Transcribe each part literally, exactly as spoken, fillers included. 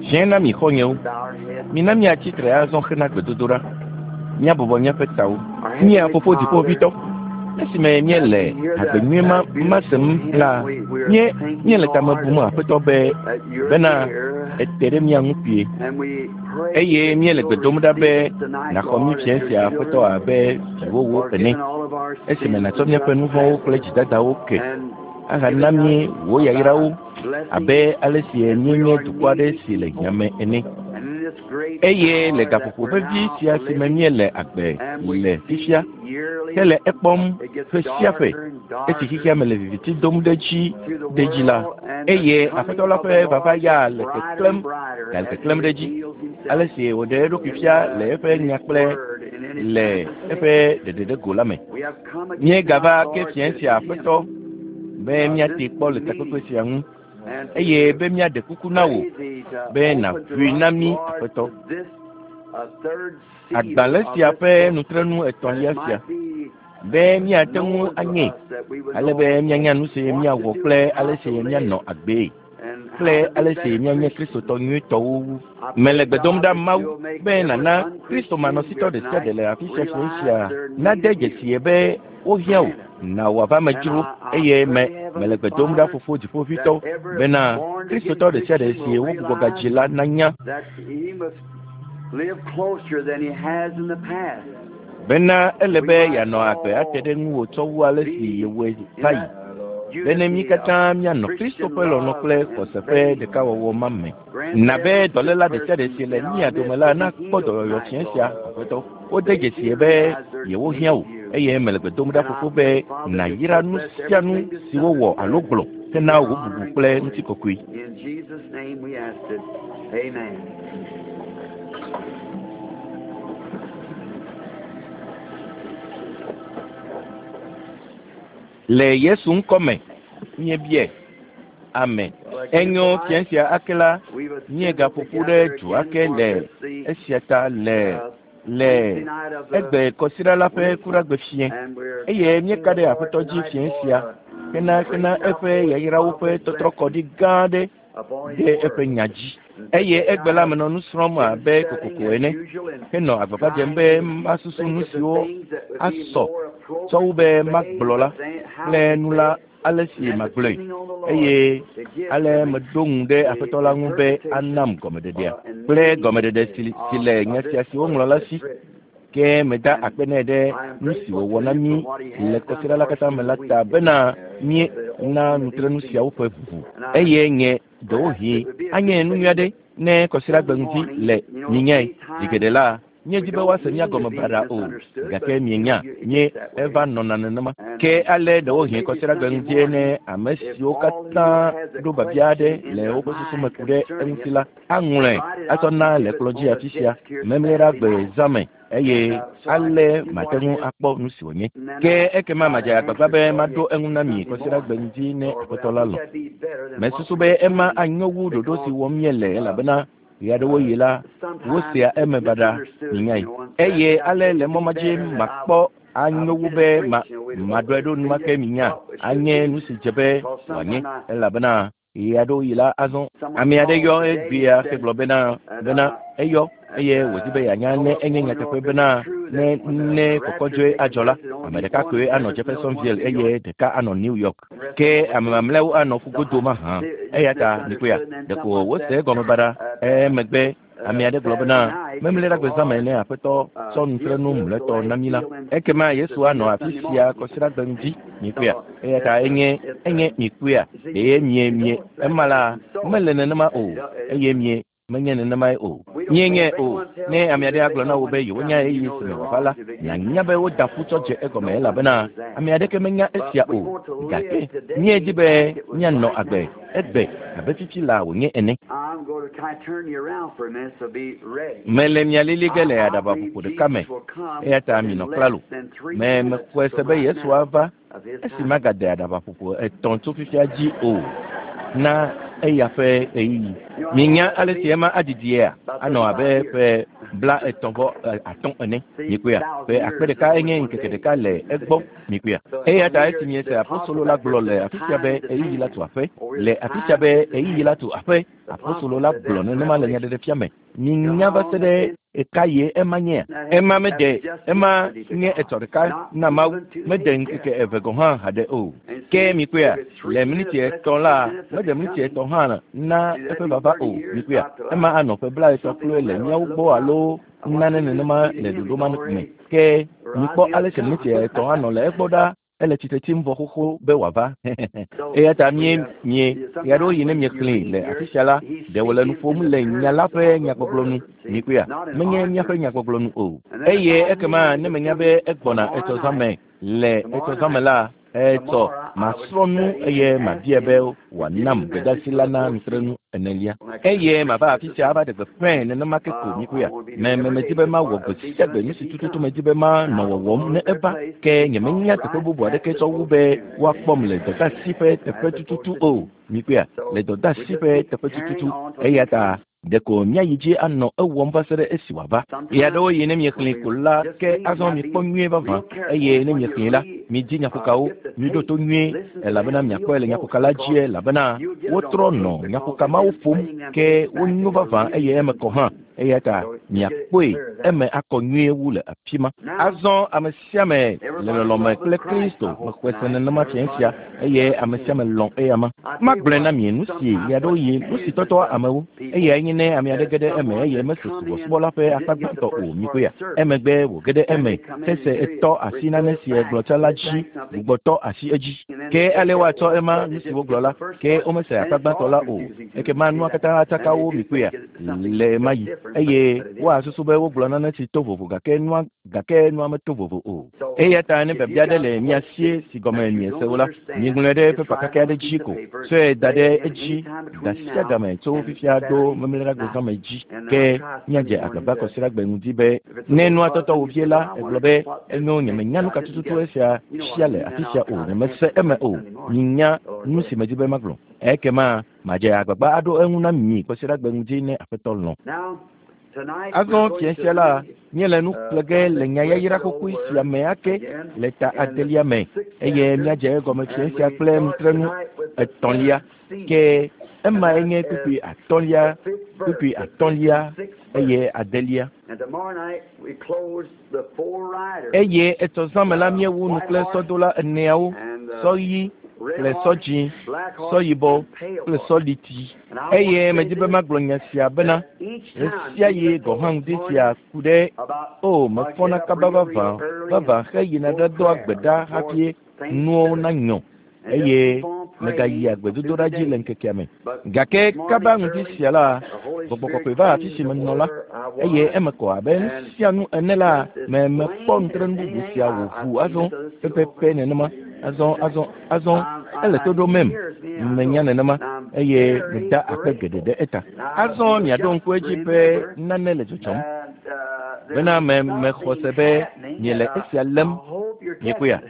Fiẽ na mi xɔnyewo. Mina miatsitre azɔ hena gbedodoɖa. Míabɔbɔ míaƒe tawo. Mía fofo dziƒoʋĩtɔ. Esime míele hagbe nyui ma ma sem la, míe míele tame bum Aƒetɔ be bena ete ɖe mía ŋu kpuie. Eye míele gbe dom ɖa be nàxɔ mí fiẽ sia Aƒetɔ abe viwòwo ene. Esime nàtsɔ míaƒe nu vɔ̃wo kple dzidadawo ke ahana mí wò yayrawo abe ale si míenye dukɔ aɖe si le hiã me ene. Eye le gaƒoƒo vevi sia si me míele agbe le fifia hele ekpɔm ƒe sia ƒe esi xexea me le viviti dom ɖe dzi ɖe dzi la, eye Aƒetɔ la ƒe vava ya le keklẽm gale keklẽm ɖe dzi ale si wòɖe eɖokui fia le eƒe nya kple le eƒe ɖeɖeɖego la me. Míegava ke fiẽ sia Aƒetɔ be míate kpɔ le takpekpe sia ŋu eye be míaɖe kuku na wò be nàʋui na mí Aƒetɔ. Agbalẽ sia ƒe nutrenu etɔ̃lia sia be míate ŋu anye ale be míanya nu si míawɔ kple ale si míanɔ agbee kple ale si míanye Kristotɔ nyuitɔwo wu. Mele gbe dom ɖa Mawu be nàna Kristo manɔsitɔ ɖe sia ɖe le afi sia fiẽ sia nade dzesie be wohiã wò na wò ava me dzro eye me mele gbe dom ɖa fofo dziƒoʋĩtɔ bena Kristotɔ ɖe sia ɖe si wogbugbɔ gadzi la nanya live closer than he has in the past. Bena ele be yeanɔ agbe ate ɖe ŋuwò tsɔ wu ale si yewɔe va yi. Bene mí katã míanɔ Kristo ƒe lɔlɔ̃ kple xɔse ƒe ɖekawɔwɔ ma me. Na be dɔléla ɖe sia ɖe si le mía dome la nakpɔ dɔyɔyɔ fiẽ sia Aƒetɔ. Wode dzesie be yewohiã wò eye mele gbe dom ɖa fofo be nàyra nu sia nu si wowɔ alo gblɔ hena wò bubu kple ŋutikɔkɔe. In Jesus' name we ask it. Amen. Le Yesu ŋkɔ me míebia. Amen. Enyo fiẽ sia ake la míegaƒo ƒu ɖe du ake le esia ta le le egbe kɔsiɖa la ƒe kuɖagbe fiẽ eye míeka ɖe Aƒetɔ dzi fiẽ sia hena hena eƒe yayrawo ƒe tɔtrɔkɔɖi gã aɖe ɖe eƒe nya dzi. Eye egbe la menɔ nu srɔ̃m abe kokoko ene henɔ agbagba dzem be masusu nu siwo asɔ tsɔ wu be magblɔ la kple nu la ale si magblɔe eye ale meɖo ŋu ɖe Aƒetɔ la ŋu be anam gɔmeɖeɖea kple gɔmeɖeɖe si si le nya sia si woŋlɔ la si. Ke meda akpe nɛ ɖe nu si wòwɔ na mí le kɔsiɖa la katã me la ta bena míena nutrenu siawo ƒe ʋuʋu eye nye ɖewohĩ anye nu nyui aɖe ne kɔsiɖagbe ŋdi le minyae zi geɖe la míedi be woase mía gɔme baɖa o gake mienya nye eva nɔna nenema. Ke ale ɖewohĩ kɔsiɖagbe ŋdie ne ame siwo katã ɖo biabia aɖe le woƒe susu me ku ɖe eŋuti la aŋlɔe atsɔ na le kplɔ̃ dzi afi sia memleɖagbe zã me eye ale mate ŋu akpɔ nu si wònye. Ke ekema madze agbagba be maɖo eŋu na mi kɔsiɖagbe ŋdi ne Aƒetɔ la lɔ̃. Mesusu be ema anyo wu ɖoɖo si wɔm míele elabena ɣeaɖewoɣi la wosea eme baɖa minyae. Eye ale le mɔ ma dzi makpɔ anyo wu be ma maɖɔe ɖo enumake minya anye nu si dze be wòanye elabena ɣeaɖewoɣi la azɔ ame aɖe yɔ egbea hegblɔ bena bena eyɔ eye wòdi be yeanya ne enye nyateƒe bena ne ne kɔkɔdzɔe adzɔ la ame ɖeka koe anɔ Jeffersonville eye ɖeka anɔ New York ke ame mamlɛawo anɔ ƒugodo mahã eya ta mikpɔea ɖeko wose egɔme baɖa emegbe ame aɖe gblɔ bena memleɖagbe zã me ne Aƒetɔ tsɔ nutrenu mlɔetɔ na mí la ekema Yesu anɔ afi sia kɔsiɖagbe ŋdi mikpɔea eya ta enye enye mikpɔea ɖe mie mie ema la mele nenema o eye mie menye nenemae o. Míenyae o. Ne ame aɖe agblɔ na wò be yewonya ɣeyiɣi si me wòava la, nànya be woda ƒu tsɔ dze egɔme elabena ame aɖeke menya esia o. Gake míedi be míanɔ agbe egbe abe fifi la wònye ene. I'm going to kind of turn you around for a minute, so be ready. Mele mia lili ge le aɖabaƒoƒo ɖeka me eya ta minɔ klalo. Me mexɔe se be Yesu ava esi magade aɖabaƒoƒo etɔ̃ tso fifia dzi o na Eya ƒe ɣeyiɣi. Minya ale si ema adidiea anɔ abe ƒe bla etɔ̃ vɔ atɔ̃ ene. Mikpɔea ƒe akpe ɖeka enye ŋkeke ɖeka le egbɔ. Mikpɔea eya ta esi miese apostolo la gblɔ le afi sia be ɣeyiɣi la tu aƒe le afi sia be ɣeyiɣi la tu aƒe apostolo la gblɔ nenema le nyaɖeɖefia me. Minya va se ɖe eka ye ema nyea? Ema mede ema nye etɔ ɖeka na Mawu mede ŋkeke eve gɔ̃ hã haɖe o. Ke mikpɔea le miniti etɔ̃ la mede miniti etɔ̃ hã na eƒe vava o. Mikpɔea ema anɔ ƒe bla etɔ̃ kloe le míawo gbɔ alo nane nenema le ɖoɖo ma me. Ke mikpɔ ale si miniti etɔ̃ anɔ le egbɔ ɖa ele tsitre tsim vɔ xoxo be wòava. Eya ta mie mie ɣeaɖewoɣi ne miexlẽe le afi sia la ɖe wòle nu ƒom le nya la ƒe nyagbɔgblɔ nu. Mikpɔea menye míaƒe nyagbɔgblɔ nu o. Eye ekema ne menya be egbɔna etsɔ zã me le etsɔ zã me la etsɔ masrɔ̃ nu eye mabia be wòanam gbedeasi la na nutrenu enelia. Eye mava afi sia ava ɖe gbeƒãe nenema ke ko mikpɔea. Me me medi be mawɔ gbe sia gbe nu si tututu medi be manɔ wɔwɔm ne eva ke nyemenya teƒe bubu aɖeke tsɔ wu be woakpɔm le dɔdeasi ƒe teƒe tututu o. Mikpɔea le dɔdeasi ƒe teƒe tututu eya ta ɖeko míayi dzi anɔ ewɔm va se ɖe esi wòava. Ɣeaɖewoɣi ne miexlẽe ko la ke azɔ mikpɔ nyuie vavã eye ne miexlẽe la midzi nyaƒokawo miɖo to nyuie elabena miakpɔe le nyaƒoka la dzie elabena wotrɔ nɔ nyaƒoka mawo ƒom ke wonyo vavã eye eme kɔ hã eya ta miakpɔe eme akɔ nyuie wu le afi ma. Azɔ ame sia ame le lɔlɔme kple Kristo mexɔe se nenema fia sia eye ame sia ame lɔ̃ eyama. Magblɔe na mi nu si ɣeaɖewoɣi nu si tɔtɔa amewo eyae nye ne ame aɖe ge ɖe eme eye mese subɔsubɔ la ƒe akpa gbãtɔ o. Mikpɔea emegbe wòge ɖe eme hese etɔ asi nane si egblɔ tsã la dzi gbugbɔtɔ asi edzi. Ke ale woatsɔ ema nu si wogblɔ la ke womese akpa gbãtɔ la o. Ekema nua katã atsaka wo mikpɔea le ema yi eye woasusu be wogblɔ nane si to vovo gake nua gake nua meto vovo o. Eya ta ne biabia aɖe le mia sie si gɔme miese o la miŋlɔe ɖe pepa kake aɖe dzi ko tsɔe da ɖe edzi ga sia game tso fifia ɖo memleɖagbe zãme dzi ke míadze agbagba kɔsiɖagbe ŋdi be ne nua tɔtɔ wò vie la egblɔ be enyo nyemenya nu ka tututu esia sia le afi sia o nyemese eme o minya nu si medi be magblɔ ekema madze agbagba aɖo eŋu na mi kɔsiɖagbe ŋdi ne Aƒetɔ lɔ̃. Azɔ fia sia la míele nu xlẽ ge le nyayayra xoxoe sia me ake le ta adelia me eye míadze egɔme fia sia kple nutrenu etɔ̃lia ke emae nye kpukpui atɔ̃lia kpukpui atɔ̃lia eye adelia. Eye etsɔ zã me la míewu nu kple sɔdola eneawo sɔ ɣi kple sɔ dzĩ sɔ yibɔ kple sɔ liti. Eye medi be magblɔ nya sia bena ɣe sia ɣi gɔ̃ hã ŋdi sia ku ɖe o mefɔna kaba vavã vavã heyina ɖadoa gbe ɖa hafi nuwo nanyɔ eye megayia gbedodoɖa dzi le ŋkekea me. Gake kaba ŋdi sia la gbɔgbɔ kɔkɔe va afi si menɔ la eye eme kɔ abe nu sia nu ene la me mekpɔ nutrenu bubu sia wòʋu azɔ pɛpɛpɛ nenema azɔ azɔ azɔ ele to ɖomem menya nenema eye meda akpe geɖe ɖe eta. Azɔ miaɖo ŋku edzi be nane le dzɔdzɔm bena me mexɔ se be miele esia lém miekpɔea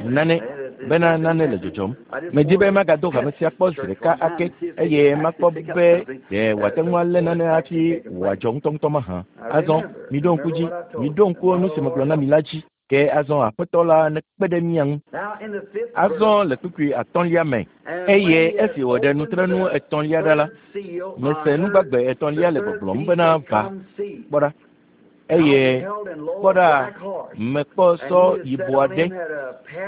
nane bena nane le dzɔdzɔm. Medi be magado hame sia kpɔ zi ɖeka ake eye makpɔ be ɖe wòate ŋu alé nane hafi wòadzɔ ŋutɔŋutɔ mahã. Azɔ miɖo ŋku dzi miɖo ŋku nu si megblɔ na mi la dzi ke azɔ Aƒetɔ la nekpe ɖe mía ŋu. Azɔ le kpukpui atɔ̃lia me eye esi wòɖe nutrenu etɔ̃lia ɖa la mese nugbagbe etɔ̃lia le gbɔgblɔm bena va kpɔ ɖa eye kpɔ ɖa mekpɔ sɔ yibɔ aɖe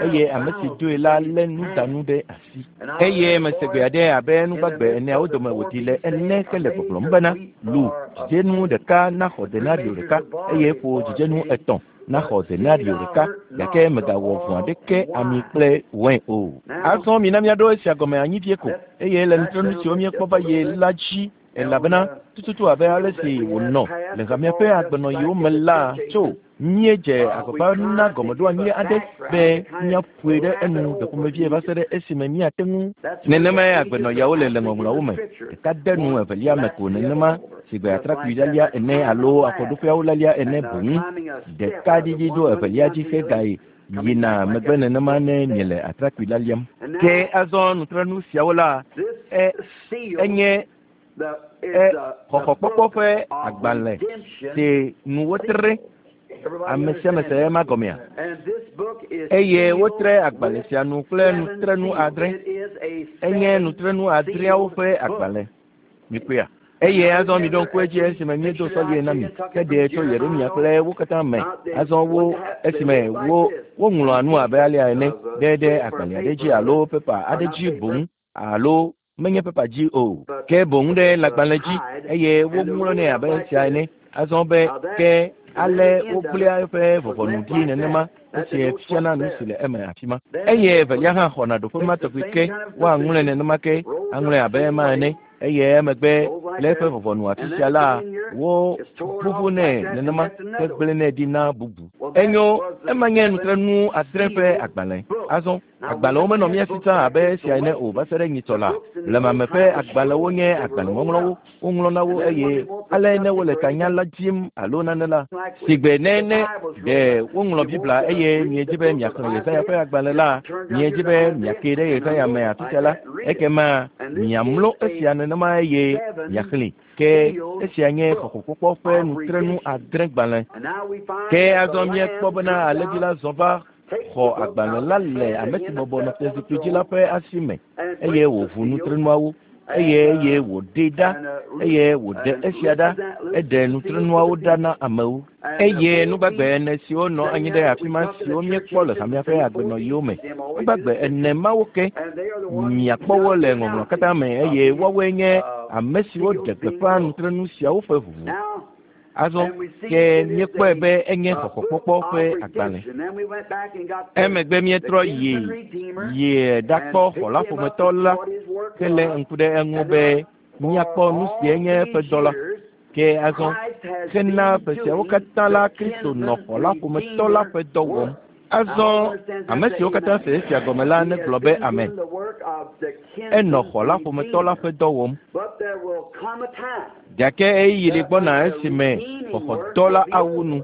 eye ame si doe la lé nudanu ɖe asi eye mese gbe aɖe abe nugbagbe eneawo dome wòɖi le ene ke le gbɔgblɔm bena lu dzidzenu ɖeka naxɔ denario ɖeka eye ƒo dzidzenu etɔ̃ naxɔ denario ɖeka gake megawɔ vɔ̃ aɖeke ami kple wɛn o. Azɔ mina míaɖo esia gɔme anyi vie ko eye le nutrenu siwo míekpɔ va yi la dzi elabena tututu abe ale si wònɔ le hamea ƒe agbenɔɣiwo me la tso míedze agbagba na gɔmeɖoanyi aɖe be míaƒoe ɖe enu ɖeƒomevie va se ɖe esime míate ŋu. Nenemae agbenɔɣiawo le le ŋɔŋlɔawo me ɖeka de nu evelia me ko nenema si gbe atrakpui lalia ene alo afɔɖoƒeawo lalia ene boŋ ɖeka ɖiɖi ɖo evelia dzi hegayi Yina megbe nenema ne miele atrakpui la liam. Ke azɔ nutrenu siawo la e enye e xɔxɔkpɔkpɔ ƒe agbalẽ si nu wotre ame sia ame se ema gɔmea. Eye wotre agbalẽ sia nu kple nutrenu adre. Enye nutrenu adreawo ƒe agbalẽ. Mikpɔea? Eye azɔ miɖo ŋku edzi esime míedo sɔlie na mi heɖee tso Yeremia kple wo katã me. Azɔ wo esime wo woŋlɔa nu abe alea ene ɖe ɖe agbalẽ aɖe dzi alo pepa aɖe dzi boŋ alo menye pepa dzi o ke boŋ ɖe lãgbalẽ dzi eye woŋlɔnɛ abe esia ene. Azɔ be ke ale wogblẽa eƒe vɔvɔnu ɖi nenema esie fiana nu si le eme afi ma. Eye evelia hã xɔna ɖoƒe ma tɔgbi ke woaŋlɔe nenema ke aŋlɔe abe ema ene. Eye emegbe le eƒe vɔvɔnu afi sia la wo ʋuʋunɛ nenema hegblẽnɛ ɖi na bubu. Enyo ema nye nutrenu adre ƒe agbalẽ. Azɔ agbalẽwo menɔ mía si tsã abe esia ene o va se ɖe nyitsɔ la. Blemame ƒe agbalẽwo nye agbalẽŋɔŋlɔwo. Woŋlɔna wo eye ale ne wole tanya la dzim alo nane la sigbe ne ne ɖe woŋlɔ Biblia eye miedzi be miaxlẽ Yesaya ƒe agbalẽ la miedzi be miake ɖe Yesaya me afi sia la ekema miamlɔ esia nenema eye miaxlẽe. Ke esia nye xɔxɔkpɔkpɔ ƒe nutrenu adre gbalẽ. Ke azɔ míekpɔ bena alẽvi la zɔ va xɔ agbalẽ la le ame si bɔbɔ nɔ fiazikpui dzi la ƒe asi me eye wòʋu nutrenuawo eye eye wòɖee ɖa eye wòɖe esia ɖa eɖe nutrenuawo ɖa na amewo. Eye nugbagbe ene siwo nɔ anyi ɖe afi ma siwo míekpɔ le hamea ƒe agbenɔɣiwo me nugbagbe ene mawo ke miakpɔ wo le ŋɔŋlɔ katã me eye woawoe nye ame siwo ɖe gbeƒã nutrenu siawo ƒe ʋuʋu. Azɔ ke míekpɔe be enye xɔxɔkpɔkpɔ ƒe agbalẽ. Emegbe míetrɔ yi yi ɖakpɔ xɔla ƒometɔ la hele ŋku ɖe eŋu be míakpɔ nu si enye eƒe dɔ la. Ke azɔ hena ƒe siawo katã la Kristo nɔ xɔla ƒometɔ la ƒe dɔ wɔm. Azɔ ame siwo katã se esia gɔme la negblɔ be amen. Enɔ xɔla ƒometɔ la ƒe dɔ wɔm. Gake ɣeyiɣi li gbɔna esime xɔxɔdɔ la awu nu.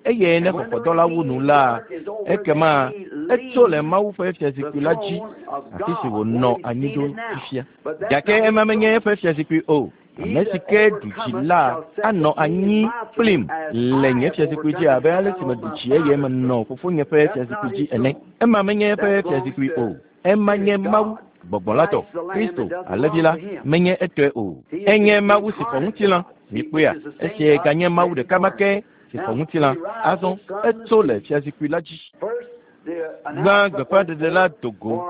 Eye ne xɔxɔdɔ la wu nu la ekema etso le Mawu ƒe fiazikpui la dzi afi si wònɔ anyi ɖo fifia. Gake ema menye eƒe fiazikpui o. Ame si ke ɖu dzi la anɔ anyi kplim le nye fiazikpui dzi abe ale si meɖu dzi eye menɔ fofonye ƒe fiazikpui dzi ene. Ema menye eƒe fiazikpui o. Ema nye Mawu gbɔgbɔ la tɔ. Kristo alẽvi la menye etɔe o. Enye Mawu si xɔ ŋutilã. Mikpɔea? Esia ganye Mawu ɖeka ma ke si xɔ ŋutilã. Azɔ etso le fiazikpui la dzi. Gbã gbeƒãɖeɖe la do go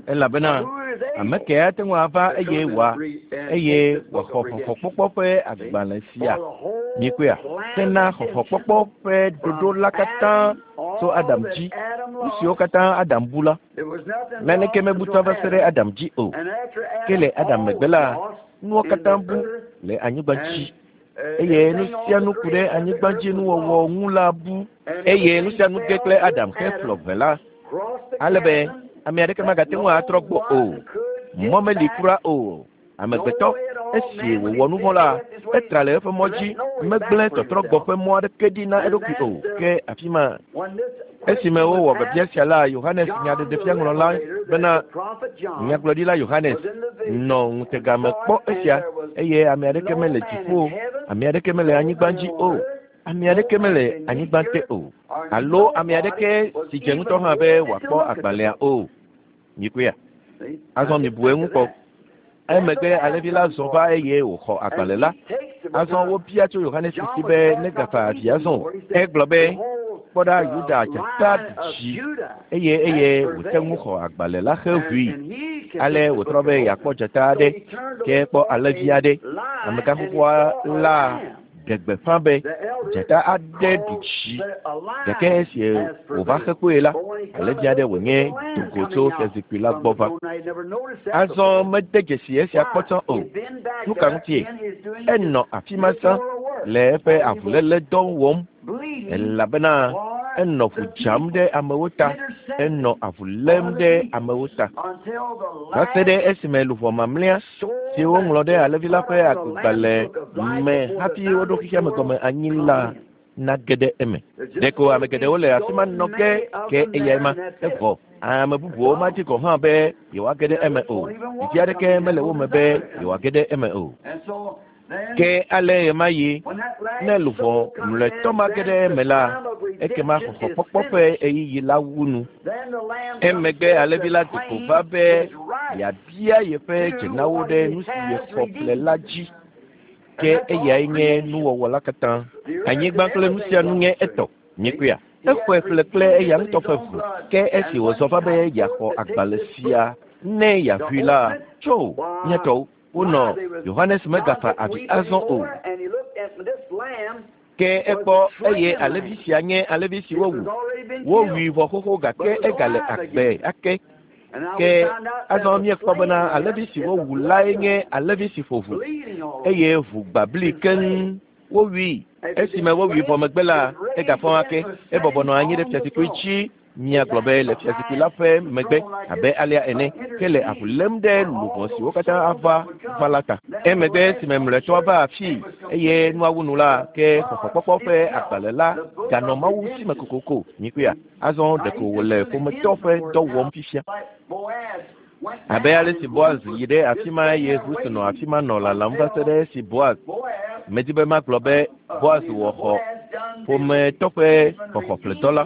elabena ame ke ate ŋu ava eye wòa eye wòaxɔ xɔxɔkpɔkpɔ ƒe agbalẽ sia. Mikpɔea? Hena xɔxɔkpɔkpɔ ƒe ɖoɖo la katã tso Adam dzi. Nu siwo katã Adam bu la, naneke mebu tsã va se ɖe Adam dzi o. Ke le Adam megbe la, nuwo katã bu le anyigba dzi. Eye nu sia nu ku ɖe anyigba dzi nuwɔwɔ ŋu la bu. Eye nu sia nu ge kple Adam heflɔ ʋe la ale be ame aɖeke magate ŋu atrɔ gbɔ o. Mɔ meli kura o. Amegbetɔ esi wòwɔ nu vɔ̃ la etra le eƒe mɔ dzi megblẽ tɔtrɔgbɔ ƒe mɔ aɖeke ɖi na eɖokui o. Ke afi ma esime wowɔ biabia sia la Yohanes nyaɖeɖefiaŋlɔla bena nyagblɔɖila Yohanes nɔ ŋutega me kpɔ esia eye ame aɖeke mele dziƒo, ame aɖeke mele anyigba dzi o, ame aɖeke mele anyigba te o, alo ame aɖeke si dze ŋutɔ hã be wòakpɔ agbalẽa o. Mikpɔea? Azɔ mibu eŋu kpɔ. Emegbe alẽvi la zɔ va eye wòxɔ agbalẽ la. Azɔ wobia tso Yohanes si be negafa avi azɔ o. Egblɔ be kpɔ ɖa Yuda dzata ɖu dzi eye eye wòte ŋu xɔ agbalẽ la heʋui. Ale wòtrɔ be yeakpɔ dzata aɖe ke kpɔ alẽvi aɖe. Amegãxoxoa la ɖe gbeƒã be dzata aɖe ɖu dzi gake esi wòva xe kpoe la alẽvi aɖe wònye do go tso fiazikpui la gbɔ va. Azɔ mede dzesi esia kpɔ tsã o. Nu ka ŋutie? Enɔ afi ma tsã le eƒe avuléle dɔ wɔm elabena enɔ ʋu dzam ɖe amewo ta, enɔ avu lém ɖe amewo ta. Va se ɖe esime luʋɔ mamlɛa si woŋlɔ ɖe alẽvi la ƒe agbalẽ me hafi woɖo xexea me gɔme anyi la nage ɖe eme. Ɖeko ame geɖewo le afi ma nɔ ge ke eyae ma evɔ. Ame bubuwo madi gɔ̃ hã be yewoage ɖe eme o. Didi aɖeke mele wo me be yewoage ɖe eme o. Ke ale ɣemaɣi ne luʋɔ mlɔetɔ ma ge ɖe eme la, ekema xɔxɔkpɔkpɔ ƒe ɣeyiɣi la wu nu. Emegbe alẽvi la do go va be yeabia yeƒe dzenawo ɖe nu si yexɔ ƒle la dzi. Ke eyae nye nuwɔwɔ la katã. Anyigba kple nu sia nu nye etɔ. Nyekuya. Exɔe ƒle kple eya ŋutɔ ƒe ʋu. Ke esi wòzɔ va be yeaxɔ agbalẽ sia ne yeaʋui la, tso mía tɔwo wonɔ Yohanes megafa avi azɔ o. Ke ekpɔ eye alẽvi sia nye alẽvi si wowu. Wowui vɔ xoxo gake egale agbe ake. Ke azɔ míekpɔ bena alẽvi si wowu lae nye alẽvi si ƒo ʋu eye ʋu gbabli keŋ. Wowui. Esime wowui vɔ megbe la, egafɔ ake. Ebɔbɔ nɔ anyi ɖe fiazikpui dzi. Míagblɔ be le fiazikpui la ƒe megbe abe alea ene ke le avu lém ɖe luʋɔ siwo katã ava va la ta. Emegbe esime mlɔetɔa va afii eye nua wu nu la, ke xɔxɔkpɔkpɔ ƒe agbalẽ la ganɔ Mawu si me kokoko. Nyikuya. Azɔ ɖeko wòle ƒometɔ ƒe dɔ wɔm fifia. Abe ale si Boaz yi ɖe afi ma eye Rut nɔ afi ma nɔ lalam va se ɖe esi Boaz medi be magblɔ be Boaz wɔ xɔ ƒometɔ ƒe xɔxɔƒledɔ la.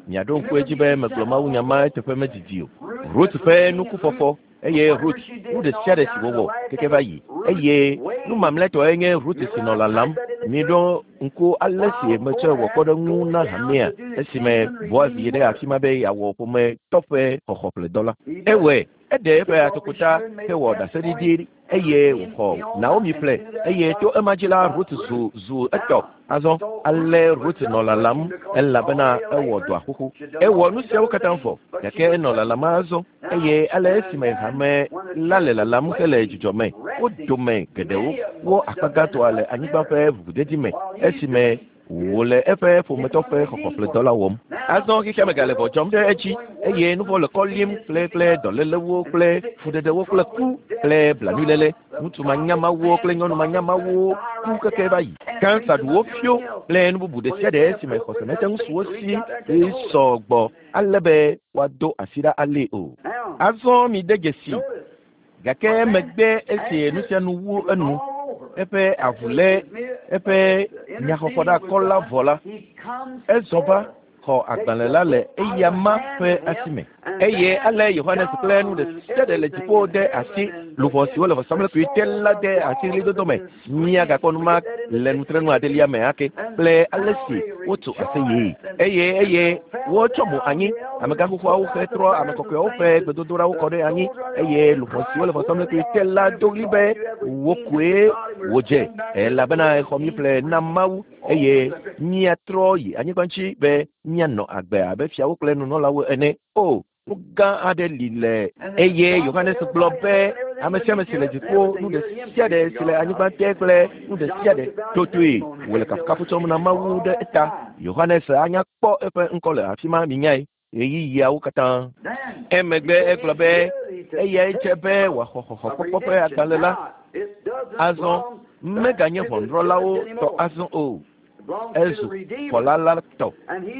Miaɖo ŋku edzi be megblɔ mawunya ma eteƒe medidi o. Rut ƒe nukufɔfɔ eye Rut nu ɖe sia ɖe si wòwɔ keke va yi eye nu mamlɛtɔe nye Rut si nɔ lalam. Miɖo ŋku ale si metsɔe wɔ kpɔɖeŋu na hamea esime Boaz yi ɖe afi ma be yeawɔ ƒometɔ ƒe xɔxɔƒledɔ la. Ewɔe. Eɖe eƒe atokota hewɔ ɖaseɖiɖi eye wòxɔ Naomi ƒle eye to ema dzi la Rut zu zu etɔ. Azɔ ale Rut nɔ lalam elabena ewɔ dɔa xoxo. Ewɔ nu siawo katã vɔ gake enɔ lalam azɔ eye ale esime hame la le lalam hele dzidzɔ me. Wo dome geɖewo wo akpa gãtɔa le anyigba ƒe ʋuʋudedi me esime wòle eƒe ƒometɔ ƒe xɔxɔƒledɔ la wɔm. Azɔ xexea me gale vɔ dzɔm ɖe edzi eye nu vɔ̃ le kɔ lim kple kple dɔlélewo kple fuɖeɖewo kple ku kple blanuiléle. Ŋutsu manyamawo kple nyɔnu manyamawo ku keke va yi. Kansa ɖu wo fio kple nu bubu ɖe sia ɖe esime xɔse mete ŋu su wo si sɔgbɔ ale be woado asi ɖa alée o. Azɔ mide dzesi gake emegbe esi nu sia nu wu enu eƒe avu lé eƒe nyaxɔxɔɖakɔ la vɔ la, ezɔ va xɔ agbalẽ la le eya ma ƒe asi me. Eye ale Yohanes kple nu ɖe sia ɖe le dziƒo de asi luʋɔ siwo le vɔsamlekpui te la de asi ɣlidodo me. Míagakpɔ nu ma le nutrenu adelia me ake kple ale si wotso aseyee. Eye eye wotsɔ mo anyi amegãxoxoawo hetrɔ ame kɔkɔeawo ƒe gbedodoɖawo kɔ ɖe anyi eye luʋɔ siwo le vɔsamlekpui te la do ɣli be wo koe wòdze elabena exɔ mí ƒle na Mawu eye míatrɔ yi anyigba dzi be míanɔ agbe abe fiawo kple nunɔlawo ene. O nu gã aɖe li le eye Yohanes gblɔ be ame sia ame si le dziƒo nu ɖe sia ɖe si le anyigba te kple nu ɖe sia ɖe totoe wòle kafukafu tsɔm na Mawu ɖe eta. Yohanes anya kpɔ eƒe ŋkɔ le afi ma minyae ɣeyiɣiawo katã. Emegbe egblɔ be eyae dze be wòaxɔ xɔxɔkpɔkpɔ ƒe agbalẽ la. Azɔ meganye ʋɔnudrɔ̃lawo tɔ azɔ o. Ezu xɔla la tɔ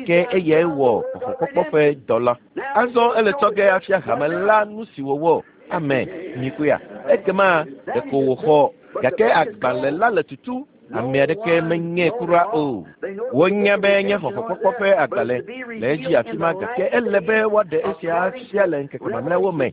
ke eyae wɔ xɔxɔkpɔkpɔ ƒe dɔ la. Azɔ ele tsɔ ge afia hame la nu si wòwɔ. Ame nyikuya. Ekema ɖeko wòxɔ gake agbalẽ la le tutu. Ame aɖeke menyae kura o. Wonya be nye xɔxɔkpɔkpɔ ƒe agbalẽ le edzi afi ma gake ele be woaɖe esia afia le ŋkeke mamlɛawo me.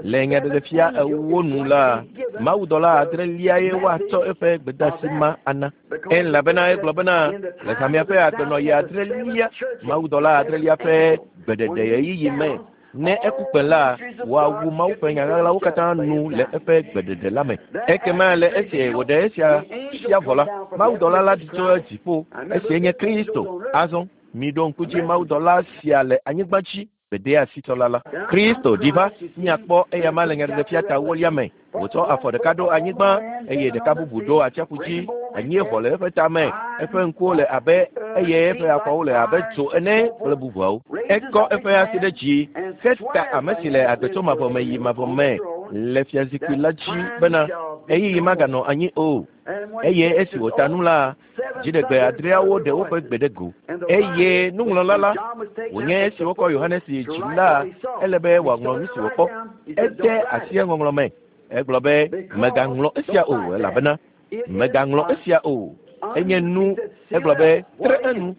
Le nyaɖeɖefia ewo nu la, mawudɔla adreliae woatsɔ eƒe gbedeasi ma ana. Elabena egblɔ bena le hamea ƒe agbenɔɣi adrelia, mawudɔla adrelia ƒe gbeɖeɖe ɣeyiɣi me ne eku kpẽ la, woawu Mawu ƒe nya ɣaɣlawo katã nu le eƒe gbeɖeɖe la me. Ekema le esi wòɖe esia fia vɔ la, mawudɔla la ɖi tso dziƒo. Esie nye Kristo. Azɔ miɖo ŋku dzi mawudɔla sia le anyigba dzi gbedeasitsɔla la. Kristo ɖi va míakpɔ eya ma le nyaɖeɖefia ta ewolia me. Wòtsɔ afɔ ɖeka ɖo anyigba eye ɖeka bubu ɖo atsiaƒu dzi. Anyieʋɔ le eƒe tame, eƒe ŋkuwo le abe eye eƒe afɔwo le abe dzo ene kple bubuawo. Ekɔ eƒe asi ɖe dzi heta ame si le agbe tso mavɔ me yi mavɔ me le fiazikpui la dzi bena ɣeyiɣi maganɔ anyi o. Eye esi wòta nu la, Dziɖegbe adreawo ɖe woƒe gbe ɖe go. Eye nuŋlɔla la, wònye esi wokɔ Yohanes yi dzi la, ele be wòaŋlɔ nu si wòkpɔ. Ede asi eŋɔŋlɔ me. Egblɔ be, megaŋlɔ esia o, elabena megaŋlɔ esia o. Enye nu, egblɔ be, tre enu.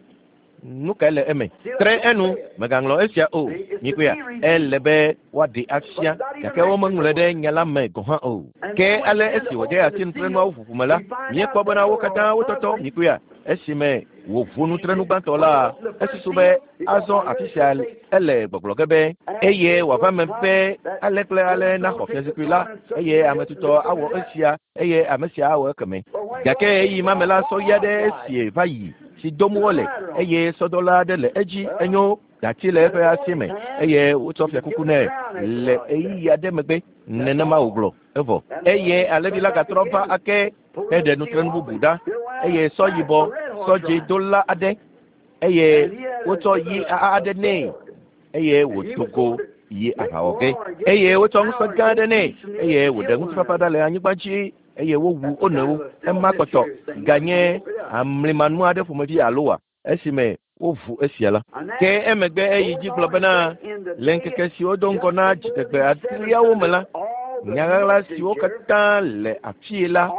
Nu kae le eme? Tre enu, megaŋlɔ esia o. Mikpɔea, ele be woaɖe afia, gake womeŋlɔe ɖe nya la me gɔ̃ hã o. Ke ale esi wòde asi nutrenuawo ʋuʋu me la, míekpɔ bena wo katã wotɔtɔ. Mikpɔea, esime wòʋu nutrenu gbãtɔ la, esusu be azɔ afi sia ele gbɔgblɔ ge be eye wòava me be ale kple ale naxɔ fiazikpui la, eye ame tutɔ awɔ esia, eye ame sia awɔ ekeme. Gake ɣeyiɣi ma me la, sɔɣi aɖe esie va yi si dom wole, eye sɔdɔla aɖe le edzi, enyo dati le eƒe asi me, eye wotsɔ fiakuku nɛ le ɣeyiɣi aɖe megbe. Nenema wògblɔ evɔ. Eye alẽvi la gatrɔ va ake heɖe nutrenu bubu ɖa, eye sɔ yibɔ, sɔ dzĩ dola aɖe, eye wotsɔ yi aɖe nɛ, eye wòdo go yi aʋawɔ ge. Eye wotsɔ ŋusẽ gã aɖe nɛ, eye wòɖe ŋutifafa ɖa le anyigba dzi, eye wowu wo nɔewo. Ema kpɔtɔ ganye amlimanu aɖe ƒomevi alo wa esime woʋu esia la. Ke emegbe eyi dzi gblɔ bena le ŋkeke siwo do ŋgɔ na dziɖegbe adreawo me la, nya ɣaɣla siwo katã le afii la,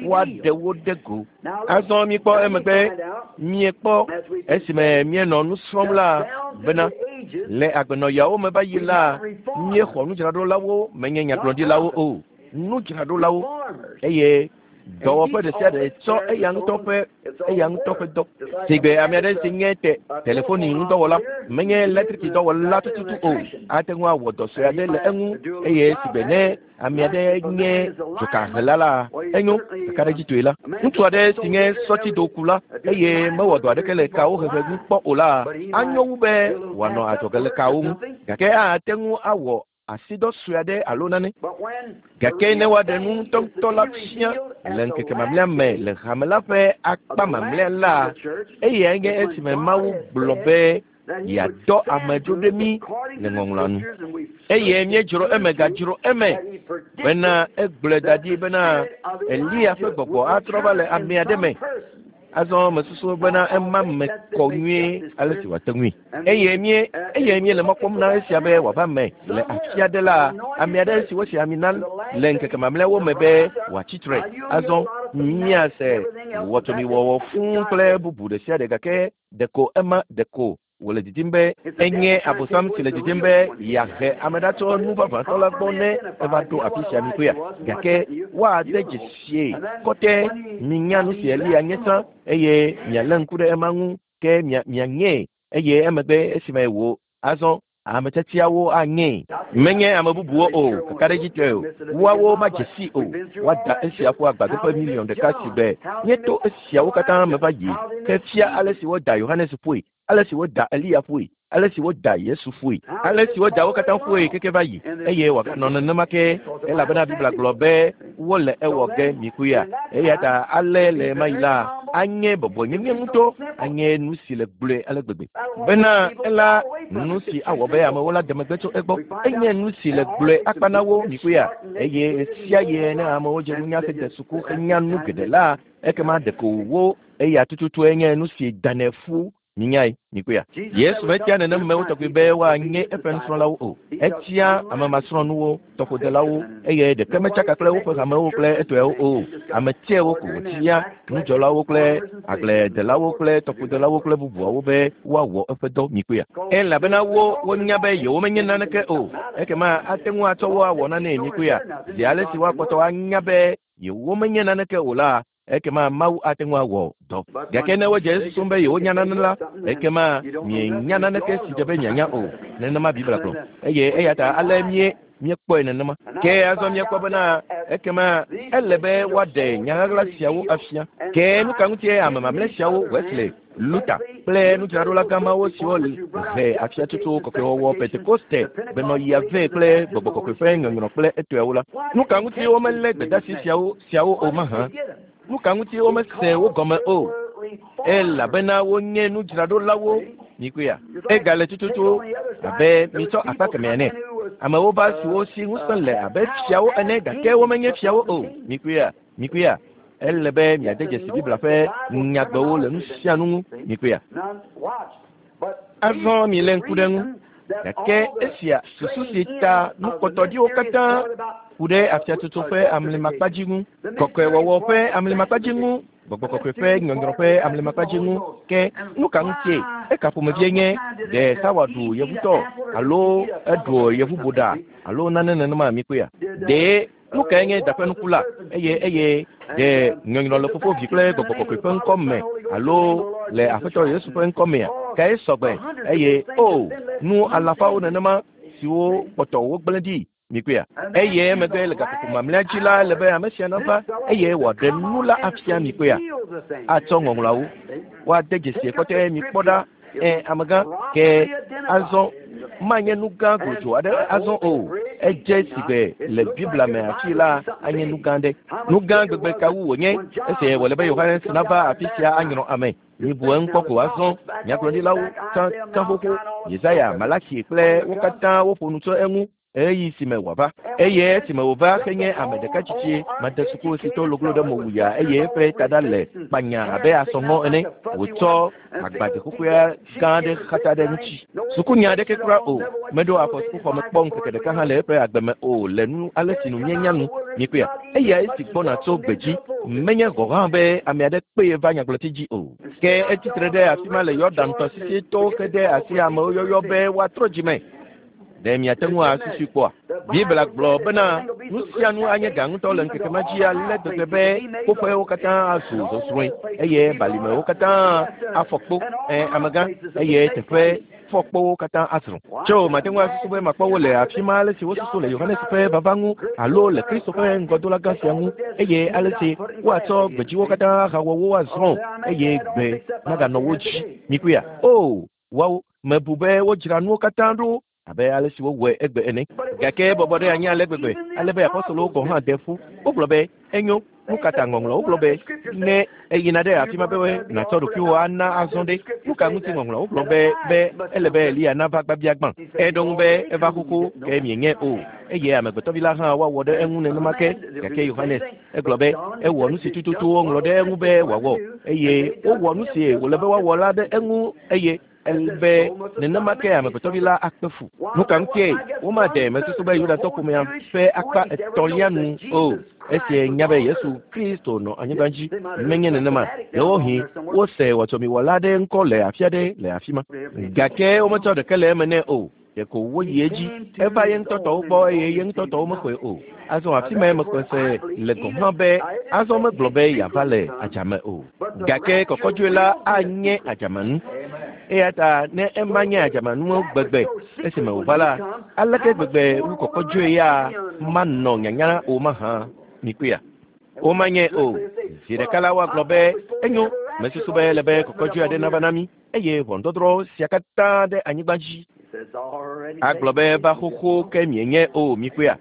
woaɖe wo ɖe go. Azɔ míekpɔ emegbe, míekpɔ esime míenɔ nu srɔ̃m la bena le agbenɔyawo me va yi la, míexɔ nudzraɖolawo, menye nyagblɔɖilawo o, nudzraɖolawo, eye dɔwɔƒe ɖe sia ɖe tsɔ eya ŋutɔ ƒe eya ŋutɔ ƒe dɔ. Sigbe ame aɖe si nye te telefoni ŋudɔwɔla, menye eletriki dɔwɔla tututu o, ate ŋu awɔ dɔ sue aɖe le eŋu, eye sigbe ne ame aɖe nye dzokahela la, enyo kakaɖedzitɔe la. Ŋutsu aɖe si nye sɔtsidokula eye mewɔ dɔ aɖeke le kawo hehe ŋu kpɔ o la, anyo wu be wòanɔ adzɔge le kawo ŋu, gake ate ŋu awɔ asidɔ sue aɖe alo nane. Gake ne woaɖe nu ŋutɔŋutɔ la fia le ŋkeke mamlɛa me le hame la ƒe akpa mamlɛa la, eyae nye esime Mawu gblɔ be yeadɔ ame dzo ɖe mí le ŋɔŋlɔa nu. Eye míedzro eme gadzro eme bena egblɔe da ɖi bena Eliya ƒe gbɔgbɔ atrɔ va le ame aɖe me. Azɔ mesusu bena ema me kɔ nyuie ale si wòate ŋui. Eye mie eye míele mɔ kpɔm na esia be wòava me le afi aɖe la, ame aɖe si wosi ami na le ŋkeke mamlɛawo me be wòatsi tre. Azɔ míase wɔtomiwɔwɔ fũu kple bubu ɖe sia ɖe, gake ɖeko ema ɖeko wòle didim be enye Abosam si le didim be yeahe ame ɖa tso nu vavãtɔ la gbɔ ne eva ɖo afi sia mikpɔea. Gake woade dzesie kɔtɛ minya nu si Eliya nye tsã, eye mialé ŋku ɖe ema ŋu, ke mia mianyee, eye emegbe esime wò azɔ ame tiatiawo anyee. Menye ame bubuwo o, kakaɖedzitɔe o, woawo madze si o. Woada esia ƒu agbadɔƒe miliɔn ɖeka si be míeto esiawo katã me va yi ke fia ale si woda Yohanes ƒoe, ale si woda Eliya ƒoe, ale si woda Yesu ƒoe, ale si woda wo katã ƒoe keke va yi, eye wòaganɔ nenema ke, elabena Biblia gblɔ be wole ewɔ ge mikpɔea. Eya ta ale le ɣemaɣi la, anye bɔbɔnyenye ŋutɔ, anye nu si le gblɔe ale gbegbe bena ela nu si awɔ be amewo la de megbe tso egbɔ. Enye nu si le gblɔe akpa na wo mikpɔea, eye ɣesia ɣi ne amewo dze nunya hede suku henya nu geɖe la, ekema ɖeko wo eya tututue nye nu si danɛ ƒu. Minyae, mikpɔea. Yesu metia nenemewo tɔgbi be woanye eƒe nusrɔ̃lawo o. Etia ame masrɔ̃nuwo, tɔƒodelawo, eye ɖeke metsaka kple woƒe hamewo kple etɔewo o. Ame tsɛwo ko wòtia, nudzɔlawo kple agbledelawo kple tɔƒodelawo kple bubuawo be woawɔ eƒe dɔ mikpɔea. Elabena wo wonya be yewomenye naneke o. Ekema ate ŋu atsɔ wo awɔ nanee mikpɔea. Zi ale si woakpɔtɔ anya be yewomenye naneke o la, ekema Mawu ate ŋu awɔ dɔ. Gake ne wodze esusum be yewonya nane la, ekema mienya naneke si dze be mianya o. Nenema Biblia gblɔ. Eye eya ta ale mie míekpɔe nenema. Ke azɔ míekpɔ bena ekema ele be woaɖe nya ɣaɣla siawo afia. Ke nu ka ŋutie ame mamlɛ siawo, Wesley, Luther kple nudzraɖola gãmawo siwo he afiatsotso kɔkɔewɔwɔ Pentekoste gbenɔɣia vɛ kple gbɔgbɔ kɔkɔe ƒe nyɔnyrɔ kple etɔewo la, nu ka ŋuti womelé gbedeasi siawo siawo o mahã? Nu ka ŋuti womese wo gɔme o? Elabena wonye nudzraɖolawo. Mikpɔea, egale tututu abe mitsɔ akpa kemɛ ene. Amewo va siwo si ŋusẽ le abe fiawo ene, gake womenye fiawo o. Mikpɔea, mikpɔea, Ele be miade dzesi Biblia ƒe nyagbewo le nu sia nu ŋu. Mikpɔea? Azɔ milé ŋku ɖe ŋu. Gake esia susu si ta nukpɔtɔɖiwo katã ku ɖe afiatsotso ƒe amlimakpadzi ŋu, kɔkɔewɔwɔ ƒe amlimakpadzi ŋu, gbɔgbɔ kɔkɔe ƒe nyɔnyrɔ ƒe amlimakpadzi ŋu. Ke nu ka ŋutie? Eka ƒomevie nye ɖe Xawa ɖu yevutɔ alo eɖu yevuboɖa alo nane nenema mikpɔea? Ɖe nu kae nye da ƒe nuku la? Eye eye ɖe nyɔnyrɔ le Fofo, Vi kple Gbɔgbɔ Kɔkɔe ƒe ŋkɔ me alo le Aƒetɔ Yesu ƒe ŋkɔ mea? Kae sɔgbe? Eye o nu alafawo nenema siwo kpɔtɔ wogblẽ ɖi mikpɔea? Eye emegbe le gaƒoƒo mamlɛa dzi la ele be ame sia nava eye wòaɖe nu la afia mikpɔea? Atsɔ ŋɔŋlɔawo woade dzesi kɔtɛ mikpɔ ɖa. Ɛ amegã ke azɔ manye nu gã glodzo aɖe azɔ o. Edze si be le Biblia me afi la anye nu gã ɖe. Nu gã gbegbe kawu wònye esi wòle be Yohanes nava afi sia anyrɔ ame. Mibu eŋu kpɔ ko azɔ. Nyagblɔɖilawo tsã tsã xoxo, Yesaya, Malaki kple wo katã woƒo nu tso eŋu ɣeyiɣi si me wòava. Eye esime wòva henye ame ɖeka tsitsi made suku si to loglo ɖe mo wuya eye eƒe taɖa le kpanya abe asɔŋɔ ene. Wòtsɔ agbade xoxoea gã aɖe xatsa ɖe ŋuti. Sukunya aɖeke kura o. Meɖo afɔ sukuxɔme kpɔ ŋkeke ɖeka hã le eƒe agbe me o le nu ale si nu míenya nu. Mikpɔea? Eya esi gbɔna tso gbedzi. Menye gɔ̃ hã be ame aɖe kpee va nyagblɔti dzi o. Ke etsitre ɖe afi ma le Yɔdan tɔsisi to ke ɖe asi amewo yɔyɔ be woatrɔ dzime. Ɖe miate ŋu asusui kpɔa? Biblia gblɔ bena nu sia nu anye gã ŋutɔ le ŋkeke ma dzi ale gbegbe be kpoƒewo katã azu zɔzrɔ̃e eye balimewo katã afɔ kpo. Ɛ amegã eye teƒe fɔkpowo katã azrɔ̃. Tso mate ŋu asusu be makpɔ wo le afi ma ale si wosusu le Yohanes ƒe vava ŋu alo le Kristo ƒe ŋgɔdola gã sia ŋu eye ale si woatsɔ gbedziwo katã ahawɔ wo azrɔ̃ eye gbe maganɔ wo dzi. Mikpɔea? O woawo mebu be wodzra nuwo katã ɖo abe ale si wowɔe egbe ene. Gake bɔbɔ ɖe anyi ale gbegbe ale be apɔstolowo gɔ̃ hã de ƒu. Wogblɔ be enyo. Nu ka ta ŋɔŋlɔwo gblɔ be ne eyina ɖe afi ma be nàtsɔ ɖokuiwò ana azɔ ɖe. Nu ka ŋuti ŋɔŋlɔwo gblɔ be be ele be Eliya nava gbabia gbã? Eɖo ŋu be eva xoxo ke mienye o. Eye amegbetɔvi la hã woawɔ ɖe eŋu nenema ke. Gake Yohanes egblɔ be ewɔ nu si tututu woŋlɔ ɖe eŋu be wòawɔ eye wowɔ nu si wòle be woawɔ la ɖe eŋu eye ele be nenema ke amegbetɔvi la akpe fu. Nu ka ŋutie womade mesusu be Yudatɔ ƒomea ƒe akpa etɔ̃lia nu o. Esia nya be Yesu Kristo nɔ anyigba dzi menye nenema. Ɖewohĩ wose wɔtsɔmiwɔla aɖe ŋkɔ le afi aɖe le afi ma. Gake wometsɔ ɖeke le eme nɛ o. Ɖeko woyi edzi. Eva ye ŋutɔ tɔwo gbɔ eye ye ŋutɔ tɔwo mexɔe o. Azɔ afi mae mexɔe se le gɔ̃ hã be azɔ megblɔ be yeava le adzame o. Gake kɔkɔdzoe la anye adzamenu. Eya ta ne ema nye adzamenu gbegbe esime wòva la, aleke gbegbe wu kɔkɔdzoe ya manɔ nyanya o mahã? Mikpɔea? Womanye o. Zi ɖeka la woagblɔ be enyo mesusu be ele be kɔkɔdzoe aɖe nava na mí eye ʋɔnudɔdrɔ̃ sia katã ɖe anyigba dzi. Agblɔ be va xoxo ke mienye o. Mikpɔea?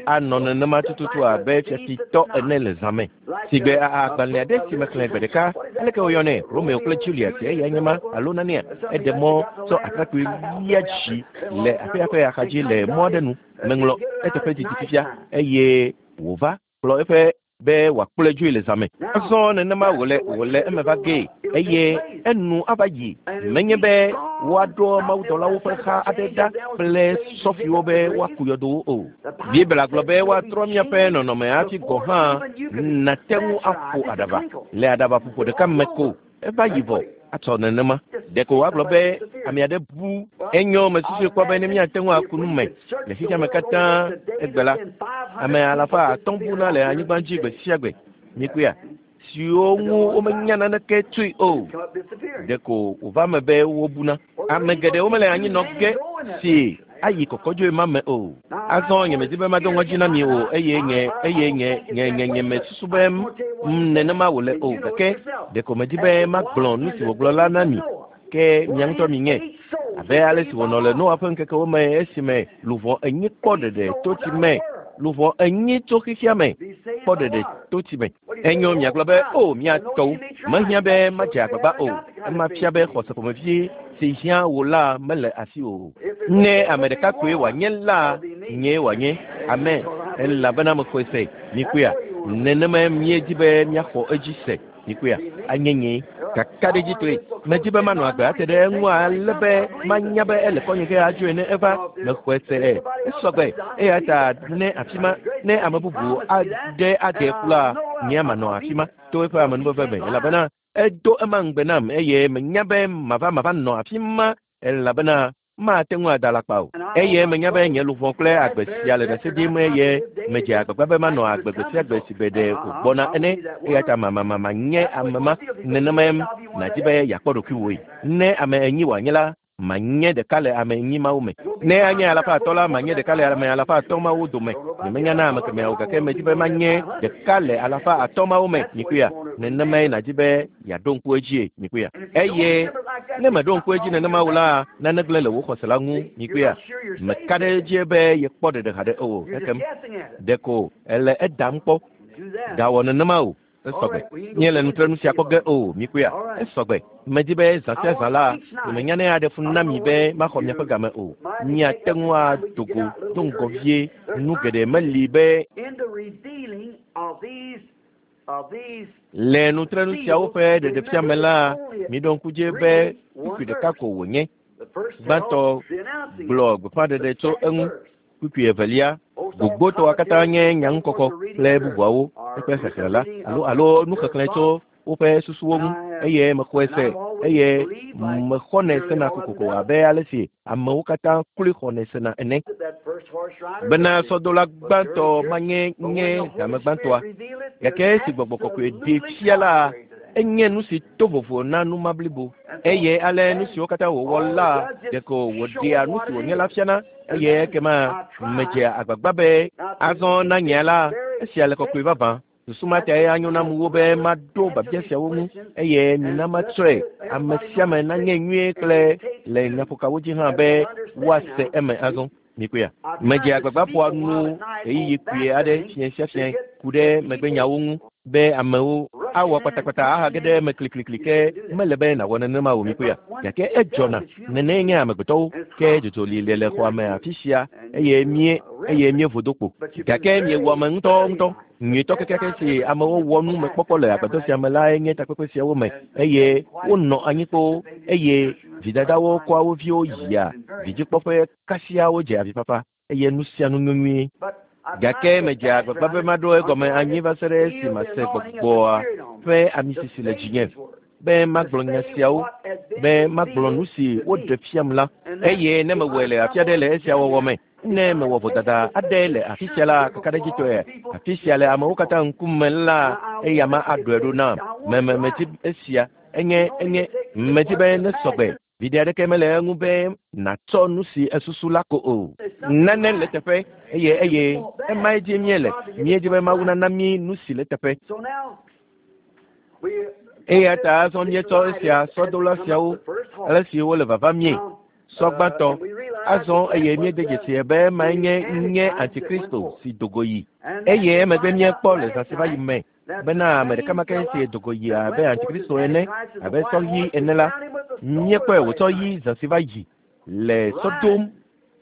Anɔ nenema tututu abe fiafitɔ ene le zã me. Sigbe agbalẽ aɖe si mexlẽ gbe ɖeka, aleke woyɔnɛ? Romeo kple Juliet eya nye ma alo nanea? Eɖe mɔ tsɔ atrakpui lia dzi le aƒea ƒe axadzi le mɔ aɖe nu. Meŋlɔ eteƒe didi fifia eye wòva kplɔ eƒe be wòakplɔe dzoe le zã me. Azɔ nenema wòle wòle eme va gee eye enu ava yi. Menye be woaɖo mawudɔlawo ƒe xa aɖe ɖa kple sɔfiwo be woaku yɔdowo o. Biblia gblɔ be woatrɔ míaƒe nɔnɔme hafi gɔ̃ hã nate ŋu aƒo aɖaba le aɖabaƒoƒo ɖeka me ko. Eva yi vɔ atsɔ nenema. Ɖeko woagblɔ be ame aɖe bu. Enyo mesusui kpɔ be ne míate ŋu aku nu me le xexea me katã egbe la, ame alafa atɔ̃ buna le anyigba dzi gbe sia gbe. Mikpɔea? Siwo ŋu womenya naneke tsoe o. Ɖeko wòva me be wobuna. Ame geɖewo mele anyi nɔ ge si ayi kɔkɔdzoe ma me o. Azɔ nyemedi be mado ŋɔdzi na mi o eye nye eye nye nye nye nye mesusu be nenema wòle o. Gake ɖeko medi be magblɔ nu si wògblɔ la na mi. Ke mia ŋutɔ minye. Abe ale si wònɔ le Noa ƒe ŋkekewo me esime luʋɔ enyi kpɔ ɖeɖe to tsi me. Luʋɔ enyi tso xexea me kpɔ ɖeɖe to tsi me. Enyo miagblɔ be o mia tɔwo mehiã be madze agbagba o. Ema fia be xɔse ƒomevie si hiã wò la mele asi o. Ne ame ɖeka koe wòanye la, nyee wòanye. Amen. Elabena mexɔe se. Mikpɔea? Nenema míedi be míaxɔ edzi se. Mikuya anye nye kakaɖedzitɔe. Medi be manɔ agbe ate ɖe eŋu ale be manya be ele kɔnye ge adzoe ne eva mexɔe se. Esɔgbe eya ta ne afi ma ne ame bubu aɖe ade ƒu la, nye manɔ afi ma to eƒe amenuveve me elabena edo ema ŋugbe nam eye menya be mava mava nɔ afi ma elabena mate ŋu ada alakpa o. Eye menya be nye luʋɔ kple agbe sia le ɖase ɖim eye medze agbagba be manɔ agbe gbe sia gbe si be ɖe wògbɔna ene. Eya ta mamamama nye ame ma nenemae nàdi be yeakpɔ ɖokuiwòe. Ne ame enyi wòanye la, manye ɖeka le ame enyi mawo me. Ne anye alafa atɔ̃ la, manye ɖeka le ame alafa atɔ̃ mawo dome. Nyemenya na ame kemɛawo gake medi be manye ɖeka le alafa atɔ̃ mawo me. Mikuya nenemae nàdi be yeaɖo ŋku edzie. Mikuya eye ne meɖo ŋku edzi nenema o la, nane gblẽ le wò xɔse la ŋu. Mikuya meka ɖe edzi be yekpɔ ɖeɖe haɖe o. Ekem ɖeko ele edam kpɔ. Gawɔ nenema o. Esɔgbe. Míele nutrenu sia kpɔ ge o. Mikuya esɔgbe. Medi be zã sia zã la, nyemenya ne aɖe fu na mi be maxɔ miaƒe game o. Miate ŋu ado go do ŋgɔ vie. Nu geɖe meli be le nutrenu siawo ƒe ɖeɖefia me la, miɖo ŋku dzi be kpukpui ɖeka ko wònye. Gbãtɔ gblɔ gbeƒãɖeɖe tso eŋu. Kpukpui evelia gbogbotɔa katã nye nyaŋukɔkɔ kple bubuawo eƒe xexlẽ la alo alo nuxexlẽ tso woƒe susuwo ŋu eye mexɔe se eye mexɔnɛ sena kokoko abe ale si amewo katã kloe xɔnɛ sena ene. Bena sɔdola gbãtɔ manye nye game gbãtɔa gake esi gbɔgbɔ kɔkɔe ɖee fia la, enye nu si to vovo na numa blibo eye ale nu siwo katã wòwɔ la ɖeko wòɖea nu si wònye la fiana eye ekema medzea agbagba be azɔ na nye la esia le kɔkɔe vavã. Susu ma tae anyo nam wu be maɖo biabia siawo ŋu eye mina matsɔe ame sia ame nanye nyuie kple le nyaƒokawo dzi hã be woase eme azɔ. Mikuya medze agbagba ƒoa nu ɣeyiɣi kpuie aɖe fiẽ sia fiẽ ku ɖe megbenyawo ŋu be amewo awɔ kpatakpata ahage ɖe eme kliklikli ke mele be nàwɔ nenema o. Mikuya gake edzɔna nene nye amegbetɔwo ke dzodzo li le le xɔa me afi sia eye mie eye míevo do kpo gake miewɔ ame ŋutɔŋutɔ. Nyuitɔ kekeake si amewo wɔ nu mekpɔkpɔ le agbadɔ sia me lae nye takpekpe siawo me eye wonɔ anyi kpoo eye vidadawo kɔa wo viwo yia vidzikpɔƒe kasia wodze avifafa eye nu sia nu nyuie. Gake medze agbagba be maɖo egɔme anyi va se ɖe esi mase gbɔgbɔa ƒe amisisi le dzinye be magblɔ nya siawo be magblɔ nu si woɖe fiam la eye ne mewɔe le afi aɖe le esia wɔwɔ me ne mewɔ vodada aɖe le afi sia la kakaɖedzitɔe afi sia le amewo katã ŋkume la eya ma aɖɔe ɖo nam. Meme medi esia enye enye medi be ne sɔgbe. Viɖe aɖeke mele eŋu be nàtsɔ nu si esusu la ko o. Nane le teƒe eye eye emae dzi míele. Míedzi be Mawu nana mí nu si le teƒe. Eya ta azɔ míetsɔ esia sɔdola siawo ale si wole vava mie sɔ gbãtɔ azɔ eye míede dzesi be emae nye nye antikristo si dogo yi eye emegbe míekpɔ le zã si va yi me bena ame ɖeka ma ke si dogo yi abe antikristo ene abe sɔ ɣi ene la míekpɔe wòtsɔ yi zã si va yi le sɔ dom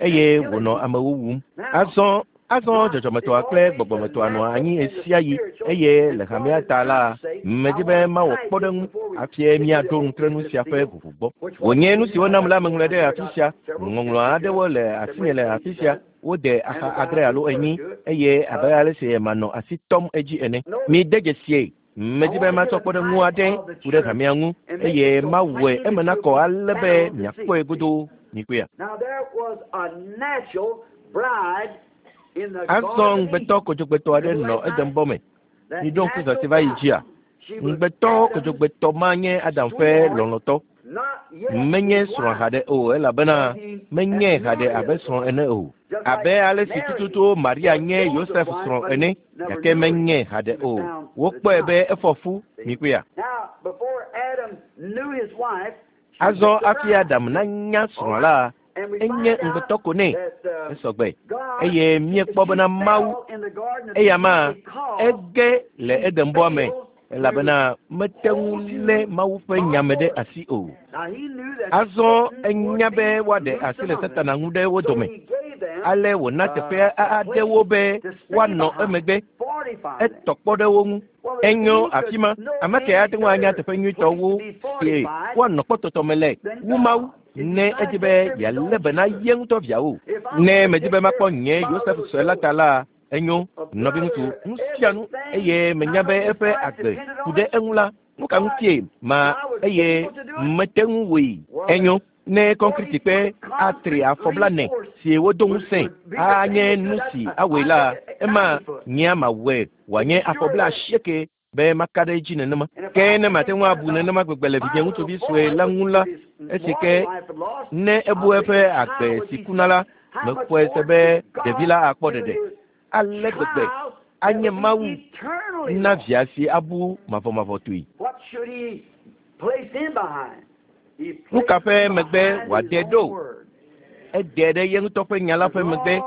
eye wònɔ amewo wum. Azɔ azɔ dzɔdzɔmetɔa kple gbɔgbɔmetɔa nɔa anyi ɣe sia ɣi eye le hamea ta la medi be mawɔ kpɔɖeŋu hafi míaɖo nutrenu sia ƒe vovo gbɔ. Wònye nu si wonam la meŋlɔe ɖe afi sia. Ŋɔŋlɔ aɖewo le asinye le afi sia. Wode axa adre alo enyi eye abe ale si manɔ asi tɔm edzi ene. Mide dzesie. Medi be matsɔ kpɔɖeŋu aɖe ku ɖe hamea ŋu eye mawɔe eme nakɔ ale be miakpɔe godoo. Mikuya. Azɔ ŋugbetɔ kodzogbetɔ aɖe nɔ Edenbɔ me. Miɖo ŋku zã si va yi dzia? Ŋugbetɔ kodzogbetɔ ma nye Adam ƒe lɔlɔ̃tɔ. Menye srɔ̃ haɖe o elabena menye haɖe abe srɔ̃ ene o. Abe ale si tututu Maria nye Yosef srɔ̃ ene gake menye haɖe o. Wokpɔe be efɔ fu. Mikuya. Azɔ hafi Adam nanya srɔ̃a la, enye ŋugbetɔ ko nɛ. Esɔgbe eye míekpɔ bena Mawu eya ma ege le Edenbɔa me elabena mete ŋu lé Mawu ƒe nyame ɖe asi o. Azɔ enya be woaɖe asi le Satana ŋu ɖe wo dome. Ale wòna teƒe aɖewo be woanɔ emegbe. Etɔ kpɔ ɖe wo ŋu. Enyo afi ma. Ame ke ate ŋu anya teƒe nyuitɔwo si woanɔ kpɔtɔtɔ me le wu Mawu ne edi be yealé be na ye ŋutɔ viawo. Ne medi be makpɔ nye Yosef sue la ta la, enyo nɔviŋutsu nu sia nu eye menya be eƒe agbe ku ɖe eŋu la, nu ka ŋutie ma eye mete ŋu wɔe. Enyo ne kɔnkritikpe atri afɔblanɛ si wodo ŋusẽ anye nu si awɔe la, ema nyea mawɔe wòanye afɔbla asieke be maka ɖe edzi nenema. Ke ne mate ŋu abu nenema gbegbe le vinye ŋutsuvi sue la ŋu la, esi ke ne ebu eƒe agbe si kuna la, mexɔe se be ɖevi la akpɔ ɖeɖe. Ale gbegbe anye Mawu na via si abu mavɔmavɔtɔe. Nu ka ƒe megbe wòade ɖo? Ede ɖe ye ŋutɔ ƒe nya la ƒe megbe.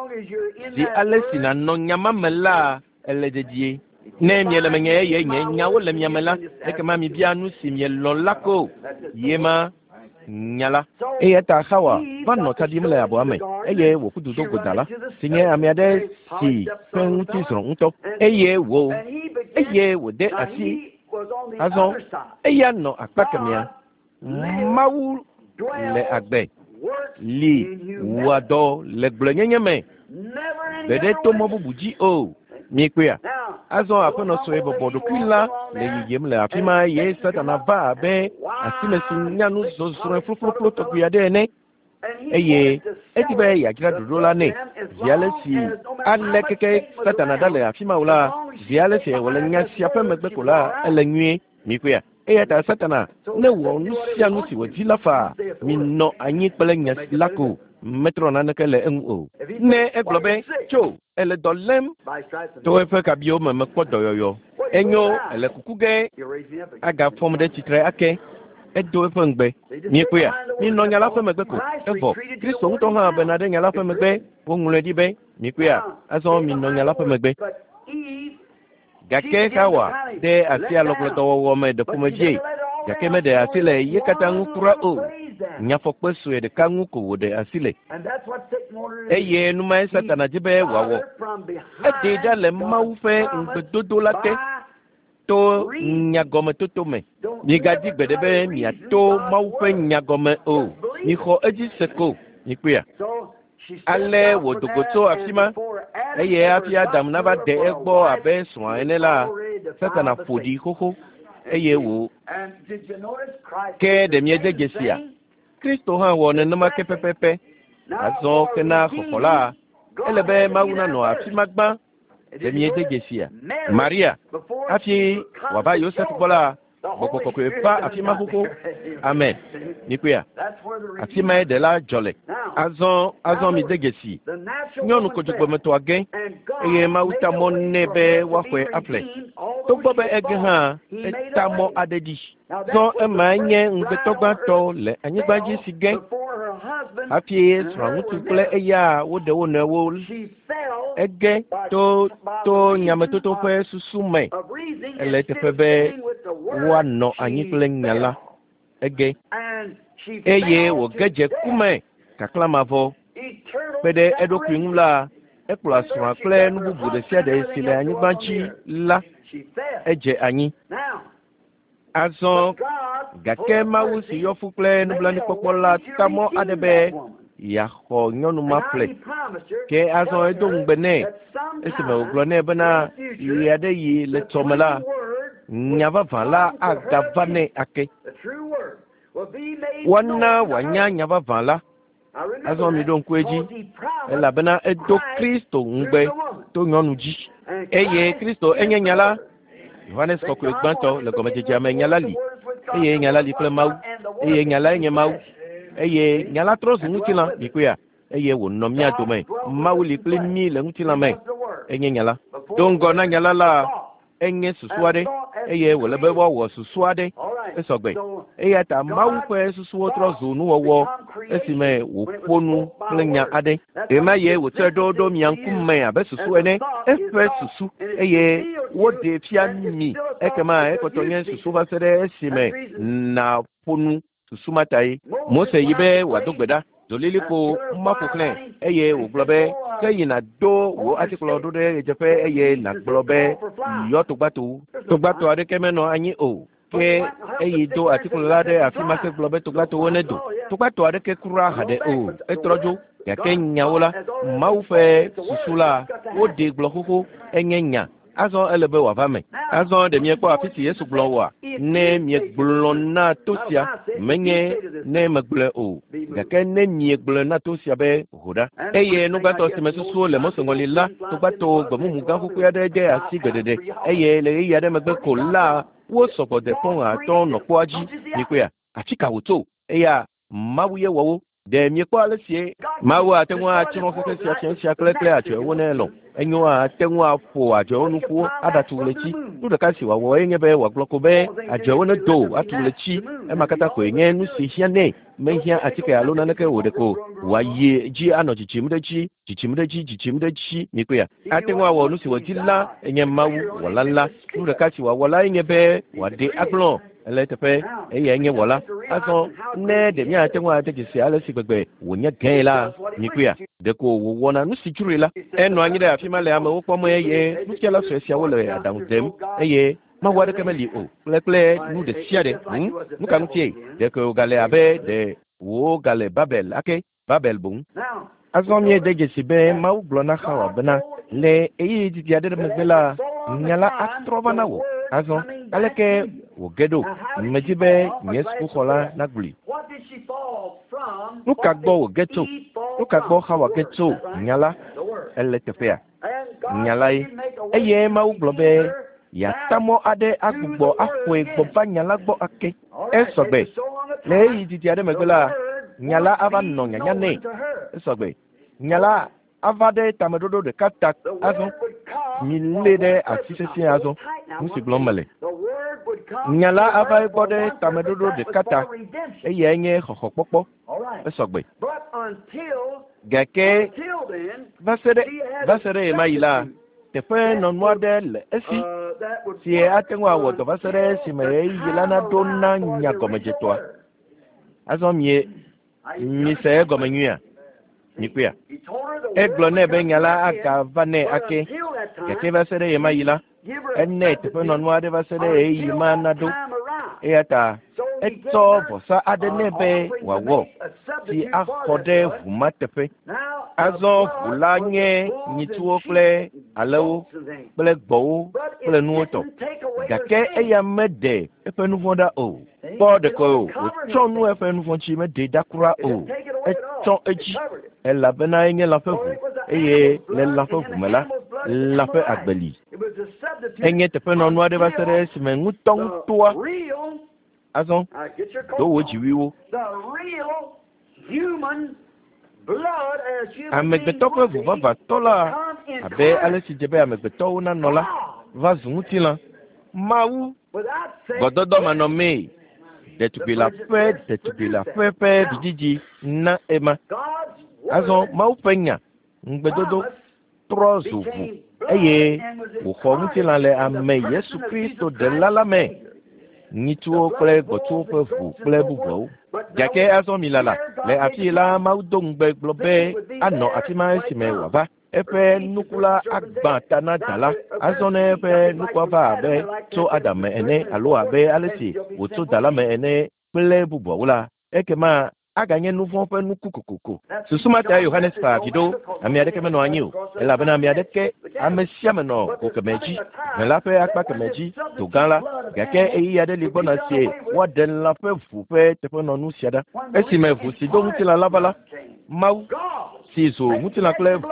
Zi ale si nànɔ nya ma me la, ele dedie. Ne miele menye eye nye nyawo le mia me la, ekema mibia nu si mielɔ̃ la ko. Ye ma nya la. Eya ta Xawa va nɔ tsa ɖim le abɔa me eye wòƒu du do go da la, si nye ame aɖe si ƒe ŋuti zrɔ̃ ŋutɔ. Eye wò eye wòde asi azɔ eya nɔ akpa kemɛa. Mawu le agbe li wɔa dɔ le gblɔenyenye me gbe ɖe to mɔ bubu dzi o. Miekpɔea? Azɔ aƒenɔ sue bɔbɔ ɖokui la le yiyim le afi ma eye Satana va abe asime si nyanu zɔzrɔ̃e flofloflo tɔgbi aɖe ene. Eye edi be yeadzra ɖoɖo la nɛ. Zi ale si ale keke Satana ɖa le afi ma o la, zi ale si wòle nya sia ƒe megbe ko la, ele nyuie. Miekpɔea? Eya ta Satana ne wɔ nu sia nu si wòdi la faa, minɔ anyi kple nya la ko. Metrɔ naneke le eŋu o. Ne egblɔ be tso ele dɔ lém to eƒe kabiwo me mekpɔ dɔyɔyɔ. Enyo ele kuku ge agafɔm ɖe tsitre ake. Edo eƒe ŋugbe. Miekpɔea? Minɔ nya la ƒe megbe ko. Evɔ Kristo ŋutɔ hã bena ɖe nya la ƒe megbe. Woŋlɔe ɖi be miekpɔea? Azɔ minɔ nya la ƒe megbe. Gake Xawa de asi alɔgblɔdɔwɔwɔ me ɖe ƒomevie. Gake meɖe asi le ye katã ŋu kura o. Nyafɔkpe sue ɖeka ŋu ko wòɖe asi le. Eye numae Satana dzi be wòawɔ. Eɖee ɖa le Mawu ƒe ŋugbedodo la te to nyagɔmetoto me. Migadi gbeɖe be miato Mawu ƒe nyagɔme o. Mixɔ edzi se ko. Mikpɔea? Ale wòdo go tso afi ma eye hafi Adam nava de egbɔ abe srɔ̃a ene la, Satana ƒo ɖi xoxo eye wò. Ke ɖe miede dzesia? Kristo hã wɔ nenema ke pɛpɛpɛ. Azɔ ke na xɔxɔ la, ele be Mawu nanɔ afi ma gbã. Ɖe miede dzesia? Maria hafi wòava Yosef gbɔ la, Gbɔgbɔ kɔkɔe va afi ma xoxo. Amen. Mikpɔea? Afi mae ɖela dzɔ le. Azɔ azɔ mide dzesi. Nyɔnu kodzogbemetɔa ge eye Mawu ta mɔ nɛ be woaxɔe aƒle. Togbɔ be ege hã, eta mɔ aɖe ɖi. Zɔ emae nye ŋugbetɔ gbãtɔ le anyigba dzi si ge hafi srɔ̃ŋutsu kple eya woɖe wo nɔewo. Ege to to nyametoto ƒe susu me. Ele eteƒe be woanɔ anyi kple nya la. Ege eye wòge dze ku me kaklamavɔ. Kpe ɖe eɖokui ŋu la, ekplɔa srɔ̃a kple nu bubu ɖe sia ɖe si le anyigba dzi la, edze anyi. Azɔ gake Mawu si yɔ fu kple nublanuikpɔkpɔ la ta mɔ aɖe be yeaxɔ nyɔnu ma ƒle. Ke azɔ edo ŋugbe nɛ esime wògblɔ nɛ bena ɣe aɖe yi le tsɔme la, nya vavã la agava nɛ ake. Woana wòanya nya vavã la. Azɔ miɖo ŋku edzi elabena edo Kristo ŋugbe to nyɔnu dzi. Eye Kristo enye nya la. Yohanes kɔkɔe gbãtɔ le gɔmedzedzea me nya la li eye nya la li kple Mawu eye nya lae nye Mawu eye nya la trɔ zu ŋutilã mikpɔea eye wònɔ mía dome. Mawu li kpli mí le ŋutilã me. Enye nya la. Do ŋgɔ na nya la la, enye susu aɖe eye wòle be woawɔ susu aɖe esɔgbe. Eya ta Mawu ƒe susuwo trɔ zu nuwɔwɔ esime wòƒo nu kple nya aɖe. Ɣema ye wòtsɔe ɖo ɖo mia ŋkume abe susu ene, eƒe susu eye woɖee fia mi. Ekema ekpɔtɔ nye susu va se ɖe esime nàƒo nu susu ma ta ye. Mose yi be wòado gbe ɖa. Dolilikpo ma ƒo xlãe eye wògblɔ be Ke yina do wò atikplɔ ɖo ɖe ɣedzeƒe eye nàgblɔ be yɔ togbatowo. Togbato aɖeke menɔ anyi o. Ke eyi do atikplɔ la ɖe afi ma ke gblɔ be togbatowo nedo. Togbato aɖeke kura haɖe o. Etrɔ dzo. Gake nyawo la, Mawu ƒe susu la, woɖee gblɔ xoxo enye nya. Azɔ ele be wòava me. Azɔ ɖe miekpɔ afi si Yesu gblɔ oa? Ne miegblɔ na to sia, menye ne megblɔe o. Gake ne miegblɔe na to sia be ho ɖa. Eye nu gbãtɔ si me susuwo le Mose ŋɔli la, togbato gbemumu gã xoxoe aɖe de asi gbeɖeɖe eye le ɣeyiɣi aɖe megbe ko la, wo sɔgbɔ de pɔn atɔ̃ nɔ kpoa dzi. Mikpɔea? Afi ka wòtso? Eya Mawu ye wɔ wo. Ɖe miekpɔ ale sie Mawu ate ŋu atsrɔ̃ xexe sia fia sia kple kple adzɔewo ne elɔ̃. Enyo ate ŋu aƒo adzɔewo nu ƒu aɖatu ɣleti. Nu ɖeka si wòawɔ enye be wòagblɔ ko be adzɔewo nedo atu ɣleti. Ema katã koe nye nu si hiã nɛ. Mehiã atike alo naneke o ɖeko wòayi dzi anɔ dzidzim ɖe edzi, dzidzim ɖe edzi, dzidzim ɖe edzi. Mikpɔea? Ate ŋu awɔ nu si wòdi la enye Mawu wɔla la. Nu ɖeka si wòawɔ la enye be wòaɖe agblɔ ele teƒe eyae nye wɔla. Azɔ ne ɖe míate ŋu ade dzesi ale si gbegbe wònye gãe la, mikpɔea? Ɖeko wòwɔna nu si dzroe la. Enɔ anyi ɖe afi ma le amewo kpɔm eye nufiala sue siawo le aɖaŋu dem eye Mawu aɖeke meli o kple kple nu ɖe sia ɖe. Hm? Nu ka ŋutie? Ɖeko wògale abe ɖe wògale Babel ake, Babel boŋ. Azɔ míede dzesi be Mawu gblɔ na Xawa bena le ɣeyiɣi didi aɖe megbe la, nya la atrɔ va na wò. Azɔ aleke wòge ɖo? Medi be nye sukuxɔla nagblɔe. Nu ka gbɔ wòge tso? Nu ka gbɔ Xawa ge tso? Nya la ele teƒea. Nya la ye. Eye Mawu gblɔ be yeata mɔ aɖe agbugbɔ axɔe gbɔ va nya la gbɔ ake. Esɔgbe. Le ɣeyiɣi didi aɖe megbe la, nya la ava nɔ nyanya nɛ. Esɔgbe. Nya la ava ɖe tameɖoɖo ɖeka ta azɔ. Milé ɖe asi sesĩe azɔ. Nu si gblɔm mele. Nya la ava egbɔ ɖe tameɖoɖo ɖeka ta. Eyae nye xɔxɔkpɔkpɔ. Esɔgbe. Gake va se ɖe va se ɖe ɣemaɣi la, teƒe nɔnu aɖe le esi si ate ŋu awɔ dɔ va se ɖe esime ɣeyiɣi la naɖo na nya gɔmedzetɔa. Azɔ mie mise egɔme nyuia? Mikpɔea? Egblɔ nɛ be nya la agava nɛ ake. Gake va se ɖe ɣemaɣi la, enɛ teƒenɔnu aɖe va se ɖe ɣeyiɣi ma naɖo. Eya ta etsɔ vɔsa aɖe nɛ be wòawɔ si axɔ ɖe ʋu ma teƒe. Azɔ ʋu la nye nyitsuwo kple alẽwo kple gbɔ̃wo kple nuwo tɔ. Gake eya meɖe eƒe nu vɔ̃ ɖa o. Kpɔ ɖeko wòtsɔ nu eƒe nu vɔ̃ dzi meɖee ɖa kura o. Etsɔ edzi elabena enye lã ƒe ʋu eye le lã ƒe ʋu me la, lã ƒe agbe li. Enye teƒenɔnu aɖe va se ɖe esime ŋutɔŋutɔa azɔ do wò dziwuiwo. Amegbetɔ ƒe ʋu vavãtɔ la, abe ale si dze be amegbetɔwo nanɔ la, va zu ŋutilã. Mawu gbɔdɔdɔ manɔmee ɖetugbi la ƒe ɖetugbi la ƒe ƒe vidzidzi na ema. Azɔ Mawu ƒe nya ŋugbedodo trɔ zu ʋu eye wòxɔ ŋutilã le ame Yesu Kristo ɖela la me. Nyitsuwo kple gbɔ̃tsuwo ƒe ʋu kple bubuawo. Gake azɔ mi lala le afi la Mawu do ŋugbe gblɔ be anɔ afi ma esime wòava. Eƒe nuku la agbã ta na da la. Azɔ ne eƒe nukua va abe tso Adam me ene alo abe ale si wòtso da la me ene kple bubuawo la, ekema aganye nu vɔ̃ ƒe nuku kokoko. Susu ma ta Yohanes fa avi ɖo. Ame aɖeke menɔ anyi o elabena ame aɖeke ame sia ame nɔ go kemɛ dzi, ʋe la ƒe akpa kemɛ dzi, do gã la. Gake ɣeyiɣi aɖe li gbɔna sie woaɖe lã ƒe ʋu ƒe teƒenɔnu sia ɖa. Esime ʋu si do ŋutilã la va la, Mawu si zu ŋutilã kple ʋu.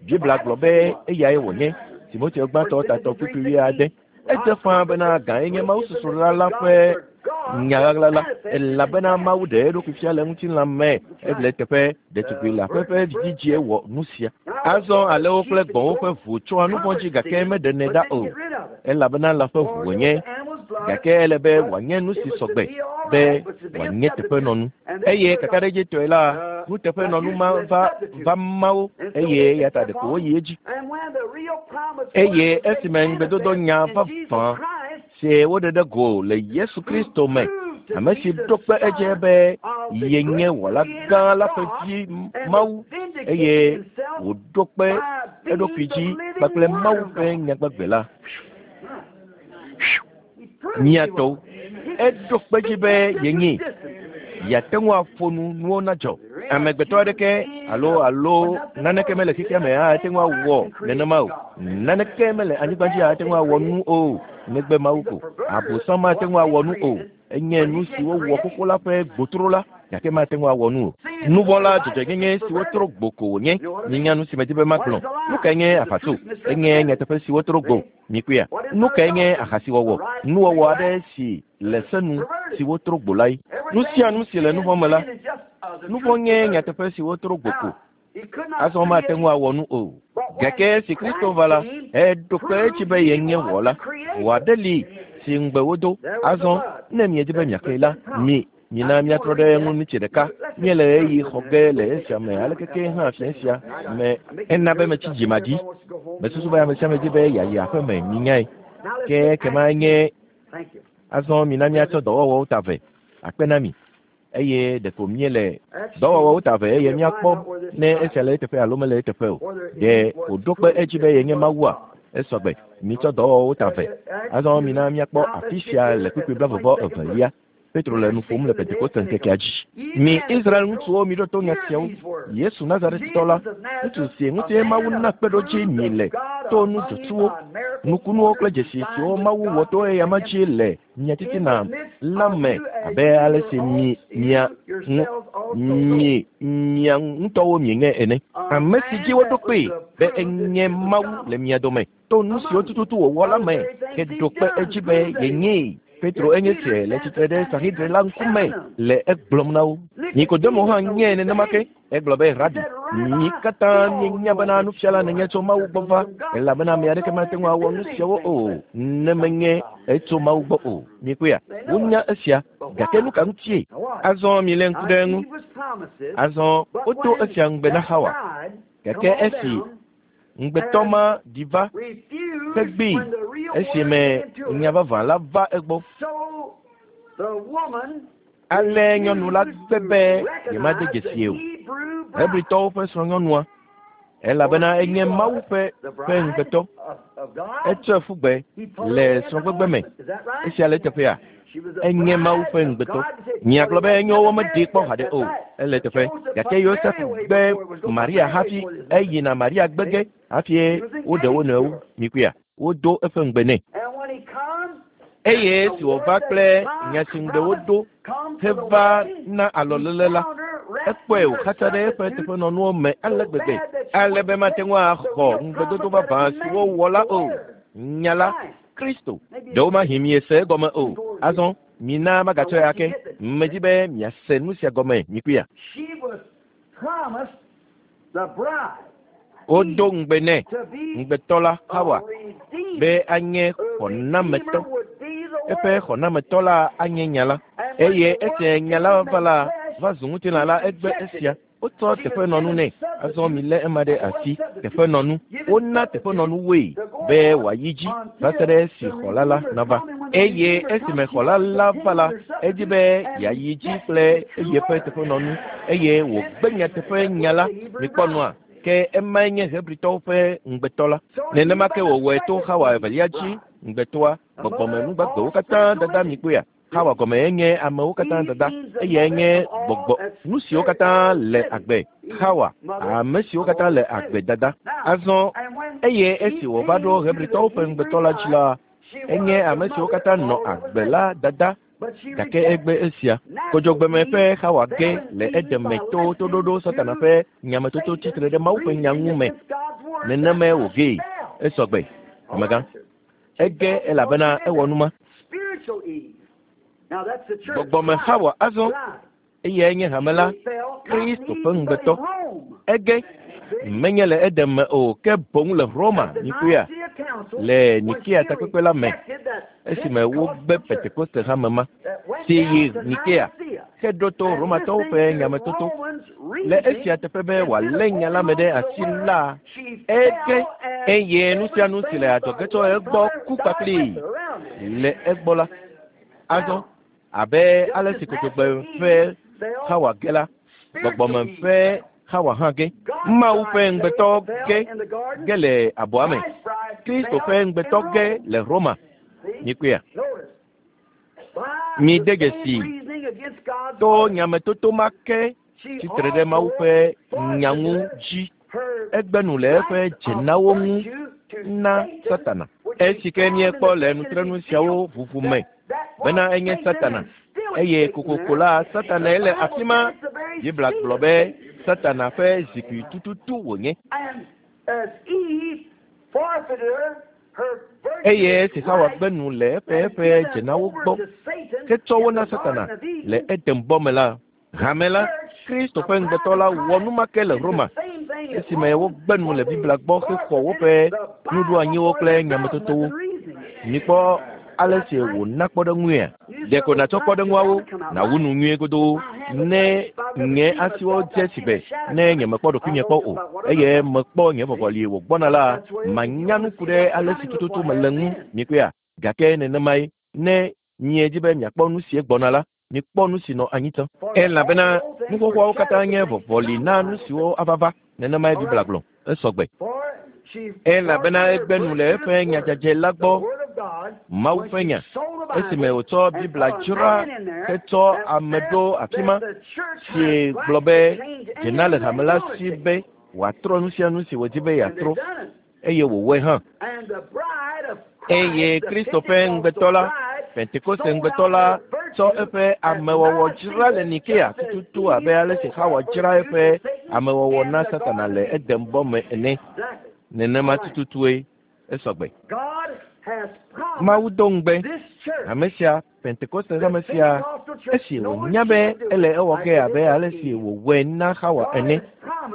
Biblia gblɔ be eyae wònye. Timoteo gbãtɔ tatɔ kpukpui wuiade. Edze ƒãa bena gãe nye Mawu susrɔ̃la la ƒe nya ɣaɣla la elabena Mawu ɖe eɖokui fia le ŋutilã me ele teƒe ɖetugbi le aƒe ƒe vidzidzie wɔ nu sia. Azɔ alẽwo kple gbɔ̃wo ƒe ʋu tsɔa nu vɔ̃ dzi gake meɖenɛ ɖa o elabena lã ƒe ʋu wònye. Gake ele be wòanye nu si sɔgbe be wòanye teƒenɔnu. Eye kakaɖedzitɔe la, nuteƒenɔnu ma va va ma wo eye eya ta ɖeko woyi edzi. Eye esime ŋugbedodo nya vavã si woɖe ɖe go le Yesu Kristo me, ame si ɖo kpe edzi be yenye wɔla gã la ƒe vi Mawu eye Wòɖo kpe eɖokui dzi kpakple Mawu ƒe nyagbagbe la. Mia tɔwo, eɖo kpe dzi be yenye. Yeate ŋu aƒo nu nuwo nadzɔ. Amegbetɔ aɖeke alo alo naneke mele xexea me ate ŋu awɔ nenema o. Naneke mele anyigba dzi ate ŋu awɔ nu o negbe Mawu ko. Abosam mate ŋu awɔ nu o. Enye nu si wowɔ xoxo la ƒe gbotro la, gake mate ŋu awɔ nu o. Nuvɔ̃ la dzɔdzɔenyenye si wotro gbo ko wònye. Minya nu si medi be magblɔ. Nu kae nye afatso? Enye nyateƒe si wotro gbo. Mikpɔea? Nu kae nye ahasiwɔwɔ? Nuwɔwɔ aɖe si le se nu si wotro gbo lae. Nu sia nu si le nuvɔ̃ me la, nuvɔ̃ nye nyateƒe si wotro gbo ko. Azɔ mate ŋu awɔ nu o. Gake esi Kristo va la, eɖo kpe edzi be yenye wɔla. Ʋu aɖe li si ŋugbe wodo. Azɔ ne miedi be miaxlẽe la, mi mina míatrɔ ɖe eŋu ŋuti ɖeka. Míele ɣeyiɣi xɔ ge le esia me alekeke hã fia sia me ena be metsi dzimaɖi. Mesusu be ame sia ame di be yeayi aƒe me minyae. Ke ekema nye azɔ mina míatsɔ dɔwɔwɔwo ta ve akpe na mi. Eye ɖeko míele dɔwɔwɔwo ta ve eye míakpɔ ne esia le eteƒe alo mele eteƒe o. Ɖe wòɖo kpe edzi be yenye Mawua? Esɔgbe. Mitsɔ dɔwɔwɔwo ta ve. Azɔ mina míakpɔ afi sia le kpukpui blaeve vɔ evelia. Petro le nu ƒom le Pentekoste ŋkekea dzi. Mi Israel ŋutsuwo miɖo to nya siawo. Yesu Nazaretitɔ la, ŋutsu si ŋuti Mawu na kpeɖodzi mi le to nu dzotsuwo, nukunuwo kple dzesi siwo Mawu wɔ to eyama dzi le mia titina la me abe ale si mi mia ŋu mi mia ŋutɔwo mienye ene. Ame si dzi woɖo kpee be enye Mawu le mia dome to nu siwo tututu wòwɔ la me heɖo kpe edzi be yenyee. Petro enye sie le tsitre ɖe Sanhedrin la ŋkume le egblɔm na wo. Nikodemo hã nye nenema ke. Egblɔ be Rabi, mi katã míenya bena nufiala nènye tso Mawu gbɔ va, elabena ame aɖeke mate ŋu awɔ nu siawo o ne menye etso Mawu gbɔ o. Mikpɔea? Wonya esia, gake nu ka ŋutie? Azɔ milé ŋku ɖe eŋu. Azɔ wodo esia ŋugbe na Xawa. Gake esi ŋugbetɔ ma ɖi va hegbee esime nya vavã la va egbɔ. Ale nyɔnu la gbe be yemade dzesi o. Hebritɔwo ƒe srɔ̃nyɔnua, elabena enye Mawu ƒe ƒe ŋugbetɔ. Etsɔe ƒu gbe le srɔ̃gbegbe me. Esia le eteƒea? Enye Mawu ƒe ŋugbetɔ. Miagblɔ be enyo womeɖee kpɔ haɖe o. Ele eteƒe. Gake Yosef gbe Maria hafi eyina Maria gbe ge hafi woɖe wo nɔewo. Mikpɔea? Wodo eƒe ŋugbe nɛ. Eye esi wòva kple nya si ŋugbe wodo heva na alɔlele la, ekpɔe wòxatsa ɖe eƒe teƒenɔnuwo me ale gbegbe ale be mate ŋu axɔ ŋugbedodo vavã si wowɔ la o. Nya la, Kristo. Ɖewomahi miese egɔme o. Azɔ mina magatsɔe ake. Medi be miase nu sia gɔme mikpɔea? Wodo ŋugbe nɛ, ŋugbetɔ la Xawa, be anye xɔnametɔ. Eƒe xɔnametɔ la anye nya la. Eye esi nya la va la, va zu ŋutilã la, egbe esia. Wotsɔ teƒenɔnu nɛ. Azɔ milé ema ɖe asi. Teƒenɔnu. Wona teƒenɔnu woe be wòayi dzi va se ɖe esi xɔla la nava. Eye esime xɔla la va la, edi be yeayi dzi kple yeƒe teƒenɔnu eye wògbe nyateƒe nya la. Mikpɔ nua? Ke emae nye Hebritɔwo ƒe ŋugbetɔ la. Nenema ke wòwɔe to Xawa evelia dzi ŋugbetɔa, gbɔgbɔmenugbagbewo katã dada mikpɔea? Xawa gɔme enye amewo katã dada eye enye gbɔgbɔ nu siwo katã le agbe. Xawa, ame siwo katã le agbe dada. Azɔ eye esi wòva ɖo Hebritɔwo ƒe ŋugbetɔ la dzi la, enye ame siwo katã nɔ agbe la dada. Gake egbe esia. Kodzogbeme ƒe Xawa ge le edeme to toɖoɖo Satana ƒe nyametoto tsitre ɖe Mawu ƒe nya ŋu me. Nenemae wògee. Esɔgbe. Amegã. Ege elabena ewɔ nu ma. Gbɔgbɔme Xawa azɔ eyae nye hame la, Kristo ƒe ŋugbetɔ. Ege menye le Eden me o, ke boŋ le Roma, mikpɔea, le Nikea takpekpe la me, esime wogbe Pentekoste hame ma, si yi Nikea, heɖo to Romatɔwo ƒe nyametoto. Le esia teƒe be wòalé nya la me ɖe asi la, ege eye nu sia nu si le adzɔge tso egbɔ ku kpakplii le egbɔ la. Azɔ abe ale si kodzogbe ƒe Xawa ge la, gbɔgbɔme ƒe Xawa hã ge. Mawu ƒe ŋugbetɔ ge ge le abɔa me. Kristo ƒe ŋugbetɔ ge le Roma. Mikpɔea? Mi de dzesi to nyametoto ma ke tsitre ɖe Mawu ƒe nya ŋu dzi. Egbe nu le eƒe dzenawo ŋu na Satana. Esi ke míekpɔ le nutrenu siawo ʋuʋu me bena enye Satana eye kokoko la Satanae le afi ma. Biblia gblɔ be Satana ƒe zikpui tututu wònye. Eye esi Xawa gbe nu le eƒe eƒe dzenawo gbɔ hetsɔ wo na Satana le Eden bɔ me la, hame la, Kristo ƒe ŋugbetɔ la wɔ nu ma ke le Roma esime wogbe nu le Biblia gbɔ hexɔ woƒe nuɖoanyiwo kple nyametotowo. Mikpɔ ale si wòna kpɔɖeŋuia. Ɖeko nàtsɔ kpɔɖeŋuawo nàwu nu nyuie godoo ne nye asiwo dze sigbe ne nyemekpɔ ɖokuinye kpɔ o eye mekpɔ nye vɔvɔli wògbɔna la, manya nu ku ɖe ale si tututu mele ŋu. Mikpɔea? Gake nenemae ne miedzi be miakpɔ nu si gbɔna la, mikpɔ nu si nɔ anyi tsã. Elabena nu xoxoawo katã nye vɔvɔli na nu siwo ava va. Nenemae Biblia gblɔ. Esɔgbe. Elabena egbe nu le eƒe nyadzadze la gbɔ, Mawu ƒe nya, esime wòtsɔ Biblia dzra hetsɔ ame ɖo afi ma, si gblɔ be dzena le hame la si be wòatrɔ nu sia nu si wòdi be yeatrɔ, eye wòwɔe hã. Eye Kristo ƒe ŋugbetɔ la, Pentekoste ŋugbetɔ la, tsɔ eƒe amewɔwɔ dzra le Nikea tututu abe ale si Xawa dzra eƒe amewɔwɔ na Satana le Eden bɔ me ene. Nenema tututue esɔgbe. Mawu do ŋugbe hame sia, Pentekoste hame sia, esi wònya be ele ewɔ ge abe ale si wòwɔe na Xawa ene.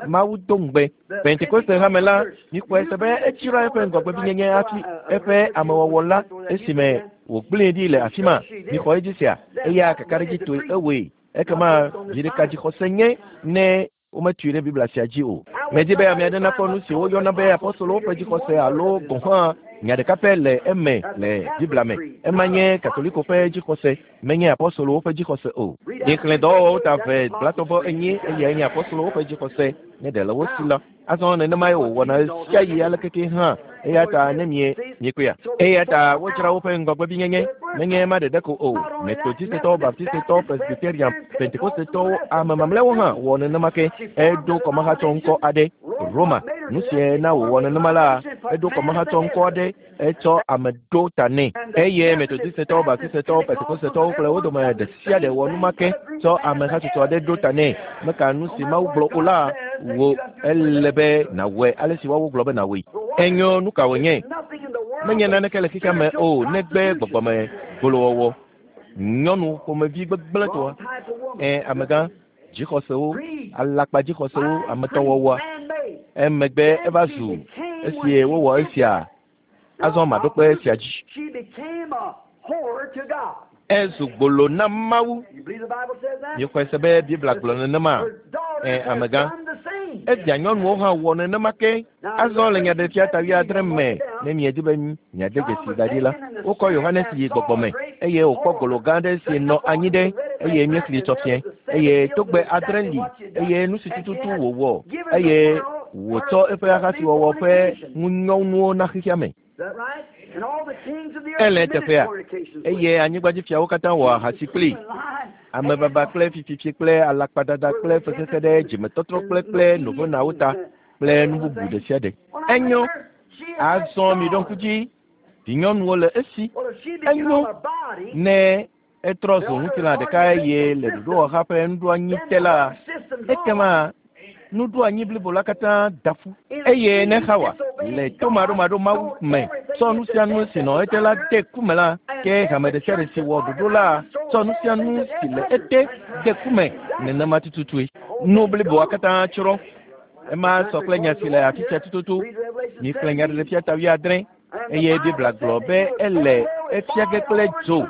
Mawu do ŋugbe Pentekoste hame la, mikpɔe se be edzra eƒe ŋgɔgbevinyenye hafi eƒe amewɔwɔ la esime wògblẽe ɖi le afi ma. Mixɔ edzi sia, eya kakaɖedzitɔe ewɔe. Ekema vi ɖeka dzixɔse nye ne wometui ɖe Biblia sia dzi o. Medi be ame aɖe nakpɔ nu si woyɔna be apostolowo ƒe dzixɔse alo gɔ̃ hã nya ɖeka pɛ le eme le Biblia me. Ema nye Katoliko ƒe dzixɔse, menye apostolowo ƒe dzixɔse o. Mixlẽ dɔwɔwɔwo ta eve blatɔ̃ enyi eyae nye apostolowo ƒe dzixɔse ne ɖe le wo si la. Azɔ nenemae wòwɔna ɣe sia ɣi alekeke hã. Eya ta ne mie miekpɔea. Eya ta wodzra woƒe ŋgɔgbevinyenye menye ema ɖeɖe ko o. Metodistetɔwo, Baptistetɔwo, Presbyterian, Pentekostetɔwo, ame mamlɛawo hã wɔ nenema ke. Eɖo kɔmahatsɔ ŋkɔ aɖe Roma. Nu sie na wòwɔ nenema la, eɖo kɔmahatsɔ ŋkɔ aɖe etsɔ ame ɖo ta nɛ. Eye Metodistetɔwo, Baptistetɔwo, Pentekostetɔwo kple wo dome ɖe sia ɖe wɔ nu ma ke tsɔ amehatsotso aɖe ɖo ta nɛ. Meka nu si Mawu gblɔ o la, wò ele be nàwɔe ale si woawo gblɔ be nàwɔe. Enyo nu ka wònye? Menye naneke le xexea me o negbe gbɔgbɔme gbolowɔwɔ. Nyɔnu ƒomevi gbegblẽtɔa. Ɛ amegã dzixɔsewo, alakpa dzixɔsewo, ametɔwɔwɔa. Emegbe eva zu esi wowɔ esia. Azɔ maɖo kpe esia dzi. Ezu gbolo na Mawu. Miexɔe se be Biblia gblɔ nenema? Ɛ amegã. Evia nyɔnuwo hã wɔ nenema ke. Azɔ le nyaɖeɖefia ta wuiadre me ne miedi be miade dzesi da ɖi la, wokɔ Yohanes yi gbɔgbɔ me eye wòkpɔ golo gã aɖe si nɔ anyi ɖe eye míexlẽ tsɔ fiẽ eye togbɛ adre li eye nu si tututu wòwɔ eye wòtsɔ eƒe ahasiwɔwɔ ƒe ŋunyɔnuwo na xexea me. Ele teƒea eye anyigbadzifiawo katã wɔ ahasi kplii. Amebaba kple fififi kple alakpadada kple fexexe ɖe dzimetɔtrɔ kple kple novonawo ta kple nu bubu ɖe sia ɖe. Enyo, azɔ miɖo ŋku dzi, vinyɔnuwo le esi. Enyo ne etrɔ zu ŋutilã ɖeka eye le ɖoɖowɔha ƒe nuɖoanyi te la, ekema nuɖoanyi blibo la katã da ƒu. Eye ne Xawa le tomaɖomaɖo Mawu me tsɔ nu sia nu si nɔ ete la de ku me la, ke hame ɖe sia ɖe si wɔ ɖoɖo la tsɔ nu sia nu si le ete de ku me nenema tututue. Nu bliboa katã tsrɔ̃. Ema sɔ kple nya si le afi sia tututu. Mixlẽ nyaɖeɖefia ta wuiadre eye Biblia gblɔ be ele efia ge kple dzo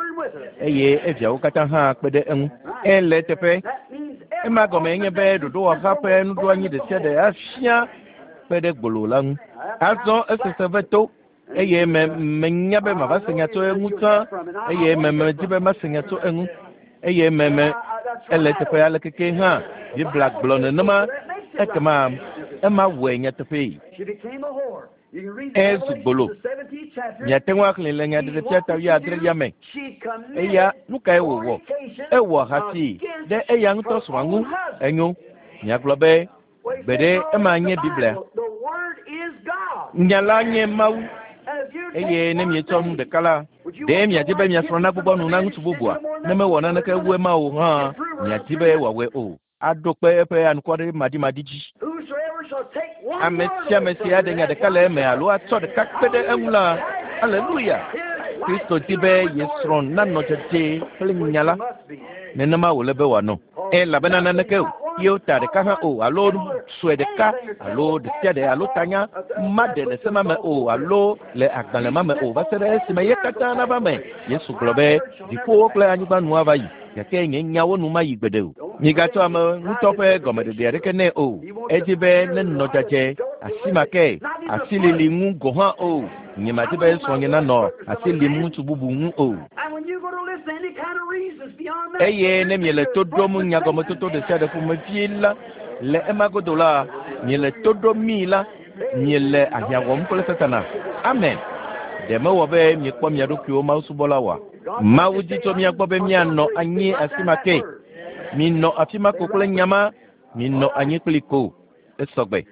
eye eviawo katã hã kpe ɖe eŋu. Ele teƒe. Ema gɔme nye be ɖoɖowɔha ƒe nuɖoanyi ɖe sia ɖe afia kpe ɖe gbolo la ŋu. Azɔ esese ve to eye me menya be mava se nya tso eŋu tsã eye me medi be mase nya tso eŋu eye me me ele teƒe alekeke hã Biblia gblɔ nenema. Ekema ema wɔe nyateƒee. Ezu gbolo. Miate ŋu axlẽe le Nyaɖeɖefia ta wuiadrelia me. Eya nu kae wòwɔ? Ewɔ ahasi ɖe eya ŋutɔ srɔ̃a ŋu. Enyo. Miagblɔ be gbeɖe ema nye Biblia. Nya la nye Mawu. Eye ne mietsɔ nu ɖeka la, ɖe miadi be mia srɔ̃ nagbugbɔ nu na ŋutsu bubua? Ne mewɔ naneke wu ema o hã, miadi be wòawɔe o. Aɖo kpe eƒe anukware-maɖimaɖi dzi. Ame sia ame si aɖe nya ɖeka le eme alo atsɔ ɖeka kpe ɖe eŋu la, aleluya! Kristo di be ye srɔ̃ nanɔ dzadzɛ kple nya la. Nenema wòle be wòanɔ. Elabena naneke o, ye ta ɖeka hã o, alo nu sue ɖeka, alo ɖe sia ɖe, alo tanya maɖe le se ma me o, alo le agbalẽ ma me o, va se ɖe esime ye katã nava me. Yesu gblɔ be dziƒowo kple anyigba nu ava yi, gake nye nyawo nu mayi gbeɖe o. Migatsɔ ame ŋutɔ ƒe gɔmeɖeɖe aɖeke nɛ o. Edi be nenɔ dzadzɛ, asi ma ke, asilili ŋu gɔ̃ hã o. Nyemadi be srɔ̃nye nanɔ asi lim ŋutsu bubu ŋu o. Eye ne miele to ɖom nyagɔmetoto ɖe sia ɖe ƒomevie la, le ema godo la, miele to ɖom mii la, miele ahiã wɔm kple Satana. Amen. Ɖe mewɔ be miekpɔ mia ɖokuiwo mawusubɔla oa? Mawu di tso mía gbɔ be míanɔ anyi afi ma ke. Minɔ afi ma ko kple nya ma, minɔ anyi kpli ko. Esɔgbe.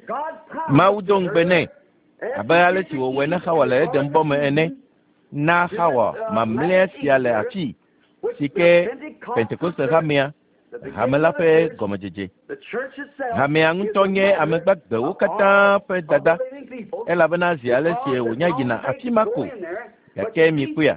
Mawu do ŋugbe nɛ abe ale si wòwɔe na Xawa le Eden bɔ me ene. Na Xawa mamlɛa sia le afi si ke Pentekoste hamea, hame la ƒe gɔmedzedze. Hamea ŋutɔ nye ame gbagbewo katã ƒe dada, elabena zi ale si wònya yina afi ma ko. Gake mikpɔea,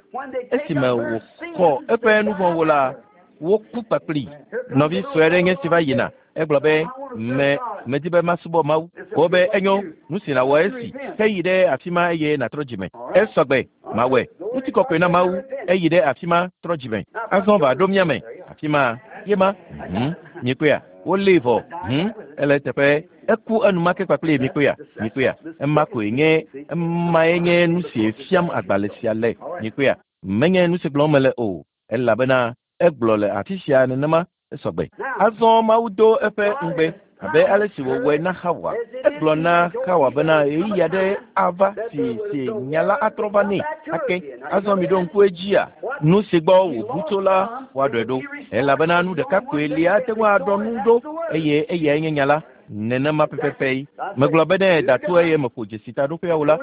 esime wòxɔ eƒe nu vɔ̃wo la, woku kpakpli. Nɔvi sue aɖe nye si va yina. Egblɔ be me medi be masubɔ Mawu. Wobe enyo, nu si nàwɔ esi, heyi ɖe afi ma eye nàtrɔ dzime. Esɔgbe, mawɔe. Ŋutikɔkɔe na Mawu, eyi ɖe afi ma trɔ dzime. Azɔ va ɖo mía me. Afi ma, ye ma. Hmm, mikpɔea, wolée vɔ. Hmm, ele teƒe. Eku enumake kpakple mikpɔea, mikpɔea. Ema koe nye, emae nye nu si fiam agbalẽ sia le. Mikpɔea, menye nu si gblɔm mele o, elabena egblɔ le afi sia nenema esɔgbe. Azɔ Mawu do eƒe ŋugbe abe ale si wòwɔe na Xawa. Egblɔ na Xawa bena ɣeyiɣi aɖe ava si si nya la atrɔ va nɛ ake. Azɔ miɖo ŋku edzia, nu si gbɔ wòbu tso la woaɖɔe ɖo, elabena nu ɖeka koe li ate ŋu aɖɔ nu ɖo eye eyae nye nya la. Nenema pɛpɛpɛ. Megblɔ be ne da to eye meƒo dzesi taɖoƒea o la,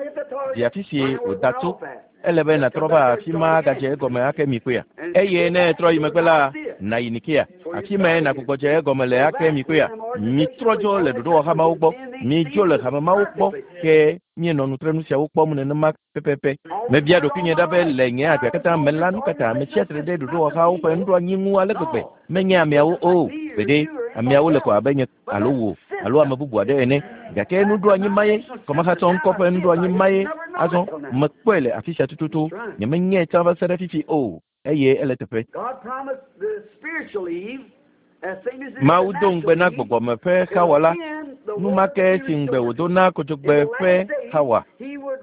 di afi si wòda tso. Ele be nàtrɔ va afi ma agadze egɔme ake mikpɔea. Eye ne etrɔ yi megbe la, nàyi Nikea. Afi mae nàgbugbɔ dze egɔme le ake mikpɔea. Mitrɔ dzo le ɖoɖowɔha mawo gbɔ. Midzo le hame mawo gbɔ ke mienɔ nutrenu siawo kpɔm nenema pɛpɛpɛ. Mebia ɖokuinye ɖa be le nye agbea katã me la, nu katã ame tsia tre ɖe ɖoɖowɔhawo ƒe nuɖoanyi ŋu ale gbegbe. Menye ameawo o. Gbeɖe, ameawo le ko abe nye alo wò alo ame bubu aɖe ene. Gake nuɖoanyi ma ye, kɔmahatsɔ ŋkɔ ƒe nuɖoanyi ma ye. Azɔ mekpɔe le afi sia tututu. Nyemenyae tsã va se ɖe fifi o, eye ele teƒe. Mawu do ŋugbe na gbɔgbɔme ƒe Xawa la, nu ma ke si ŋugbe wòdo na kodzogbe ƒe Xawa,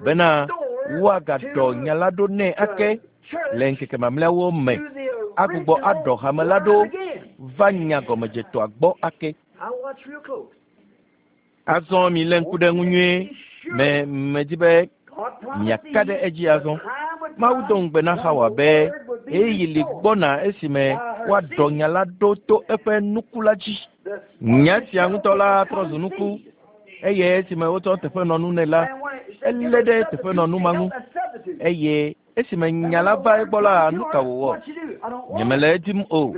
bena woagaɖɔ nya la ɖo nɛ ake le ŋkeke mamlɛawo me, agbugbɔ aɖɔ hame la ɖo va nya gɔmedzetɔa gbɔ ake. Azɔ milé ŋku ɖe ŋu nyuie. Me medi be miaka ɖe edzi azɔ. Mawu do ŋugbe na Xawa be ɣeyiɣi li gbɔna esime woaɖɔ nya la ɖo to eƒe nuku la dzi. Nya sia ŋutɔ la trɔ zu nuku, eye esime wotsɔ teƒenɔnu nɛ la, elé ɖe teƒenɔnu ma ŋu. Eye esime nya la va egbɔ la, nu ka wòwɔ? Nyemele edim o.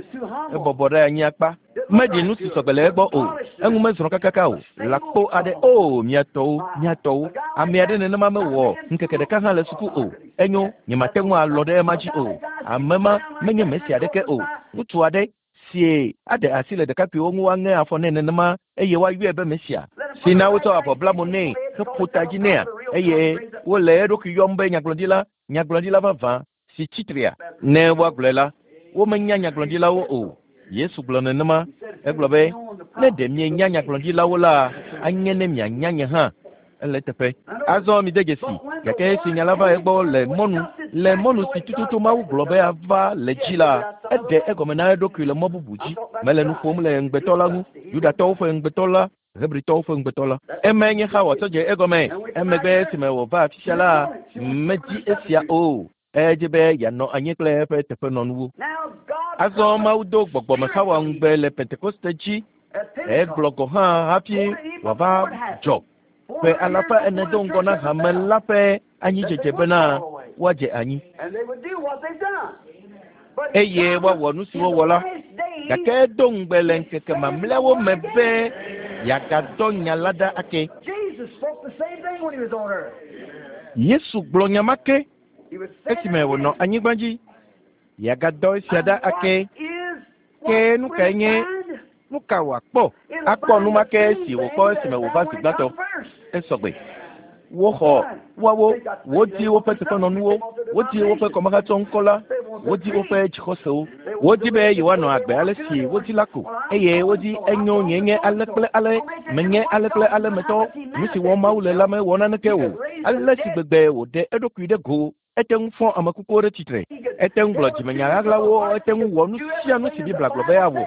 Ebɔbɔ ɖe anyi akpa. Meɖi nu si sɔgbe le egbɔ o. Eŋu mezrɔ̃ kakaka o. Lãkpo aɖe o, mia tɔwo, mia tɔwo. Ame aɖe nenema mewɔ ŋkeke ɖeka hã le suku o. Enyo, nyemate ŋu alɔ ɖe ema dzi o. Ame ma menye Mesia aɖeke o. Ŋutsu aɖe sie aɖe asi le ɖekakpuiwo ŋu woaŋe afɔ nɛ nenema eye woayɔe be Mesia. Si na wotsɔ avɔ bla mo nɛ heƒo ta dzi nɛa, eye wole eɖokui yɔm be nyagblɔɖila, nyagblɔɖila vavã si tsitrea. Ne woagblɔe la, womenya nyagblɔɖilawo o. Yesu gblɔ nenema. Egblɔ be, ne ɖe mienya nyagblɔɖilawo la, anye ne mianya nye hã. Ele teƒe. Azɔ mide dzesi, gake esi nya la va egbɔ le mɔnu, le mɔnu si tututu Mawu gblɔ be ava le dzi la, eɖe egɔme na eɖokui le mɔ bubu dzi. Mele nu ƒom le ŋugbetɔ la ŋu, Yudatɔwo ƒe ŋugbetɔ la, Hebritɔwo ƒe ŋugbetɔ la. Emae nye Xawa tsɔ dze egɔme. Emegbe esime wòva afi sia la, medzi esia o. Edzi be yeanɔ anyi kple eƒe teƒenɔnuwo. Azɔ Mawu do gbɔgbɔme Xawa ŋugbe le Pentekoste dzi. Egblɔ gɔ̃ hã hafi wòava dzɔ ƒe alafa ene do ŋgɔ na hame la ƒe anyidzedze bena woadze anyi eye woawɔ nu si wowɔ la. Gake edo ŋugbe le ŋkeke mamlɛawo me be yeagadɔ nya la ɖa ake. Yesu gblɔ nya ma ke esime wònɔ anyigba dzi. Yeagadɔ esia ɖa ake. Ke nu kae nye nu ka wòakpɔ? Akpɔ nu ma ke si wòkpɔ esime wòva zi gbãtɔ. Esɔgbe. Woxɔ woawo, wodi woƒe teƒenɔnuwo, wodi woƒe kɔmehatsɔ ŋkɔ la, wodi woƒe dzixɔsewo, wodi be yewoanɔ agbe ale si wodi la ko, eye wodi enyo nye nye ale kple ale, menye ale kple ale metɔ, nu si wɔm Mawu le la mewɔ naneke o. Ale si gbegbe wòɖe eɖokui ɖe go, ete ŋu fɔ ame kukuwo ɖe tsitre, ete ŋu gblɔ dzimenya ɣaɣlawo, ete ŋu wɔ nu sia nu si Biblia gblɔ be yeawɔ.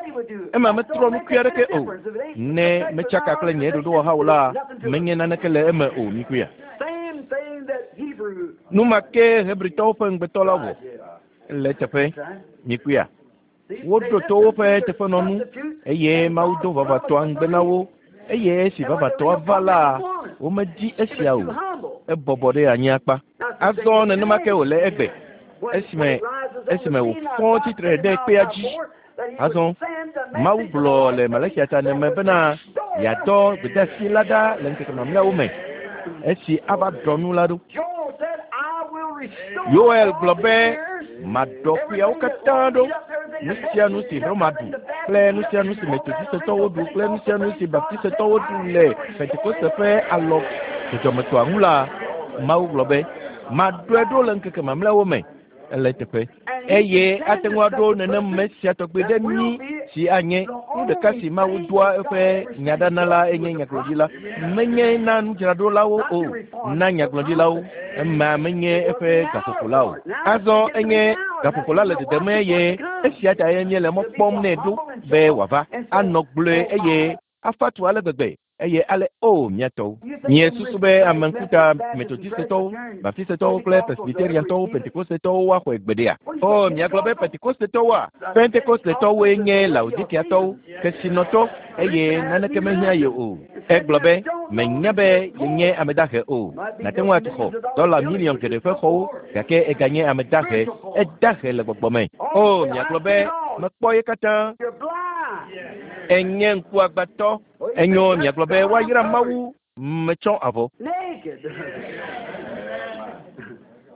Ema metrɔ nukui aɖeke o. Ne metsaka kple nye ɖoɖowɔha o la, menye naneke le eme o mikuia. Nu ma ke Hebritɔwo ƒe ŋugbetɔ la wɔ le teƒe mikuia. Woɖo to woƒe teƒenɔnu eye Mawu do vavatɔa ŋugbe na wo eye esi vavatɔa va la, womedi esia o. Ebɔbɔ ɖe anyi akpa. Azɔ nenema ke wòle egbe esime esime wòfɔ tsitre ɖe kpea dzi. Azɔ Mawu gblɔ le Malakia ta ene me bena yeadɔ gbedeasi la ɖa le ŋkeke mamlɛawo me esi ava ɖɔ nu la ɖo. Yoel gblɔ be maɖɔ ƒeawo katã ɖo. Nu sia nu si Roma ɖu kple nu sia nu si Metodistetɔwo ɖu kple nu sia nu si Baptistetɔwo ɖu le Pentekoste ƒe alɔ dzɔdzɔmetɔa ŋu la, Mawu gblɔ be maɖɔe ɖo le ŋkeke mamlɛawo me. Ele teƒe. Eye ate ŋu aɖo nenem sia tɔgbe ɖe mí si anye nu ɖeka si Mawu doa eƒe nyaɖana la enye nyagblɔɖila. Menye na nudzraɖolawo o, na nyagblɔɖilawo. Ema menye eƒe gaƒoƒo la o. Azɔ enye gaƒoƒo la le dedem eye esia ta ye míele mɔ kpɔm nɛ ɖo be wòava anɔ gblɔe eye afa tu ale gbegbe eye ale o miatɔwo. Nye susu be ame ŋkuta Metodistetɔwo, Baptistetɔwo kple Presbyteriantɔwo, Pentekostetɔwo woaxɔe gbeɖea. O miagblɔ be Pentekostetɔwoa? Pentekostetɔwoe nye Laodikiatɔwo, kesinɔtɔ eye naneke mehiã ye o. Egblɔ be menya be yenye ame dahe o. Nate ŋu atu xɔ dɔla miliɔn geɖe ƒe xɔwo gake eganye ame dahe. Edahe le gbɔgbɔ me. O miagblɔ be mekpɔ ye katã. Enye ŋkuagbãtɔ. Enyo miagblɔ be woayra Mawu metsɔ avɔ.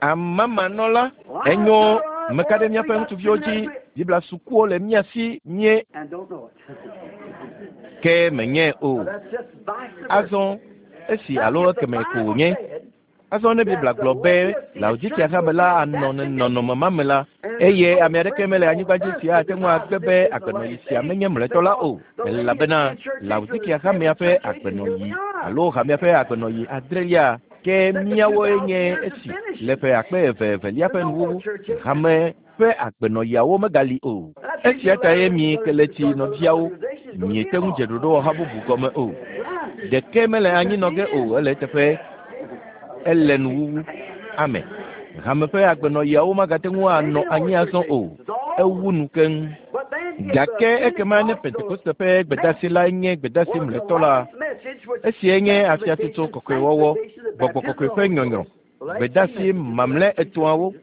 Amamanɔla. Enyo meka ɖe míaƒe ŋutsuviwo dzi. Biblia sukuwo le mía si mie ke menye o. Azɔ esi alo ekeme ko wònye. Azɔ ne Biblia gblɔ be Laodikia hame la anɔ nɔnɔme ma me la, eye ame aɖeke mele anyigba dzi sia ate ŋu agbe be agbenɔyi sia menye mlɔetɔ la o, elabena Laodikia hamea ƒe agbenɔyi alo hamea ƒe agbenɔyi adrelia ke míawoe nye esi le ƒe akpe eve evelia ƒe nuwuwu. Hame ƒe agbenɔyiawo megali o. Esia ta ye mi keletsi nɔviawo miete ŋu dze ɖoɖowɔha bubu gɔme o. Ɖeke mele anyi nɔ ge o, ele eteƒe. Ele nuwuwu. Ame. Hame ƒe agbenɔyiawo magate ŋu anɔ anyi azɔ o. Ewu nu keŋ. Gake ekema ne Pentekoste ƒe gbedasi la nye gbedasi mlɔetɔ la, esie nye afiatsotso kɔkɔewɔwɔ, gbɔgbɔ kɔkɔe ƒe nyɔnyrɔ, gbedasi mamlɛ etɔ̃awo,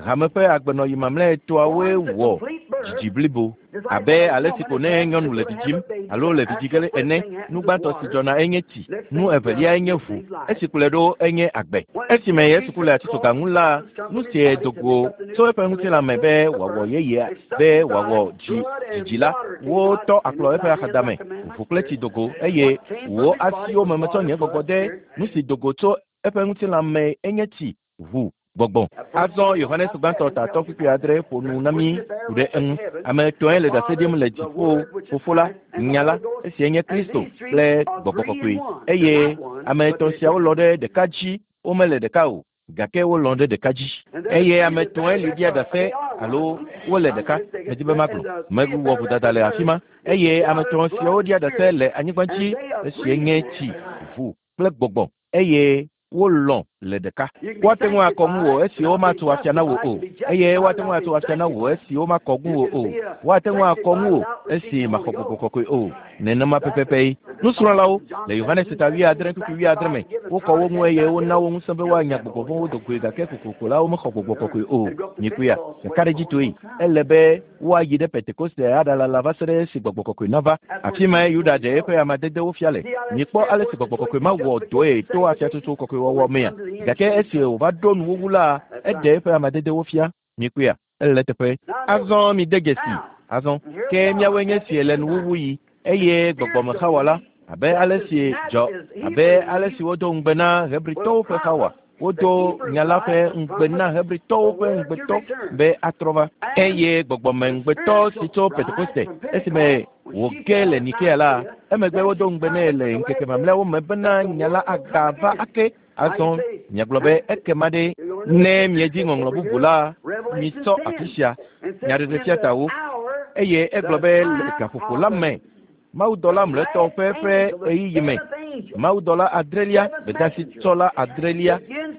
hame ƒe agbenɔyi mamlɛ etɔ̃awoe wɔ dzidzi blibo. Abe ale si ko ne nyɔnu le vidzim alo le vidzi ge ene, nu gbãtɔ si dzɔna enye tsi, nu evelia enye ʋu, esi kplɔe ɖo enye agbe. Esime Yesu ku le atitsoga ŋu la, nu sie do go tso eƒe ŋutilã me be wòawɔ yeyea, be wòawɔ dzi dzidzi la, wotɔ akplɔ eƒe axadame, ʋu kple tsi do go eye wò asiwo me metsɔ nye gbɔgbɔ de. Nu si do go tso eƒe ŋutilã me enye tsi, ʋu, gbɔgbɔ. Azɔ Yohanes gbãtɔ tatɔ kpukpui adre ƒo nu na mí ku ɖe eŋu. Ame etɔ̃e le ɖase ɖim le dziƒo, Fofo la, Nya la, esie nye Kristo kple gbɔgbɔ kɔkɔe. Eye ame etɔ̃ siawo lɔ̃ ɖe ɖeka dzi, womele ɖeka o, gake wolɔ̃ ɖe ɖeka dzi. Eye ame etɔ̃e li ɖia ɖase, alo wole ɖeka medi be magblɔ mewɔ vodada le afi ma eye ame etɔ̃ siawo ɖia ɖase le anyigba dzi esie nye tsi ʋu kple gbɔgbɔ eye wolɔ̃ le ɖeka woate ŋu akɔ ŋuwò esi womatu afia na wò o eye woate ŋu atu afia na wò esi womakɔ ŋuwò o woate ŋu akɔ ŋuwò esi maxɔ gbɔgbɔ kɔkɔe o nenema pɛpɛpɛ nusrɔ̃lawo le Yohanes ta wuiadre kpukpui wuiadre me wokɔ wo ŋu eye wona wo ŋusẽ be woanya gbɔgbɔ vɔ̃wo do goe gake kokoko la womexɔ gbɔgbɔ kɔkɔe o nyikuya ɖekaɖedzitoe ele be woayi ɖe Pentekoste aɖalala va se ɖe esi gbɔgbɔ kɔkɔe nava afi mae Yuda ɖe eƒe amadedewo fia le mikpɔ ale si gbɔgbɔ kɔkɔe ma wɔ dɔe to afiatsotso kɔkɔe wɔwɔ mea gake esi wòva ɖo nuwuwu la eɖe eƒe amadedewo fia mikpɔea ele teƒe azɔ mi de dzesi azɔ ke míawoe nye si le nuwuwu yi eye gbɔgbɔme la abe ale si dzɔ abe ale si wodo ŋugbe na Hebritɔwo ƒe Xawa wodo nya la ƒe ŋugbe na Hebritɔwo ƒe ŋugbetɔ be atrɔ va eye gbɔgbɔme ŋugbetɔ si tso Pentekoste esime wòge le Nikea la emegbe wodo ŋugbe nɛ le ŋkeke mamlɛawo me bena nya la agava ake azɔ miagblɔ be ekema ɖe ne miedzi ŋɔŋlɔ bubu la mitsɔ afi sia nyaɖeɖefia tawo eye egblɔ be le gaƒoƒo la me mawudɔla mlɔetɔ ƒe ƒe ɣeyiɣi me mawudɔla adrelia gbedasitsɔla adrelia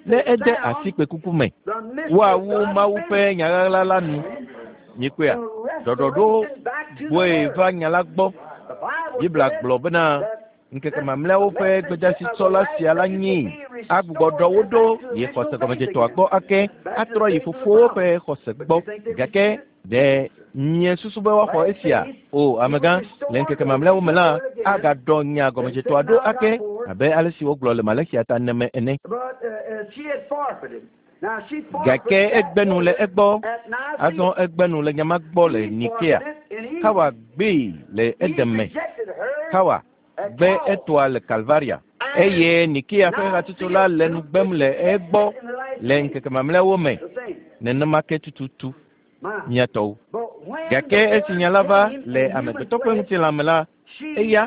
ne ede asi kpekuku me woawu Mawu ƒe nyaɣaɣla la nu mikpɔea ɖɔɖɔɖo gbɔe va nya la gbɔ Biblia gblɔ bena ŋkeke mamlɛawo ƒe gbedasitsɔla sia la nyi agbugbɔ ɖɔ wo ɖo yi xɔse gɔmedzetɔa gbɔ ake atrɔ yi fofowo ƒe xɔse gbɔ gake ɖe nye susu be woaxɔ esia o amegã le ŋkeke mamlɛawo me la agaɖɔ nya gɔmedzetɔa ɖo ake abe ale si wogblɔ le Malexia ta ene me ene gake egbe nu le egbɔ azɔ egbe nu le nyama gbɔ le Nikea Xawa gbee le Edeme Xawa gbe etoa le Kalvaria eye Nikea ƒe hatsotso la le nu gbem le egbɔ le ŋkeke mamlɛawo me nenema ke tututu miatɔwo gake esi nya la va le amegbetɔ ƒe ŋutilã me la eya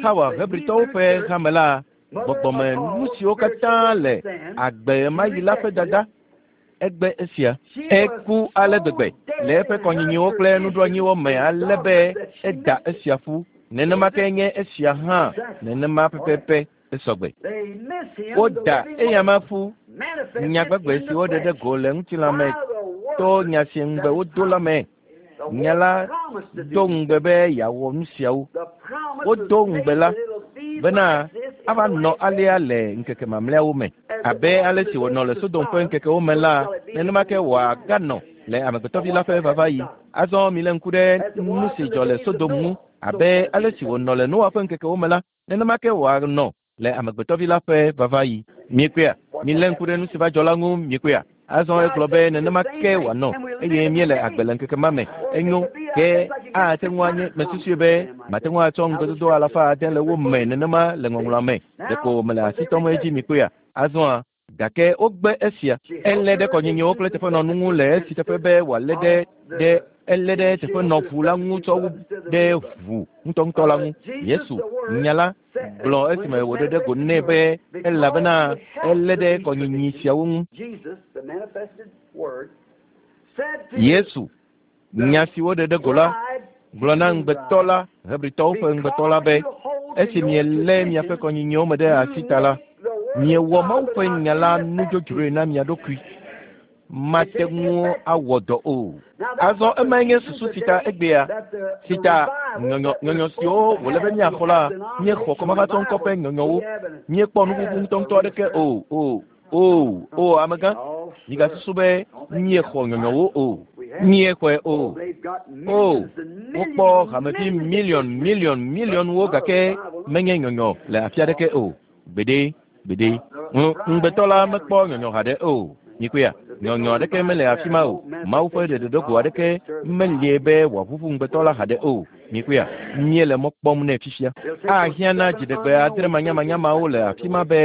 Xawa Hebritɔwo ƒe hame la gbɔgbɔme nu siwo katã le agbe ma yi la ƒe dada egbe esia eku ale gbegbe le eƒe kɔnyinyiwo kple nuɖoanyiwo me ale be eda esia ƒu nenema ke nye esia hã nenema pɛpɛpɛ esɔgbe woda eyama ƒu nyagbegbe si woɖe ɖe go le ŋutilã me to nya si ŋugbe wodo la me nya la do ŋugbe be yeawɔ nu siawo wodo ŋugbe la bena ava nɔ alea le ŋkeke mamlɛawo me abe ale si wònɔ le Sodom ƒe ŋkekewo me la nenema ke wòaganɔ le amegbetɔvi la ƒe vava yi azɔ mi le ŋku ɖe nu si dzɔ le Sodom ŋu abe ale si wònɔ le Noa ƒe ŋkekewo me la nenema ke wòanɔ le amegbetɔvi la ƒe vava yi miekpɔea milé ŋku ɖe nu si va dzɔ la ŋu miekpɔea azɔ egblɔ be nenema ke wòanɔ eye míele agbe le ŋkeke ma me enyo ke ate ŋu anye mesusue be mate ŋu atsɔ ŋugbedodo alafa ade le wo me nenema le ŋɔŋlɔa me ɖeko mele asi tɔm edzi mikpɔea azɔa gake wogbe esia elé ɖe kɔnyinyiwo kple teƒenɔnu ŋu le esi teƒe be wòalé ɖe ɖe elé ɖe teƒenɔʋu la ŋu tsɔ wu ɖe ʋu ŋutɔŋutɔ la ŋu Yesu nya la gblɔ esime wòɖe ɖe go nɛ be elabena elé ɖe kɔnyinyi siawo ŋu Yesu nya si woɖe ɖe go la gblɔ na ŋugbetɔ la Hebritɔwo ƒe ŋugbetɔ la be esi mielé miaƒe kɔnyinyiwo me ɖe asi ta la miewɔ Mawu ƒe nya la nudzodzroe na mia ɖokui mate ŋu awɔ dɔ o azɔ emae nye susu si ta egbea si ta nyɔnyɔ nyɔnyɔ siwo wòle be míaxɔ la míexɔ kɔmafatɔ ŋkɔ ƒe nyɔnyɔwo míekpɔ nuʋuʋu ŋutɔŋutɔ aɖeke o o o o amegã migasusu be míexɔ nyɔnyɔwo o míexɔe o o wokpɔ hamevi miliɔn miliɔn miliɔnwo gake menye nyɔnyɔ le afi aɖeke o gbeɖe gbeɖe ŋugbetɔ la mekpɔ nyɔnyɔ haɖe o mikpɔea nyɔnyɔ aɖeke mele afi ma o Mawu ƒe ɖeɖeɖogo aɖeke melie be wòaʋuʋu ŋugbetɔ la haɖe o mikpɔea míele mɔ kpɔm nɛ fifia ahiã na dziɖegbe adre manyamanyamawo le afi ma be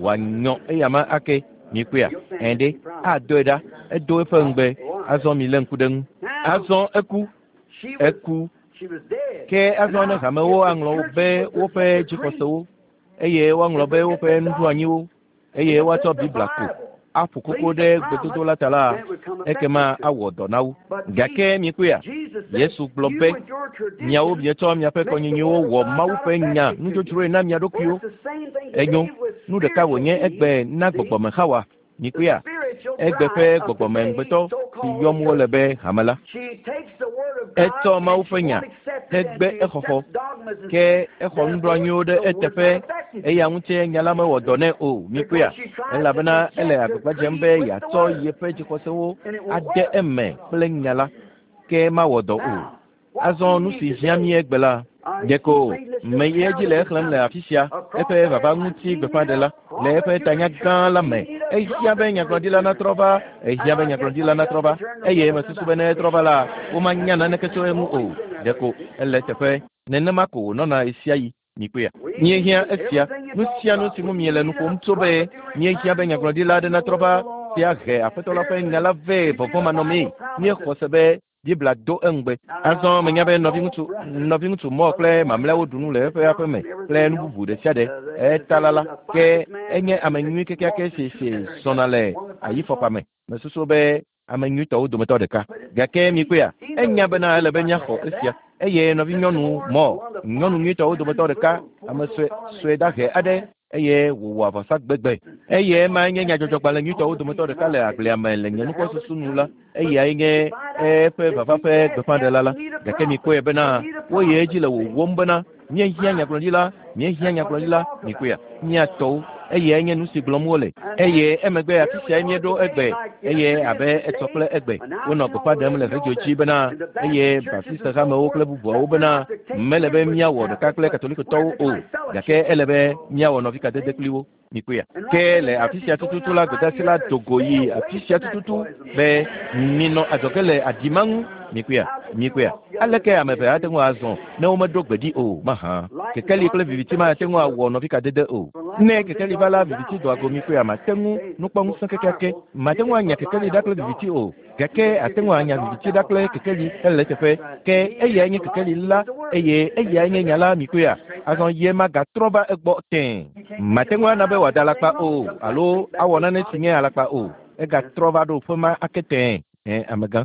wòanyɔ eyama ake mikpɔea ɛ̃ ɖe adoe ɖa edo eƒe ŋugbe azɔ mi lé ŋku ɖe ŋu azɔ eku eku ke azɔ ne hamewo aŋlɔ be woƒe dzixɔsewo eye woaŋlɔ be woƒe nuɖoanyiwo eye woatsɔ Biblia ko aƒo koko ɖe gbedodo la ta la ekema awɔ dɔ na wo. Gake mikpɔea, Yesu gblɔ be miawo mietsɔ miaƒe kɔnyinyiwo wɔ Mawu ƒe nya nudzodzroe na mia ɖokuiwo. Enyo, nu ɖeka wònye egbe na gbɔgbɔme Xawa. Mikpɔea, egbe ƒe gbɔgbɔme ŋugbetɔ si yɔm wole be hame la. Etsɔ Mawu ƒe nya hegbe exɔxɔ, ke exɔ nuɖoanyiwo ɖe eteƒe eya ŋuti nya la mewɔ dɔ nɛ o. Mikpɔea, elabena ele agbagba dzem be yeatsɔ yeƒe dzixɔsewo ade eme kple nya la, ke mawɔ dɔ o. Azɔ nu si hiã mí egbe la, ɖeko meyi edzi le exlẽm le afi sia eƒe vava ŋuti gbeƒãɖela le eƒe tanya gã la me. Ehiã be nyagblɔɖila natrɔ va, ehiã be nyagblɔɖila natrɔ va, eye mesusu be ne etrɔ va la, womanya naneke tso eŋu o. Ɖeko ele teƒe nenema ko wònɔna ɣesiaɣi. Mikpɔea, míehiã esia. Nu sia nu si ŋu miele nu ƒom tso be míehiã be nyagblɔɖila aɖe natrɔ va si ahe Aƒetɔ la ƒe nya la vɛ vɔvɔ̃manɔmee. Míexɔ se be Biblia do eŋugbe. Azɔ menya be nɔviŋutsu nɔviŋutsu Mɔ kple mamlɛawo ɖu nu le eƒe aƒe me kple nu bubu ɖe sia ɖe. Etala la ke enye ame nyui kekeake si si zɔna le ayifɔkpa me. Mesusu be ame nyuitɔwo dometɔ ɖeka. Gake mikpɔea, enya bena ele be míaxɔ esia. Eye nɔvinyɔnu Mɔ, nyɔnu nyuitɔwo dometɔ ɖeka, ame sue sue dahe aɖe eye wòwɔ avɔsa gbegbe. Eye ema nye nyadzɔdzɔgbalẽ nyuitɔwo dometɔ ɖeka le agblea me le nye nukpɔsusu nu la, eyae nye eƒe vava ƒe gbeƒãɖela la. Gake mikpɔe bena woyi edzi le wòwɔm bena míehiã nyagblɔɖila, míehiã nyagblɔɖila, mikpɔea, míatɔwo. Eyae nye nu si gblɔm wole. Eye emegbe afi siae míeɖo egbe, eye abe etsɔ kple egbe wonɔ gbeƒã ɖem le redio dzi bena eye Baptiste hamewo kple bubuawo bena mele be míawɔ ɖeka kple Katolikotɔwo o, gake ele be míawɔ nɔvikadede kpli wo. Mikpɔea, ke le afi sia tututu la gbedeasi la do go yi afi sia tututu be minɔ adzɔge le aɖi ma ŋu. Mikpɔea, mikpɔea, aleke ame eve ate ŋu azɔ ne womeɖo gbe ɖi o mahã? Kekeli kple viviti mate ŋu awɔ nɔvikadede o. Ne kekeli va la, viviti doa go. Mikpɔea, mate ŋu nukpɔŋusẽ kekeake mate ŋu anya kekeli ɖa kple viviti o, gake ate ŋu anya viviti ɖa kple kekeli ele teƒe. Ke eyae nye kekeli la eye eyae nye nya la. Mikpɔea, azɔ ye magatrɔ va egbɔ tẽe. Mate ŋu ana be wòada alakpa o alo awɔ nane si nye alakpa o. Egatrɔ va ɖo ƒe ma ake tẽe. Ɛ amegã,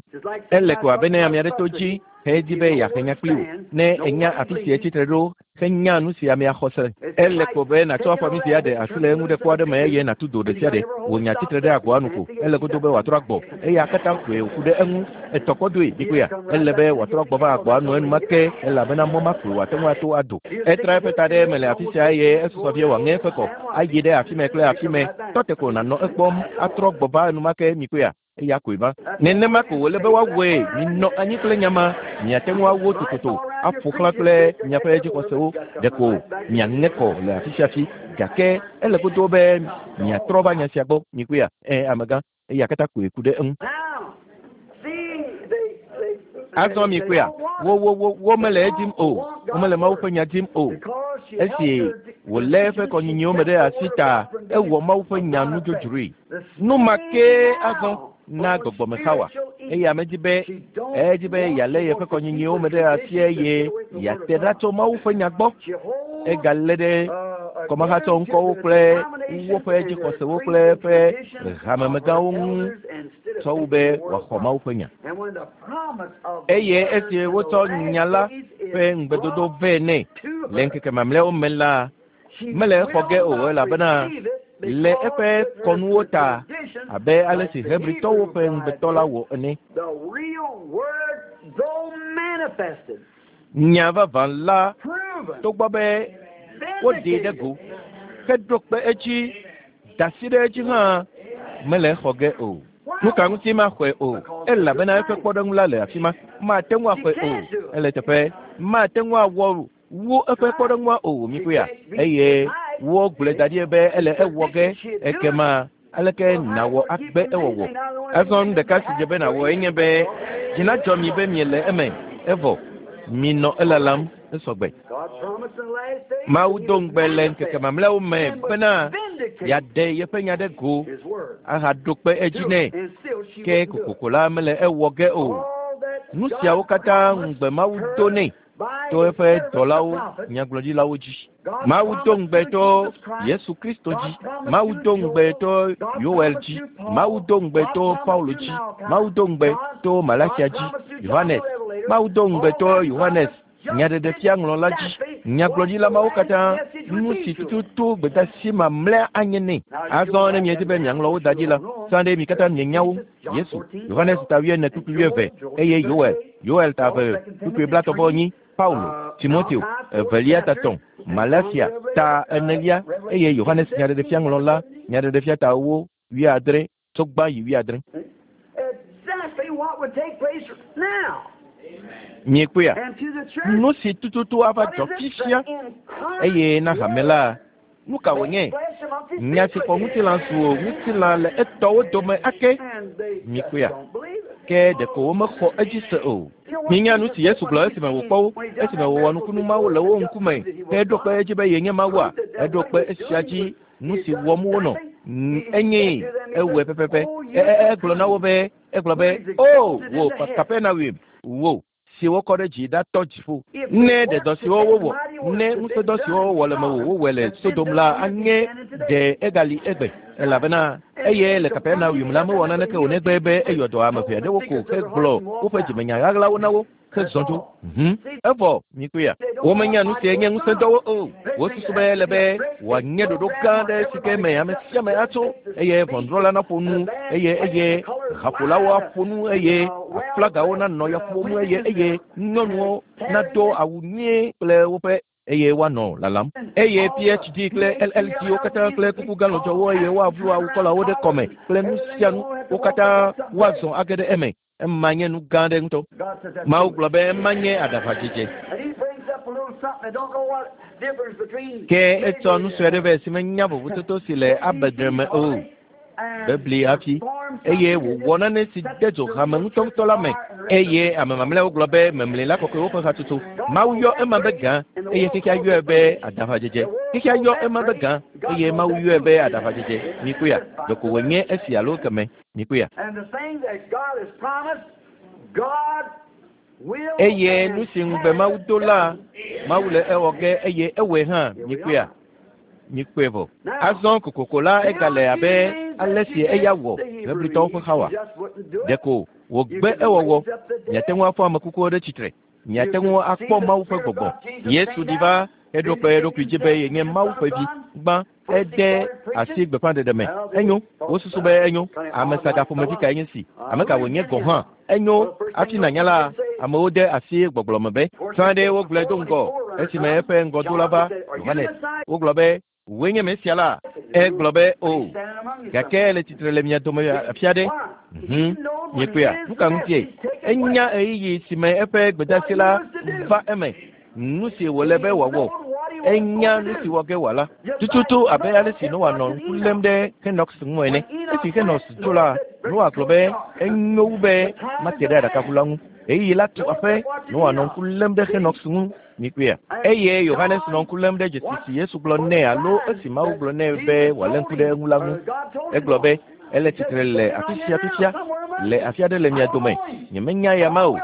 ele ko abe ne ame aɖe to dzi hedi be yeahe nya kpli wò. Ne enya afi si etsi tre ɖo henya nu si amea xɔ se. Ele ko be nàtsɔ afɔmi si aɖe asi le eŋu ɖe kɔ aɖe me eye nàtu do ɖe sia ɖe. Wò nya tsitre ɖe agboa nu ko. Ele godo be wòatrɔ agbɔ. Eya katã koe wòku ɖe eŋu. Etɔ kɔ doe. Mikpɔea, ele be wòatrɔ agbɔ va agboa nu enumake elabena mɔ ma koe wòate ŋu ato ado. Etra eƒe ta ɖe eme le afi sia eye esusɔ vie wòaŋe eƒe kɔ ayi ɖe afi me kple afi me. Tɔ te ko nànɔ ekpɔm atrɔ gbɔ va enumake. Mikpɔea, eya koe va. Nenema ko wòle be woawɔe. Minɔ anyi kple nya ma. Miate ŋu awo tototo aƒo xlã kple miaƒe dzixɔsewo. Ɖeko miaŋe kɔ le afi sia afi. Gake ele godo be miatrɔ va nya sia gbɔ. Mikpɔea, ɛ amegã, eya katã koe ku ɖe eŋu. Azɔ mikpɔea, wo wo wo womele edim o. Womele Mawu ƒe nya dim o. Esi wòlé eƒe kɔnyinyiwo me ɖe asi ta, ewɔ Mawu ƒe nya nudzodzroe. Nu ma kee azɔ na gbɔgbɔme Xawa. Eye ame di be edzi be yealé yeƒe kɔnyinyiwo me ɖe asi eye yeate ɖa tso Mawu ƒe nya gbɔ. Egalé ɖe kɔmahatsɔ ŋkɔwo kple woƒe dzixɔsewo kple eƒe hamemegãwo ŋu tsɔ wu be wòaxɔ Mawu ƒe nya. Eye esi wotsɔ nya la ƒe ŋugbedodo vɛ nɛ le ŋkeke mamlɛawo me la, mele exɔ ge o elabena le eƒe kɔnuwo ta abe ale si Hebritɔwo ƒe ŋugbetɔ la wɔ ene. Nya vavã la togbɔ be woɖee ɖe go heɖo kpe edzi da asi ɖe edzi hã mele exɔ ge o. Nu ka ŋuti maxɔe o? Elabena eƒe kpɔɖeŋu la le afi ma. Mate ŋu axɔe o. Ele teƒe. Mate ŋu awɔ wu eƒe kpɔɖeŋua o. Mikpɔea, eye wogblɔe da ɖi be ele ewɔ ge. Ekema aleke nàwɔ agbe ewɔwɔ? Azɔ nu ɖeka si dze be nàwɔ enye be dzi nadzɔ mi be miele eme evɔ minɔ elalam esɔgbe. Mawu do ŋugbe le ŋkeke mamlɛawo me bena yeaɖe yeƒe nya ɖe go ahaɖo kpe edzi nɛ. Ke kokoko la mele ewɔ ge o. Nu siawo katã ŋugbe Mawu do nɛ to eƒe dɔlawo nyagblɔɖilawo dzi. Mawu do ŋugbe to Yesu Kristo dzi. Mawu do ŋugbe to Yoel dzi. Mawu do ŋugbe to Paulo dzi. Mawu do ŋugbe to Malakia dzi. Yohanes. Mawu do ŋugbe to Yohanes nyaɖeɖefia ŋlɔla dzi. Nyagblɔɖila mawo katã nu si tututu gbedasi mamlɛa anye nɛ. Azɔ ne miedi be miaŋlɔ wo da dzi la, sã ɖe mi katã mienya wo. Yesu, Yohanes ta wuiene kpukpui wuieve eye Yoel, Yoel ta eve kpukpui blaetɔ̃ vɔ enyi, Paulo, Timoteo evelia ta tɔ̃, Malakia ta enelia eye Yohanes nyaɖeɖefia ŋlɔla nyaɖeɖefia ta ewo wuiadre tso gbã yi wuiadre. Exactly what would take place now. Miekpɔea? And to the church, Nu si tututu ava what dzɔ is it? fifia The incarnate eye na hame la, nu ka wònye? flesh amongst his Nya si people xɔ ŋutilã zu ŋutilã le etɔwo dome ake. And they just Miekpɔea? don't believe it. Ke ɖeko womexɔ edzi se o. Mienya nu si Yesu gblɔ esime wòkpɔ wo, esime wòwɔ nukunu mawo le wo ŋkume, ke eɖo kpe edzi be yenye Mawua, eɖo kpe esia dzi nu si wɔm wonɔ. N- Enyee, ewɔe pɛpɛpɛ. E- e- Egblɔ na wo be, egblɔ be, o wò Kapernaum, wò si wokɔ ɖe dzi ɖatɔ dziƒo. Ne ɖe dɔ siwo wowɔ, ne ŋusẽdɔ siwo wowɔ le mewò wowɔe le Sodom la anye ɖe egali egbe elabena eye le Kapernaum la mewɔ naneke o negbe be eyɔ dɔ ame ʋɛ aɖewo ko hegblɔ woƒe dzimenya ɣaɣlawo na wo hezɔ dzo. Mhm. Evɔ mikpɔea, womenya nu sie nye ŋusẽdɔwo o. Wosusu be ele be wòanye ɖoɖo gã aɖe si ke me ame sia ame atso eye ʋɔnudrɔ̃la naƒo nu eye eye haƒolawo aƒo nu eye aflagawo nanɔ ya ƒom eye eye nyɔnuwo nado awu nyuie kple woƒe eye woanɔ lalam eye PhD kple LLD wo katã kple kuku gã lɔdzɔwo eye woavlu awukɔlawo ɖe kɔme kple nu sia nu wo katã woazɔ age ɖe eme. Ema nye nu gã aɖe ŋutɔ. God said that's Mawu gblɔ be ema nye aɖaʋadzedze. And he brings up a little something. I don't know what difference between Ke etsɔ nu sue aɖe vɛ si menya vovototo si le abedre me o. Bebli hafi eye wòwɔ nane si de dzo hame ŋutɔŋutɔ la me eye ame mamlɛawo gblɔ be memlɛla kɔkɔewo ƒe hatsotso. Mawu yɔ ema be gã eye xexea yɔe be aɖaʋadzedze. Xexea yɔ ema be gã eye Mawu yɔe be aɖaʋadzedze. Mikpɔea, ɖeko wònye esi alo keme. Mikpɔea. And the thing that God has promised, God will Eye and nu si ŋugbe Mawu do la, Mawu le ewɔ ge eye ewɔe hã. Mikpɔea, mikpɔe vɔ. Azɔ kokoko la egale abe ale si eya wɔ Hebritɔwo ƒe Xawa. Ɖeko wògbe ewɔwɔ. Miate ŋu afɔ ame kukuwo ɖe tsitre. Miate ŋu akpɔ Mawu ƒe gbɔgbɔ. Yesu ɖi va heɖo kpe eɖokui dzi be yenye Mawu ƒe vi. Gbã ede asi gbeƒãɖeɖe me. Enyo, wosusu be enyo. Ame saga ƒomevi kae nye si? Ame ka wònye gɔ̃ hã? Enyo, hafi nànya la, amewo de asi gbɔgblɔ me be, sã ɖe wogblɔe do ŋgɔ esime eƒe ŋgɔdola va, Yohanes. Wogblɔ be, wòe nye Mesia la. Egblɔ be, o, gake ele tsitre le mia dome afi aɖe. Mhm. Miekpɔea, nu ka ŋutie? Enya ɣeyiɣi si me eƒe gbedasi la va eme. Nu si wòle be wòawɔ. Enya nu si wɔ ge wòala. Tututu abe ale si Noa nɔ ŋku lém ɖe Henox ŋu ene. Esi Henox tso la, Noa gblɔ be enyo wu be mate ɖe aɖakaʋu la ŋu. Ɣeyiɣi la tu aƒe, Noa nɔ ŋku lém ɖe Henox ŋu. Mikpɔea. Eye Yohanes nɔ ŋku lém ɖe dzesi si Yesu gblɔ nɛ alo esi Mawu gblɔ nɛ be wòalé ŋku ɖe eŋu la ŋu. Egblɔ be ele tsitre le afi sia fifia, le afi aɖe le mia dome. Nyemenya ya ma o,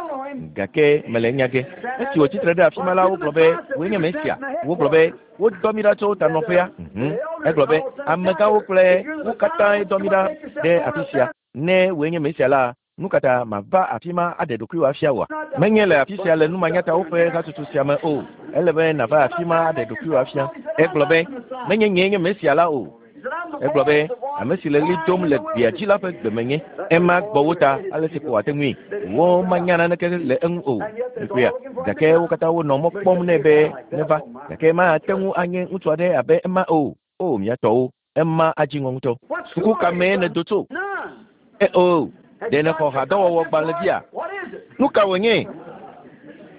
gake mele enya ge. Esi wòtsi tre ɖe afi ma la, wogblɔ be wòe nye Mesia. Wogblɔ be wodɔ mí ɖa tso tanɔƒea. Mhm. Egblɔ be amegãwo kple wo katãe dɔ mí ɖa ɖe afi sia. Ne wòe nye Mesia la, nu ka ta mava afi ma aɖe ɖokuiwò afia wòa? Menye le afi sia le numanyatawo ƒe hatsotso sia me o. Ele be nàva afi ma aɖe ɖokuiwò afia. Egblɔ be menye nyee nye Mesia la o. Egblɔ be ame si le ɣli dom le gbea dzi la ƒe gbe menye. Ema gbɔ wo ta ale si ko wòate ŋui. Wo manya naneke le eŋu o. Mikpɔea, gake wo katã wonɔ mɔ kpɔm nɛ be neva. Gake mate ŋu anye ŋutsu aɖe abe ema o. O mia tɔwo, ema adzi ŋɔ ŋutɔ. Suku ka mee nèdo tso? None. E o, ɖe nèxɔ hadɔwɔwɔ gbalẽvia? What is it? Nu ka wònye?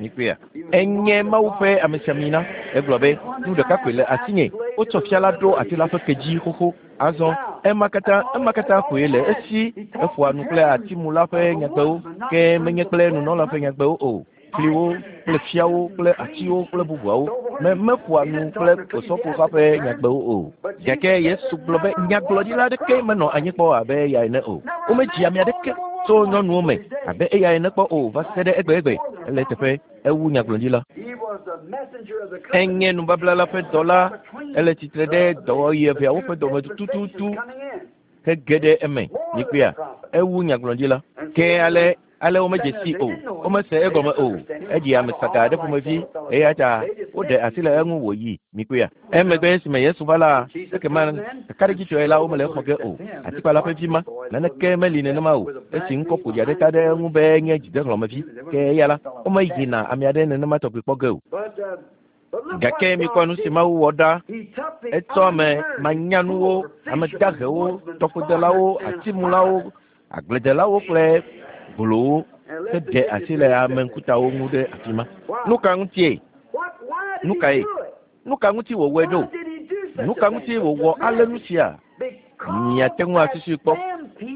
Mikpɔea, enye Mawu ƒe amesiamina. Egblɔ be nu ɖeka koe le asinye. Wotsɔ fia la ɖo ati la ƒe ke dzi xoxo. Azɔ ema katã ema katã koe le esi. Eƒoa nu kple atimula ƒe nyagbewo, ke menye kple nunɔla ƒe nyagbewo o. Fliwo kple fiawo kple atiwo kple bubuawo. Me meƒoa nu kple osɔfoha ƒe nyagbewo o. Gake Yesu gblɔ be nyagblɔɖila aɖeke menɔ anyi kpɔ abe eya ene o. Womedzi ame aɖeke tso nyɔnuwo me abe eya ene kpɔ o va se ɖe egbegbe. Ele teƒe ewu nyagblɔɖila. He was Enye nubabla la ƒe dɔla ele tsitre ɖe dɔwɔɣi eveawo ƒe dɔme tututu hege ɖe eme. Mikpɔea, ewu nyagblɔɖila. Ke ale ale womedze si o, womese egɔme o. Eɖi ame saga aɖe ƒomevi eya ta woɖe asi le eŋu wòyi. Mikpɔea. Emegbe esime Yesu va la, ekema kakaɖedzitɔe la womele exɔ ge o. Atikpala ƒe vi ma, naneke meli nenema o. Esi ŋkɔ ƒoɖi aɖe ta ɖe eŋu be nye dzidehlɔ̃mevi. Ke eya la, womeyina ame aɖe nenema tɔgbi kpɔ ge o. Gake mikpɔ nu si Mawu wɔ ɖa. Etsɔ ame manyanuwo, ame dahewo, tɔƒodelawo, atimulawo, agbledelawo kple gbolowo heɖe asi le ame ŋkutawo ŋu ɖe afi ma. Nu ka ŋutie? Nu kae? Nu ka ŋuti wòwɔe ɖo? Nu ka ŋuti wòwɔ ale nu sia? Miate ŋu asusui kpɔ.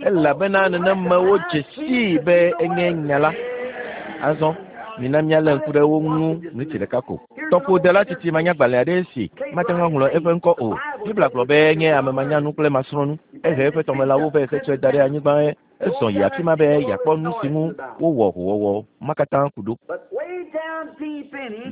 Elabena nenemewo dze sii be enye nya la. Azɔ mina míalé ŋku ɖe wo ŋu ɣleti ɖeka ko. Tɔƒodela tsitsi manyagbalẽ aɖe si mate ŋu aŋlɔ eƒe ŋkɔ o. Biblia gblɔ be enye ame manyanu kple masrɔ̃nu. Ehe eƒe tɔmelãwo ƒe xetsɔe da ɖe anyigba ezɔ yi afi ma be yeakpɔ nu si ŋu wowɔ howɔwɔ ma katã ku ɖo.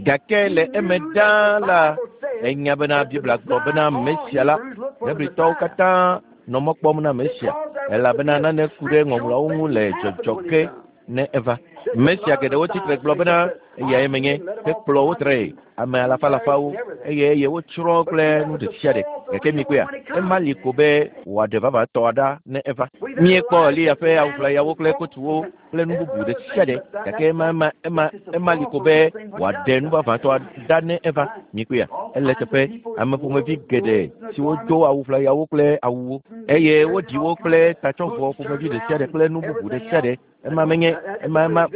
Gake le eme ɖaa la, enya bena Biblia gblɔ bena Mesia la, Hebritɔwo katã nɔ mɔ kpɔm na Mesia elabena nane ku ɖe ŋɔŋlɔawo ŋu le dzɔdzɔ ke ne eva. Mesia geɖewo tsitre gblɔ bena eyae menye hekplɔ wo tree ame alafalafawo eye eye wotsrɔ̃ kple nu ɖe sia ɖe. Gake mikpɔea, ema li ko be wòaɖe vavãtɔ ɖa ne eva. Míekpɔ Eliya ƒe awuʋlayawo kple kotuwo kple nu bubu ɖe sia ɖe gake ema ema ema ema li ko be wòaɖe nu vavãtɔ ɖa ne eva. Mikpɔea, ele teƒe ame ƒomevi geɖe siwo do awuʋlayawo kple awuwo eye woɖi wo kple tatsɔvɔ ƒomevi ɖe sia ɖe kple nu bubu ɖe sia ɖe. Ema menye ema ema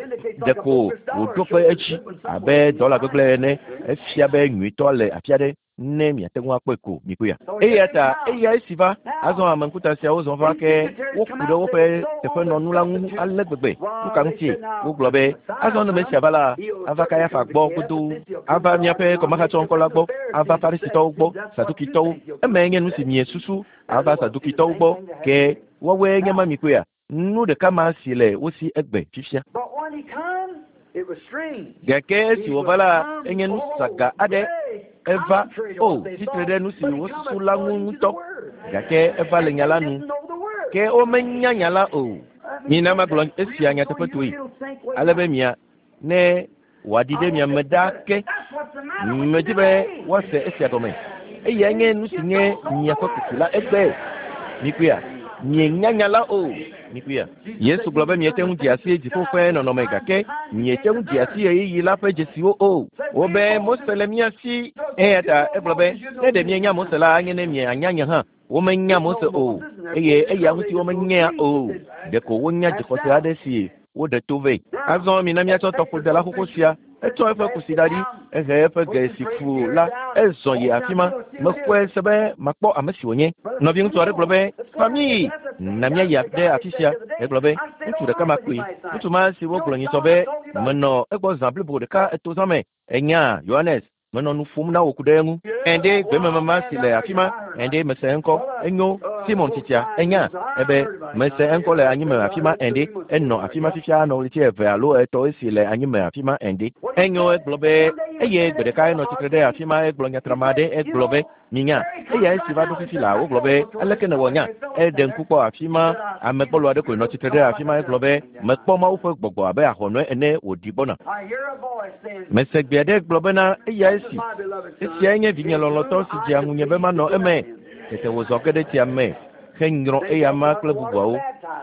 ɖeko wòɖo kpe edzi abe dɔla gbegblẽ ene. Efia be nyuitɔ le afi aɖe ne miate ŋu akpɔe ko mikpɔea. Eya ta eya esi va azɔ ame ŋkuta siawo zɔ va ke woku ɖe woƒe teƒenɔnu la ŋu ale gbegbe. Nu ka ŋutie? Wogblɔ be azɔ ne Mesia va la, ava Kayafa gbɔ godoo, ava míaƒe kɔmahatsɔŋkɔ la gbɔ, ava Farisitɔwo gbɔ, Sadukitɔwo. Emae nye nu si miesusu ava Sadukitɔwo gbɔ ke woawoe nye ma mikpɔea. Nu ɖeka ma si le wo si egbe fifia. Gake esi wòva la, enye nu saga aɖe. Eva o tsitre ɖe nu si wosusu la ŋu ŋutɔ. Gake eva le nya la nu. Ke womenya nya la o. Mina magblɔ esia nyateƒetoe ale be mia ne wòaɖi ɖe mia me ɖaa ke. Medi be woase esia gɔme. Eyae nye nu si nye miaƒe kuku la egbe. Mikpɔea, mienya nya la o. Mikpɔea, Yesu gblɔ be miete ŋu dze asi dziƒo ƒe nɔnɔme gake miete ŋu dze asi ɣeyiɣi la ƒe dzesiwo o. Wobe Mose le mía si. Eya ta egblɔ be ne ɖe mienya Mose la anye ne mianya nye hã. Womenya Mose o eye eya ŋuti womenyea o. Ɖeko wonya dzixɔse aɖe si woɖe to vɛ. Azɔ mina míatsɔ tɔƒodela xoxo sia. Etsɔ eƒe kusi da ɖi, ehe eƒe ge si fu la, ezɔ yi afi ma. Mexɔe se be makpɔ ame si wònye. Nɔviŋutsu aɖe gblɔ be, "Fa míyi, na míayi ɖe afi sia." Egblɔ be, "Ŋutsu ɖeka ma koe. Ŋutsu ma si wogblɔ nyitsɔ be menɔ egbɔ zã blibo ɖeka eto zã me. Enya Yohanes, menɔ nu ƒom na wò ku ɖe eŋu. Ɛnde gbememema si le afi ma, ɛnde mese eŋkɔ. Enyo Simon tsitsia, enya ebe mese eŋkɔ le anyime afi ma ɛnde enɔ afi ma fifia nɔ ɣleti eve alo etɔ̃ esi le anyime afi ma ɛnde. Enyo egblɔ be eye gbe ɖeka enɔ tsitre ɖe afi ma egblɔ nyatrama aɖe egblɔ be minya eya esi va ɖo fifi la wogblɔ be aleke nèwɔ nya eɖe ŋku kpɔ afi ma ame gbɔlo aɖe koe nɔ tsitre ɖe afi ma egblɔ be mekpɔ Mawu ƒe gbɔgbɔ abe ahɔnɔe ene wòɖi gbɔna. Mese gbe aɖe gblɔ bena eya esi esiae nye vinye lɔlɔ̃tɔ si dzea ŋunye be manɔ eme. Tete wòzɔ ge ɖe tsia me henyrɔ eyama kple bubuawo.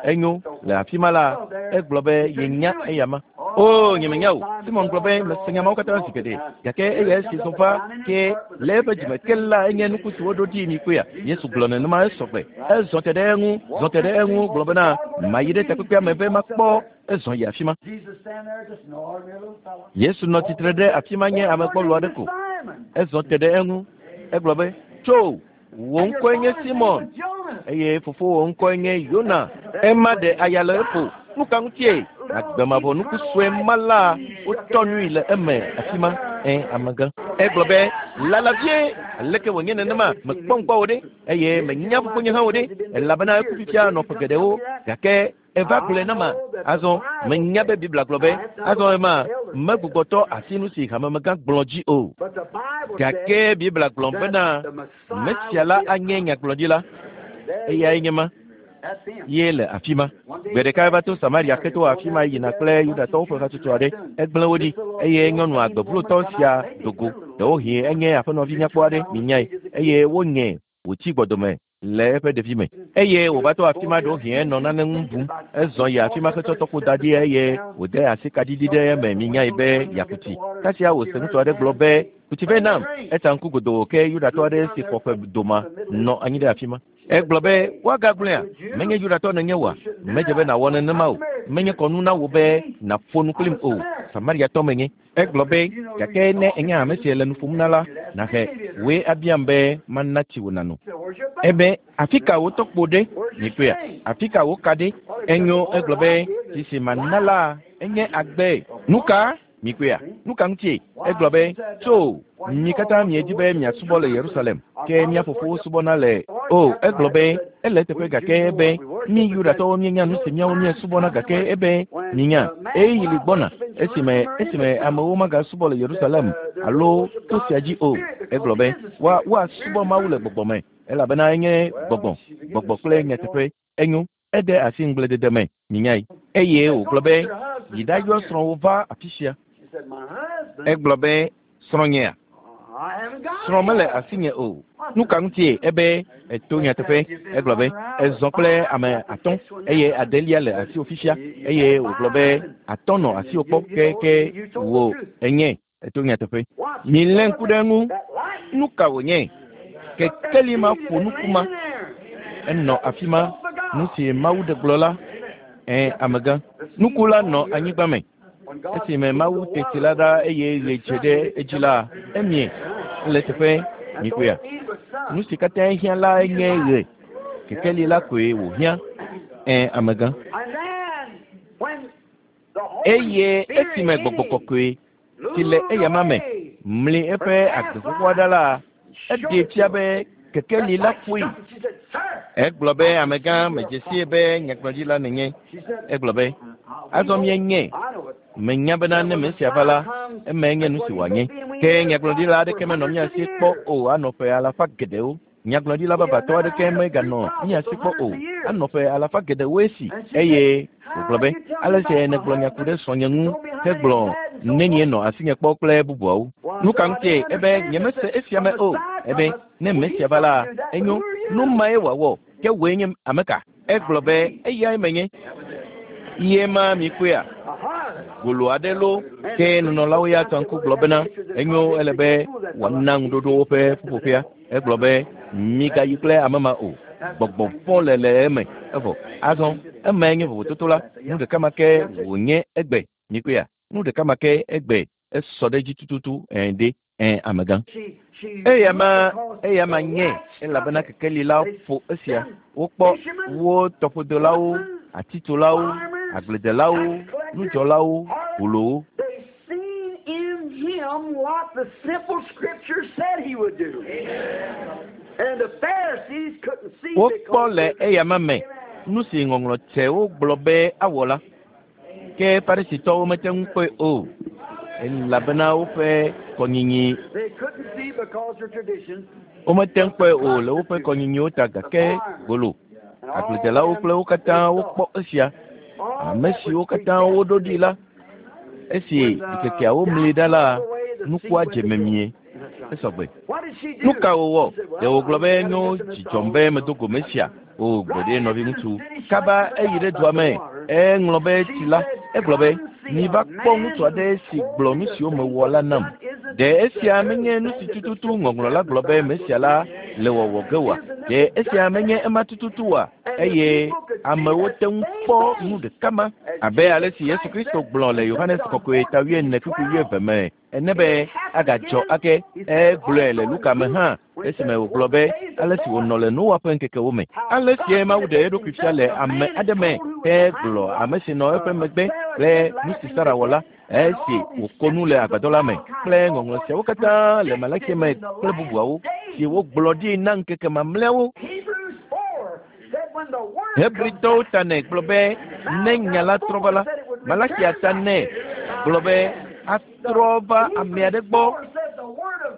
Enyo le afi ma la egblɔ be yenya eyama. O nyemenya o. Simon gblɔ be mese nya mawo katã zi geɖe gake eya esi zɔ va ke le eƒe dzime ke la enye nuku si woɖo ɖi mi kpɔea. Yesu gblɔ nenema esɔgbe. Ezɔ te ɖe eŋu, zɔ te ɖe eŋu gblɔ bena mayi ɖe takpekpea me be makpɔ ezɔ yi afi ma. Yesu nɔ tsitre ɖe afi ma nye ame gbɔlo aɖe ko. Ezɔ te ɖe eŋu. Egblɔ be tso wò ŋkɔe nye Simon eye fofowò ŋkɔe nye Yona. Ema ɖe aya le eƒo. Nu ka ŋutie? Agbemavɔ nuku sue ma la wotɔ nui le eme afi ma. Ẽ amegã. Egblɔ be lala vie aleke wònye nenema mekpɔ ŋkɔ wo ɖe eye menya fofonye hã wo ɖe elabena eku fifia nɔ ƒe geɖewo gake eva gblɔe na ma. Azɔ menya be Biblia gblɔ be azɔ ema megbugbɔtɔ asi nu si hamemegã gblɔ dzi o. Gake Biblia gblɔ bena Mesia la anye nyagblɔɖila. Eyae nye ma. Ye le afi ma. Gbe ɖeka eva to Samaria keto afi ma yina kple Yudatɔwo ƒe hatsotso aɖe. Egblẽ wo ɖi eye nyɔnu agbevlotɔ sia do go. Ɖewohĩ enye aƒenɔvi nyakpɔ aɖe minyae eye wonye wòtsi gbɔdome le eƒe ɖevime. Eye wòva to afi ma ɖewohĩ enɔ nane ŋu bum. Ezɔ yi afi ma hetsɔ tɔkpo da ɖi eye wòde asi kaɖiɖi ɖe eme minyae be yeaku tsi. Kasia wòse ŋutsu aɖe gblɔ be ku tsi vɛ nam. Etsa ŋku godoo ke Yudatɔ aɖe si xɔ ƒe doma nɔ anyi ɖe afi ma. Egblɔ be woagagblɔea menye Yudatɔ nenye oa medze be nàwɔ nenema o. Menye kɔnu na wò be nàƒo nu kplim o. Samariatɔ menye. Egblɔ be gake ne enye ame si le nu ƒom na la nàhe wòe abiam be mana tsi wò nàno. Ebe afi ka wò tɔkpo ɖe mikpɔea afi ka wò ka ɖe enyo egblɔ be tsi si mana la enye agbe. Nu ka mikpɔea nu ka ŋutie egblɔ be tso mi katã miedi be miasubɔ le Yerusalem ke mía fofowo subɔna le o. Egblɔ be ele eteƒe gake ebe mi Yudatɔwo mienya nu si míawo míesubɔna gake ebe minya ɣeyiɣi li gbɔna esime esime amewo magasubɔ le Yerusalem alo to sia dzi o. Egblɔ be woa woasubɔ Mawu le gbɔgbɔ me elabena enye gbɔgbɔ gbɔgbɔ kple nyateƒe. Enyo ede asi ŋugbledede me minyae. Eye wògblɔ be yi ɖayɔ srɔ̃wò va afi sia. Egblɔ be srɔ̃nyea srɔ̃ mele asinye o. Nu ka ŋutie ebe eto nyateƒe. Egblɔ be ezɔ kple ame atɔ̃ eye adelia le asiwò fifia eye wògblɔ be atɔ̃ nɔ asiwò kpɔ ke ke wò enye eto nyateƒe. Milé ŋku ɖe eŋu. Nu ka wònye? Kekeli ma ƒo nuku ma. Enɔ afi ma. Nu si Mawu ɖe gblɔ la ẽ amegã. Nuku la nɔ anyigba me. Esime Mawu te tsi la ɖa eye ɣe dze ɖe edzi la emie le teƒe mikpɔea. Nu si katã hiã la nye ɣe. Kekeli la koe wòhiã. Ẽ amegã. Eye esime gbɔgbɔ kɔkɔe si le eyama me mli eƒe agbe xoxoa ɖa la eɖee fia be kekeli la ƒoe. Egblɔ be amegã medze sie be nyagblɔɖila nenye. Egblɔ be azɔ mienye menya bena ne Mesia va la emae nye nu si wòanye. Ke nyagblɔɖila aɖeke menɔ mía si kpɔ o anɔ ƒe alafa geɖewo. Nyagblɔɖila babatɔ aɖeke meganɔ mía si kpɔ o anɔ ƒe alafa geɖewo esi. Eye wògblɔ be ale si nègblɔ nya ku ɖe srɔ̃nye ŋu hegblɔ nenie nɔ asinye kpɔ kple bubuawo. Nu ka ŋutie ebe nyemese esia me o. Ebe ne Mesia va la enyo nu mae wòawɔ ke wòe nye ame ka? Egblɔ be eyae menye. Ye ma mikpɔea golo aɖe lo ke nunɔlawo ya tɔ ŋku gblɔ bena enyo ele be wòana ŋuɖoɖo woƒe ƒuƒoƒea. Egblɔ be migayi kple ame ma o. Gbɔgbɔ vɔ̃ le le eme evɔ. Azɔ emae nye vovototo la. Nu ɖeka ma ke wònye egbe mikpɔea. Nu ɖeka ma ke egbe esɔ ɖe edzi tututu ẽ ɖe ẽ amegã. Eya ma eya ma nye elabena kekeli la ƒo esia. Wokpɔ wo tɔƒodelawo, atitsolawo, agbledelawo, nudzɔlawo, golowo. They seen in him what the simple scripture said he would do. And the Pharisees couldn't see Wokpɔ le eyama me nu si ŋɔŋlɔ tsɛwo gblɔ be awɔ la. Ke Farisitɔwo mete ŋu kpɔe o elabena woƒe kɔnyinyi They couldn't see because their tradition. womete ŋu kpɔe o le woƒe kɔnyinyiwo ta gake golo agbledelawo kple wo katã wokpɔ esia. Ame siwo katã woɖo ɖi la esi ŋkekeawo mli ɖa la nukua dze memie esɔgbe. Nu ka wòwɔ? Ɖe wògblɔ be nyo dzidzɔm be medo go Mesia o gbeɖe nɔviŋutsu. Kaba eyi ɖe dua me eŋlɔ be tsi la egblɔ be miva kpɔ ŋutsu aɖe si gblɔ nu siwo mewɔ la nam. Ɖe esia menye nu si tututu ŋɔŋlɔ la gblɔ be Mesia la le wɔwɔ ge oa? Ɖe esia menye ema tututu oa? Eye amewo te ŋu kpɔ nu ɖeka ma abe ale si Yesu Kristo gblɔ le Yohanes kɔkɔe ta wuiene kpukpui wuieve me ene be agadzɔ ake. Egblɔe le Luka me hã esime wògblɔ be ale si wònɔ le Noa ƒe ŋkekewo me. Ale sie Mawu ɖe eɖokui fia le ame aɖe me hegblɔ ame si nɔ eƒe megbe kple nu si Sara wɔ la. Esi wòko nu le agbadɔ la me kple ŋɔŋlɔ siawo katã le Malaki me kple bubuawo si wogblɔ ɖi na ŋkeke mamlɛawo. Hebritɔwo ta nɛ gblɔ be ne nya la trɔ va la, Malakia ta nɛ gblɔ be atrɔ va ame aɖe gbɔ.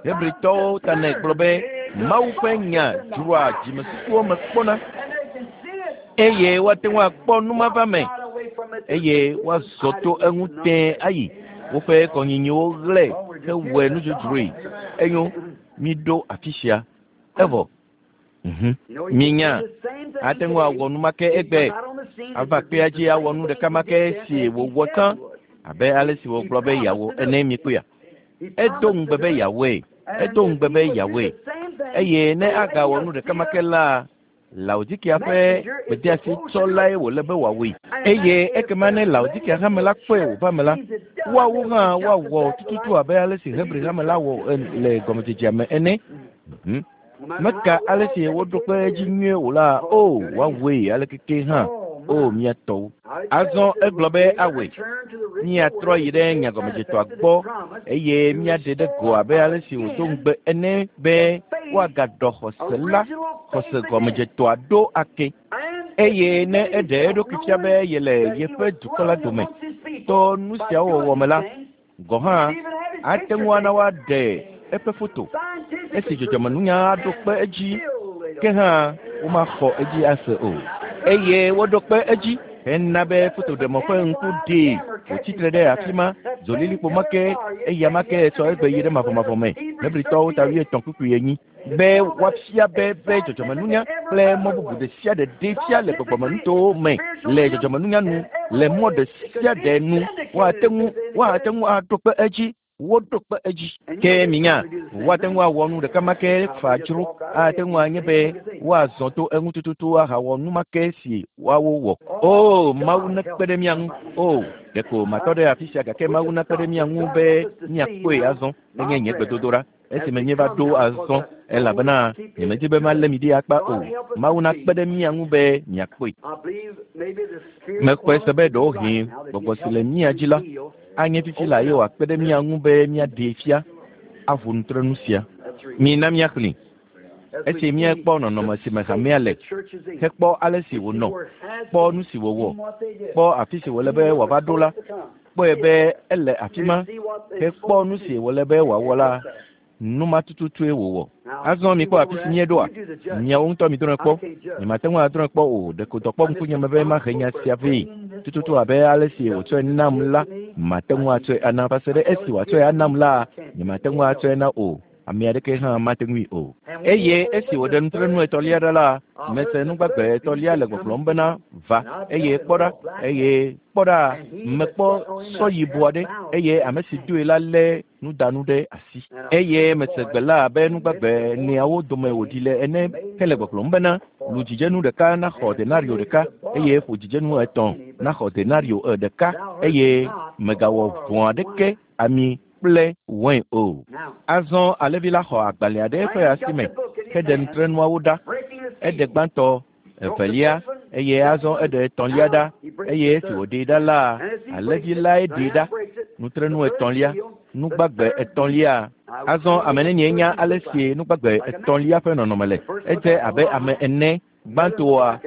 Hebritɔwo ta nɛ gblɔ be Mawu ƒe nya dzroa dzimesusuwo me kpɔna eye woate ŋu akpɔ numava me eye woazɔ to eŋu tẽe ayi. Woƒe kɔnyinyiwo ɣlẽ hewɔe nudzodzroe. Enyo, miɖo afi sia. Evɔ. Mhm. Minya, ate ŋu awɔ nu ma ke egbe. Ava kpea dzi awɔ nu ɖeka ma ke si wòwɔ tsã abe ale si wògblɔ be yeawɔ ene mikpɔea. Edo ŋugbe be yeawɔe. Edo ŋugbe be yeawɔe. Eye ne agawɔ nu ɖeka ma ke la, Laodikea ƒe gbedeasi tsɔlae wòle be wòawɔe. Eye ekema ne Laodikea hame la kpɔe wòva me la, woawo hã woawɔ tututu abe ale si Hebri hame la wɔ le gɔmedzedzea me ene. Mhm. Meka ale si woɖo kpe edzi nyuie o la, o woawɔe ale keke hã. O mía tɔwo. Azɔ egblɔ be awɔe. Míatrɔ yi ɖe nyagɔmedzetɔa gbɔ eye míaɖe ɖe go abe ale si wòdo ŋugbe ene be woagaɖɔ xɔse la, xɔse gɔmedzetɔa ɖo ake. Eye ne eɖe eɖokui fia be yele yeƒe dukɔ la dome to nu siawo wɔwɔ me la, gɔ̃ hã ate ŋu ana woaɖe eƒe foto. Esi dzɔdzɔmenunya aɖo kpe edzi, ke hã womaxɔ edzi ase o. Eye woɖo kpe edzi hena be fotoɖemɔ ƒe ŋku ɖee wòtsitre ɖe afi ma zolilikpo ma ke eya ma ke sɔ egbe yi ɖe mavɔmavɔ me. Hebritɔwo ta wuietɔ̃ kpukpui enyi be woafia be be dzɔdzɔmenunya kple mɔ bubu ɖe sia ɖe ɖee fia le gbɔgbɔmenutowo me le dzɔdzɔmenunya nu le mɔ ɖe sia ɖe nu woate ŋu woate ŋu aɖo kpe edzi. Woɖo kpe edzi. Ke minya, woate ŋu awɔ nu ɖeka ma ke faa dzro. Ate ŋu anye be woazɔ to eŋu tututu ahawɔ nu ma ke si woawo wɔ. O, Mawu nekpe ɖe mía ŋu. O, ɖeko matɔ ɖe afi sia gake Mawu nekpe ɖe mía ŋu be míakpɔe azɔ. Enye nye gbedodoɖa. Esime míeva ɖo azɔ elabena nyemedi be malé mi ɖi akpa o. Mawu nakpe ɖe mía ŋu be miakpɔe. Mexɔe se be ɖewohĩ gbɔgbɔ si le mía dzi la anye fifi la ye wòakpe ɖe mía ŋu be míaɖee fia aʋu nutrenu sia. Mina míaxlẽ. Esi míekpɔ nɔnɔme si me hamea le, hekpɔ ale si wònɔ, kpɔ nu si wòwɔ, kpɔ afi si wòle be wòava ɖo la, kpɔe be ele afi ma, hekpɔ nu si wòle be wòawɔ la, nu ma tututue wòwɔ. Azɔ mikpɔ afi si míeɖoa, miawo ŋutɔ midrɔ̃e kpɔ. Nyemate ŋu adrɔ̃e kpɔ o, ɖeko dɔ kpɔ ŋkunye me be mahe nya sia vɛ. Tututu abe ale si wòtsɔe nam la, mate ŋu atsɔe ana va se ɖe esi wòatsɔe anam la, nyemate ŋu atsɔe na o. Ame aɖeke hã mate ŋui o. Eye esi wòɖe nutrenu etɔ̃lia ɖa la, mese nugbagbe etɔ̃lia le gbɔgblɔm bena va eye kpɔ ɖa eye kpɔ ɖa mekpɔ sɔ yibɔ aɖe eye ame si doe la lé nudanu ɖe asi. Eye mese gbe la abe nugbagbe eneawo dome wòɖi le ene hele gbɔgblɔm bena lu dzidzenu ɖeka naxɔ denario ɖeka eye ƒo dzidzenu etɔ̃ naxɔ denario ɖeka eye mègawɔ vɔ̃ aɖeke ami kple wain o. Azɔ alẽvi la xɔ agbalẽ ɖe eƒe asi me heɖe nutrenuawo ɖa. Eɖe gbãtɔ, evelia eye azɔ eɖe etɔ̃lia ɖa eye esi wòɖee ɖa la, alẽvi lae ɖee ɖa. Nutrenu etɔ̃lia, nugbagbe etɔ̃lia. Azɔ ame nenie nya ale si nugbagbe etɔ̃lia ƒe nɔnɔme le. Edze abe ame ene. Gbãtɔa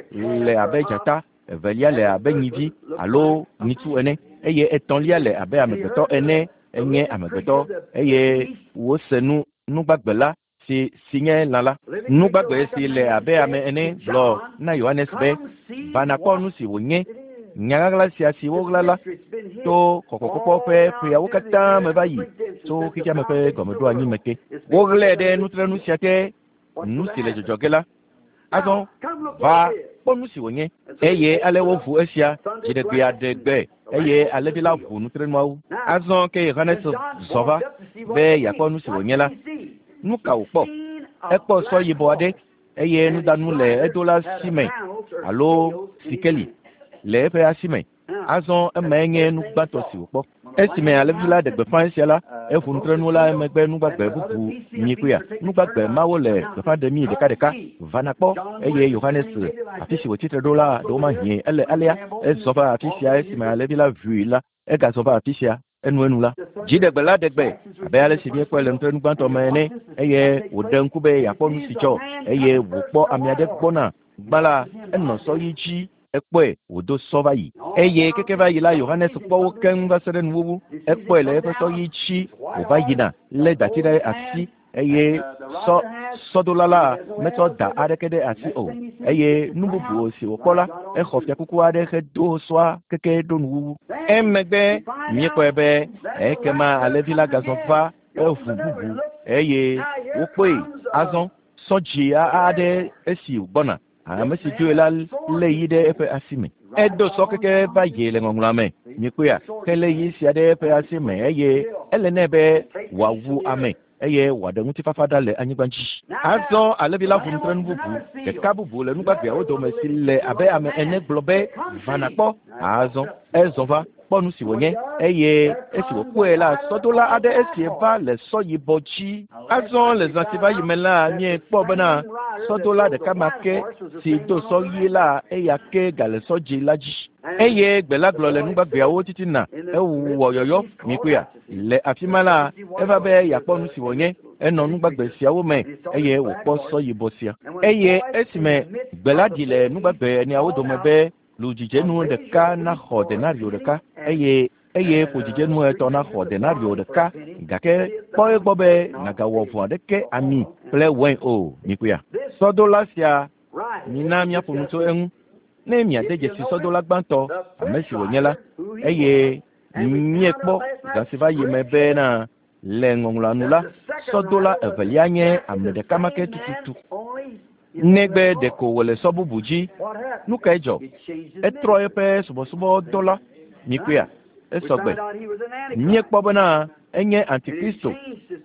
le abe dzata, evelia le abe nyivi alo nyitsu ene eye etɔ̃lia le abe amegbetɔ ene. Enye amegbetɔ eye wose nu nugbagbe la si si nye lã la. Nugbagbe si le abe ame ene gblɔ na Yohanes be va nakpɔ nu si wònye. Nya ɣaɣla sia si woɣla la to kɔkɔkpɔkpɔ ƒe ƒeawo katã me va yi tso xexeame ƒe gɔmeɖoanyi me ke. Woɣlae ɖe nutrenu sia te, nu si le dzɔdzɔ ge la. Azɔ va kpɔ nu si wònye. Eye ale woʋu esia dziɖegbea ɖe gbe eye alẽvi la ʋu nutrenuawo. Azɔ ke Yohanes zɔ va be yeakpɔ nu si wònye la. Nu ka wòkpɔ? Ekpɔ sɔ yibɔ aɖe eye nudanu le edola si me alo sikeli le eƒe asi me. Azɔ emae nye nu gbãtɔ si wòkpɔ. Esime alẽvi la ɖe gbeƒã esia la, eʋu nutrenu la emegbe nugbagbe bubu nyikpea. Nugbagbe mawo le gbeƒã ɖemi ɖekaɖeka. Va nakpɔ eye Yohanes afi si wòtsitre ɖo la ɖewomahĩ ele alea. Ezɔ va afi sia esime alẽvi la ʋui la, egazɔ va afi sia. Enuenu la dziɖegbe la ɖe gbe abe ale si míekpɔe le ŋutrenu gbãtɔ me ene eye wòɖe ŋku be yeakpɔ nu si dzɔ eye wòkpɔ ame aɖe gbɔna gbã la enɔ sɔ ɣi dzi ekpɔe wòdo sɔ va yi eye keke va yi la Yohanes kpɔ wo keŋ va se ɖe nuwuwu ekpɔe le eƒe sɔ ɣi dzi wòva yina lé dati ɖe asi eye sɔ sɔdola la metsɔ da aɖeke ɖe asi o eye nu bubu si wòkpɔ la exɔ fiakuku aɖe hedo sɔa keke ɖo nuwuwu emegbe míekpɔe be ekema alẽvi la gazɔ va eʋu bubu eye wokpɔe azɔ sɔ dzi aɖe esi wògbɔna ame si doe la lé yi ɖe eƒe asi me edo sɔ keke va yi le ŋɔŋlɔa me míekpɔea ke lé yi sia ɖe eƒe asi me eye ele nɛ be wòawu ame eye wòaɖe ŋutifafa ɖa le anyigba dzi azɔ alẽvi la ʋu nutrenu bubu ɖeka bubu le nugbagbeawo dome si le abe ame ene gblɔ be va nàkpɔ azɔ ezɔ va kpɔ nu si wònye eye esi wòkpɔe la sɔdola aɖe esi va le sɔ yibɔ dzi azɔ le zã si va yi me la míekpɔ bena sɔdola ɖeka ma ke si do sɔ ɣi la eya ke gale sɔ dzi la dzi eye gbe la gblɔ le nugbagbeawo titina ewɔ yɔyɔ míekpɔea le afi ma la eva be yeakpɔ nu si wònye enɔ nugbagbe siawo me eye wòkpɔ sɔ yibɔ sia eye esime gbe la ɖi le nugbagbe eneawo dome be ludzidzenu ɖeka naxɔ denario ɖeka eye eye ƒodzidzenu etɔ̃ naxɔ denario ɖeka gake kpɔ egbɔ be nàgawɔ vɔ̃ aɖeke ami kple wain o míekpɔea sɔdola sia mina míaƒo nu tso eŋu ne miade dzesi sɔdola gbãtɔ ame si wònye la eye míekpɔ zã si va yi me bena le ŋɔŋlɔa nu la sɔdola evelia nye ame ɖeka ma ke tututu negbe ɖeko wòle sɔ bubu dzi nu kae dzɔ etrɔ eƒe subɔsubɔdɔ la míekpɔea esɔgbe míekpɔ bena enye antikristo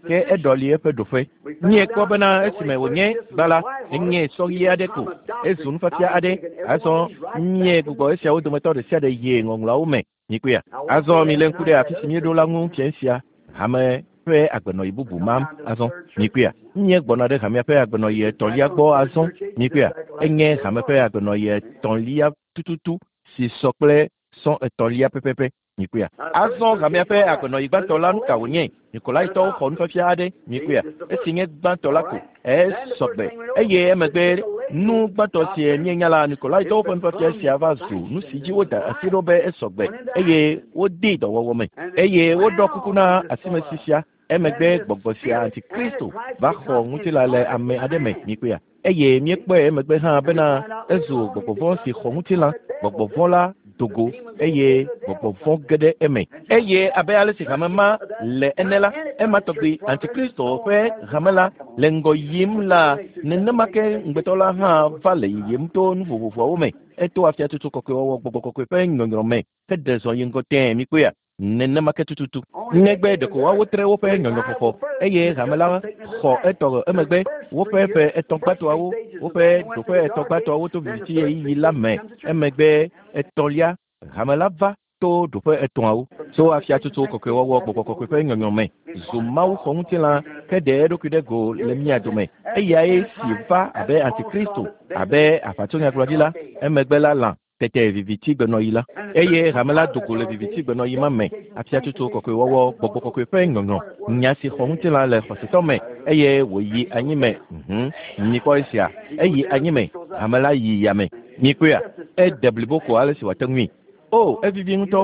ke eɖɔli eƒe ɖoƒe míekpɔ bena esime wònye gbã la enye sɔ ɣi aɖe ko ezu nufiafia aɖe azɔ míegbugbɔ esiawo dometɔ ɖe sia ɖe yi ŋɔŋlɔawo me míekpɔea azɔ milé ŋku ɖe afi si míeɖo la ŋu fiẽ sia hame ƒe agbenɔyi bubu mam azɔ míekpɔea míegbɔna ɖe hamea ƒe agbenɔyi etɔ̃lia gbɔ azɔ míekpɔea enye hame ƒe agbenɔyi etɔ̃lia tututu si sɔ kple sɔ etɔ̃lia pɛpɛpɛ míekpɔea azɔ hamea ƒe agbenɔyi gbãtɔ la nu ka wònye Nikolaitɔwo xɔ nufiafia aɖe míekpɔea esi nye gbãtɔ la ko esɔgbe eye emegbe nu gbãtɔ si míenya la Nikolaitɔwo ƒe nufiafia sia va zu nu si dzi woda asi ɖo be esɔgbe eye wodee dɔwɔwɔ me eye woɖɔ kuku na asimesi sia emegbe gbɔgbɔ sia antikristo va xɔ ŋutilã le ame aɖe me míekpɔea eye míekpɔe emegbe hã bena ezu gbɔgbɔ vɔ̃ si xɔ ŋutilã gbɔgbɔ vɔ̃ la dogo eye gbɔgbɔ vɔ̃ ge ɖe eme eye abe ale si hame ma le ene la ema tɔgbi antikristo ƒe hame la le ŋgɔ yim la nenema ke ŋugbetɔ la hã va le yiyim to nu vovovoawo me eto afiatutu kɔkɔewɔwɔ gbɔgbɔ kɔkɔe ƒe nyɔnyrɔ me heɖe zɔ yi ŋgɔ tẽe míekpɔea nenema ke tututu negbe ɖeko woawo tre woƒe nyɔnyrɔxɔxɔ eye hame la xɔ etɔ emegbe woƒe ƒe etɔ̃ gbãtɔawo woƒe ɖoƒe etɔ̃ gbãtɔawo to viviti ɣeyiɣi la me emegbe etɔ̃lia hame la va to ɖoƒe etɔ̃awo tso afiatutu kɔkɔewɔwɔ gbɔgbɔ kɔkɔe ƒe nyɔnyɔ me zu Mawu xɔ ŋutilã ke ɖe eɖokui ɖe go le mía dome eyae si va abe antikristo abe aʋatsonyagblɔɖila emegbe la lã tete viviti gbenɔyi la eye hame la do go le viviti gbenɔyi ma me afiatutu kɔkɔewɔwɔ gbɔgbɔ kɔkɔe ƒe nyɔnyɔ nya si xɔ ŋutilã le xɔsetɔ me eye wòyi anyi me mhm mikpɔ esia eyi anyi me hame la yi yame mikpɔea ede blibo ko ale si wòate ŋui o evivi ŋutɔ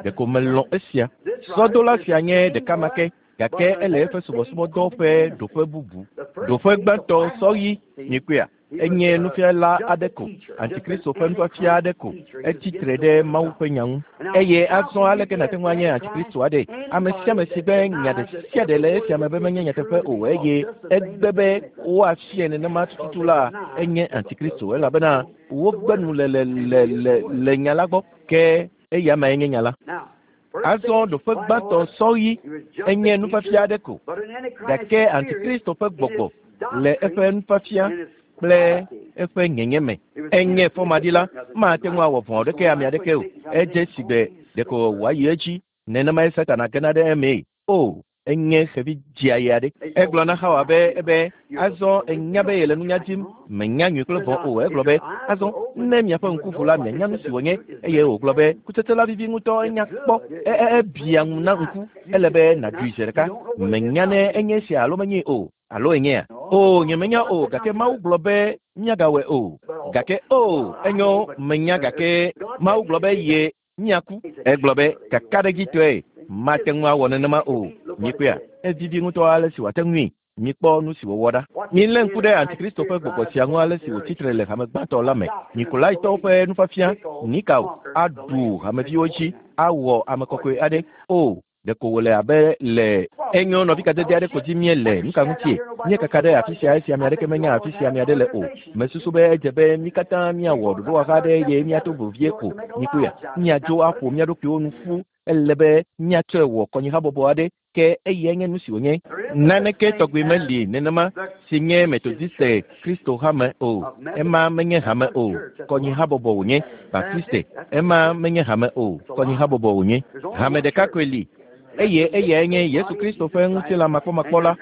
ɖeko melɔ̃ esia sɔdola sia nye ɖeka ma ke gake ele eƒe subɔsubɔdɔ ƒe ɖoƒe bubu ɖoƒe gbãtɔ sɔɣi mikpɔea enye nufiala aɖe ko antikristo ƒe nufiafia aɖe ko etsi tre ɖe Mawu ƒe nya ŋu eye azɔ aleke nàte ŋu anye antikristo aɖe ame sia ame si be nya ɖe sia ɖe le esia me be menye nyateƒe o eye egbe be woafia nenema tututu la enye antikristo elabena wogbe nu le le le le le nya la gbɔ ke eya mae nye nya la azɔ ɖoƒe gbãtɔ sɔɣi enye nufiafia aɖe ko gake antikristo ƒe gbɔgbɔ le eƒe nufiafia kple eƒe nyenye me enye fɔmaɖila mate ŋu awɔ vɔ̃ aɖeke ame aɖeke o edze si gbe ɖeko wòayi edzi nenemae Satana gena ɖe emee o Enye xevi dzia aɖe. Egblɔ na Xawa be ebe azɔ enya be yele nunya dim, menya nyui kple vɔ̃ o. Egblɔ be azɔ ne miaƒe ŋku ʋu la mianya nu si wònye. Eye wògblɔ be kutsetse la vivi ŋutɔ, enya kpɔ, e e ebia ŋu na ŋku, ele be nàɖui zi ɖeka. Menya ne enye esia alo menyee o, alo enyea? O, nyemenya o, gake Mawu gblɔ be míagawɔe o. Gake o, enyo, menya gake Mawu gblɔ be ye míaku. Egblɔ be kakaɖedzitɔe mate ŋu awɔ nenema o. Mikpɔea, evivi ŋutɔ ale si wòate ŋui. Mikpɔ nu si wòwɔ ɖa. Milé ŋku ɖe Antikristo ƒe gbɔgbɔ sia ŋu ale si wòtsitre le hame gbãtɔ la me. Nikolaitɔwo ƒe nufiafia Nikao aɖu hameviwo dzi awɔ ame kɔkɔe aɖe. O, ɖeko wòle abe le enyo nɔvi kadede aɖe ko dzi míele. Nu ka ŋutie? Míekaka ɖe afi sia esi ame aɖeke menya afi sia ame aɖe le o. Mesusu be edze be mí katã míawɔ ɖoɖowɔha aɖe eye míato vevie ko. Mikpɔea, míadzo aƒo mía ɖokuiwo nu ƒu. Ele be míatsɔe wɔ kɔnyihabɔbɔ aɖe ke eyae nye nu si wònye. Naneke tɔgbi meli nenema si nye Metodiste Kristo hame o. Ema menye hame o, kɔnyihabɔbɔ wònye. Baptiste, ema menye hame o, kɔnyihabɔbɔ wònye. Hame ɖeka koe li eye eyae nye Yesu Kristo ƒe ŋutilã makpɔmakpɔ la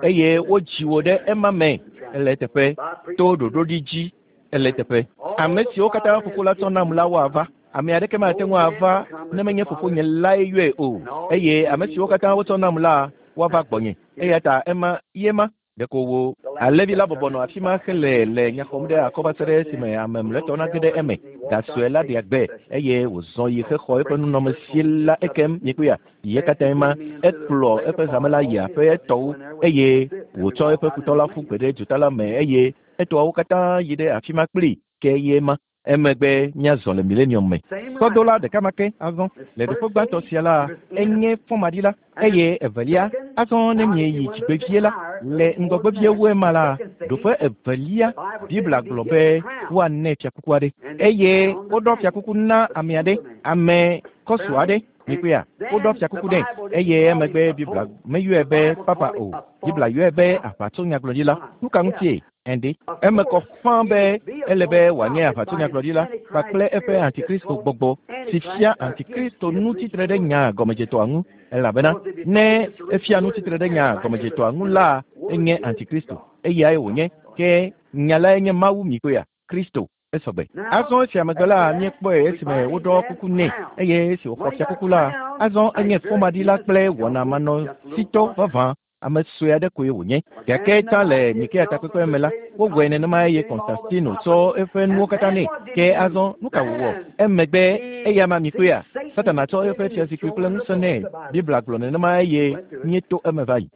eye wodzi wò ɖe ema me. Ele eteƒe to ɖoɖoɖi dzi. Ele eteƒe. Ame siwo katã fofo la tsɔ nam la woava. Ame aɖeke mate ŋu ava ne menye fofonye lae yɔe o. Eye ame siwo katã wotsɔ nam la woava gbɔnye. Eya ta ema ye ma. Ɖeko wo alẽvi la bɔbɔ nɔ afi ma hele le nya xɔm ɖe akɔ va se ɖe esime ame mlɔetɔ nage ɖe eme. Gasɔe la ɖea gbe eye wòzɔ yi hexɔ eƒe nunɔamesi la ekem. Mikpɔea, ye katãe ma. Ekplɔ eƒe hame la yi aƒe etɔwo eye wòtsɔ eƒe futɔ la ƒu gbe ɖe dzota la me eye etɔawo katã yi ɖe afi ma kplii ke ye ma. Emegbe míazɔ le millennium me. Sɔdola ɖeka ma ke azɔ le ɖoƒe gbãtɔ sia la enye fɔmaɖila eye evelia azɔ ne mieyi dzigbevie la le ŋgɔgbevie wu ema la ɖoƒe evelia Biblia gblɔ be woanɛ fiakuku aɖe eye woɖɔ fiakuku na ame aɖe, ame kɔsu aɖe. Mikpɔea, woɖɔ fiakuku nɛ eye emegbe Biblia meyɔe be papa o. Biblia yɔe be aʋatsonyagblɔɖila. Nu ka ŋutie? Ende. Eme kɔ fãa be ele be wòanye aʋatsonyagblɔɖila kpakple eƒe antikristo gbɔgbɔ si fia antikristo nu tsitre ɖe nya gɔmedzetɔa ŋu. Elabena ne efia nu tsitre ɖe nya gɔmedzetɔa ŋu la, enye antikristo. Eyae wònye. Ke nya lae nye Mawu. Mikpɔea, Kristo esɔgbe. Azɔ esia megbe la míekpɔe esime woɖɔ kuku nɛ eye esi wòxɔ fiakuku la, azɔ enye fɔmaɖila kple wɔnamanɔsitɔ vavã. Ame sue aɖe koe wònye. Gake tsã le Nikea takpekpe me la, wowɔe nenema eye Konstantino tsɔ eƒe nuwo katã nɛ. Ke azɔ nu ka wòwɔ? Emegbe eya ma mikpɔea, Satana tsɔ eƒe fiazikpui kple ŋusẽ nɛ. Biblia gblɔ nenema eye míeto eme va yi.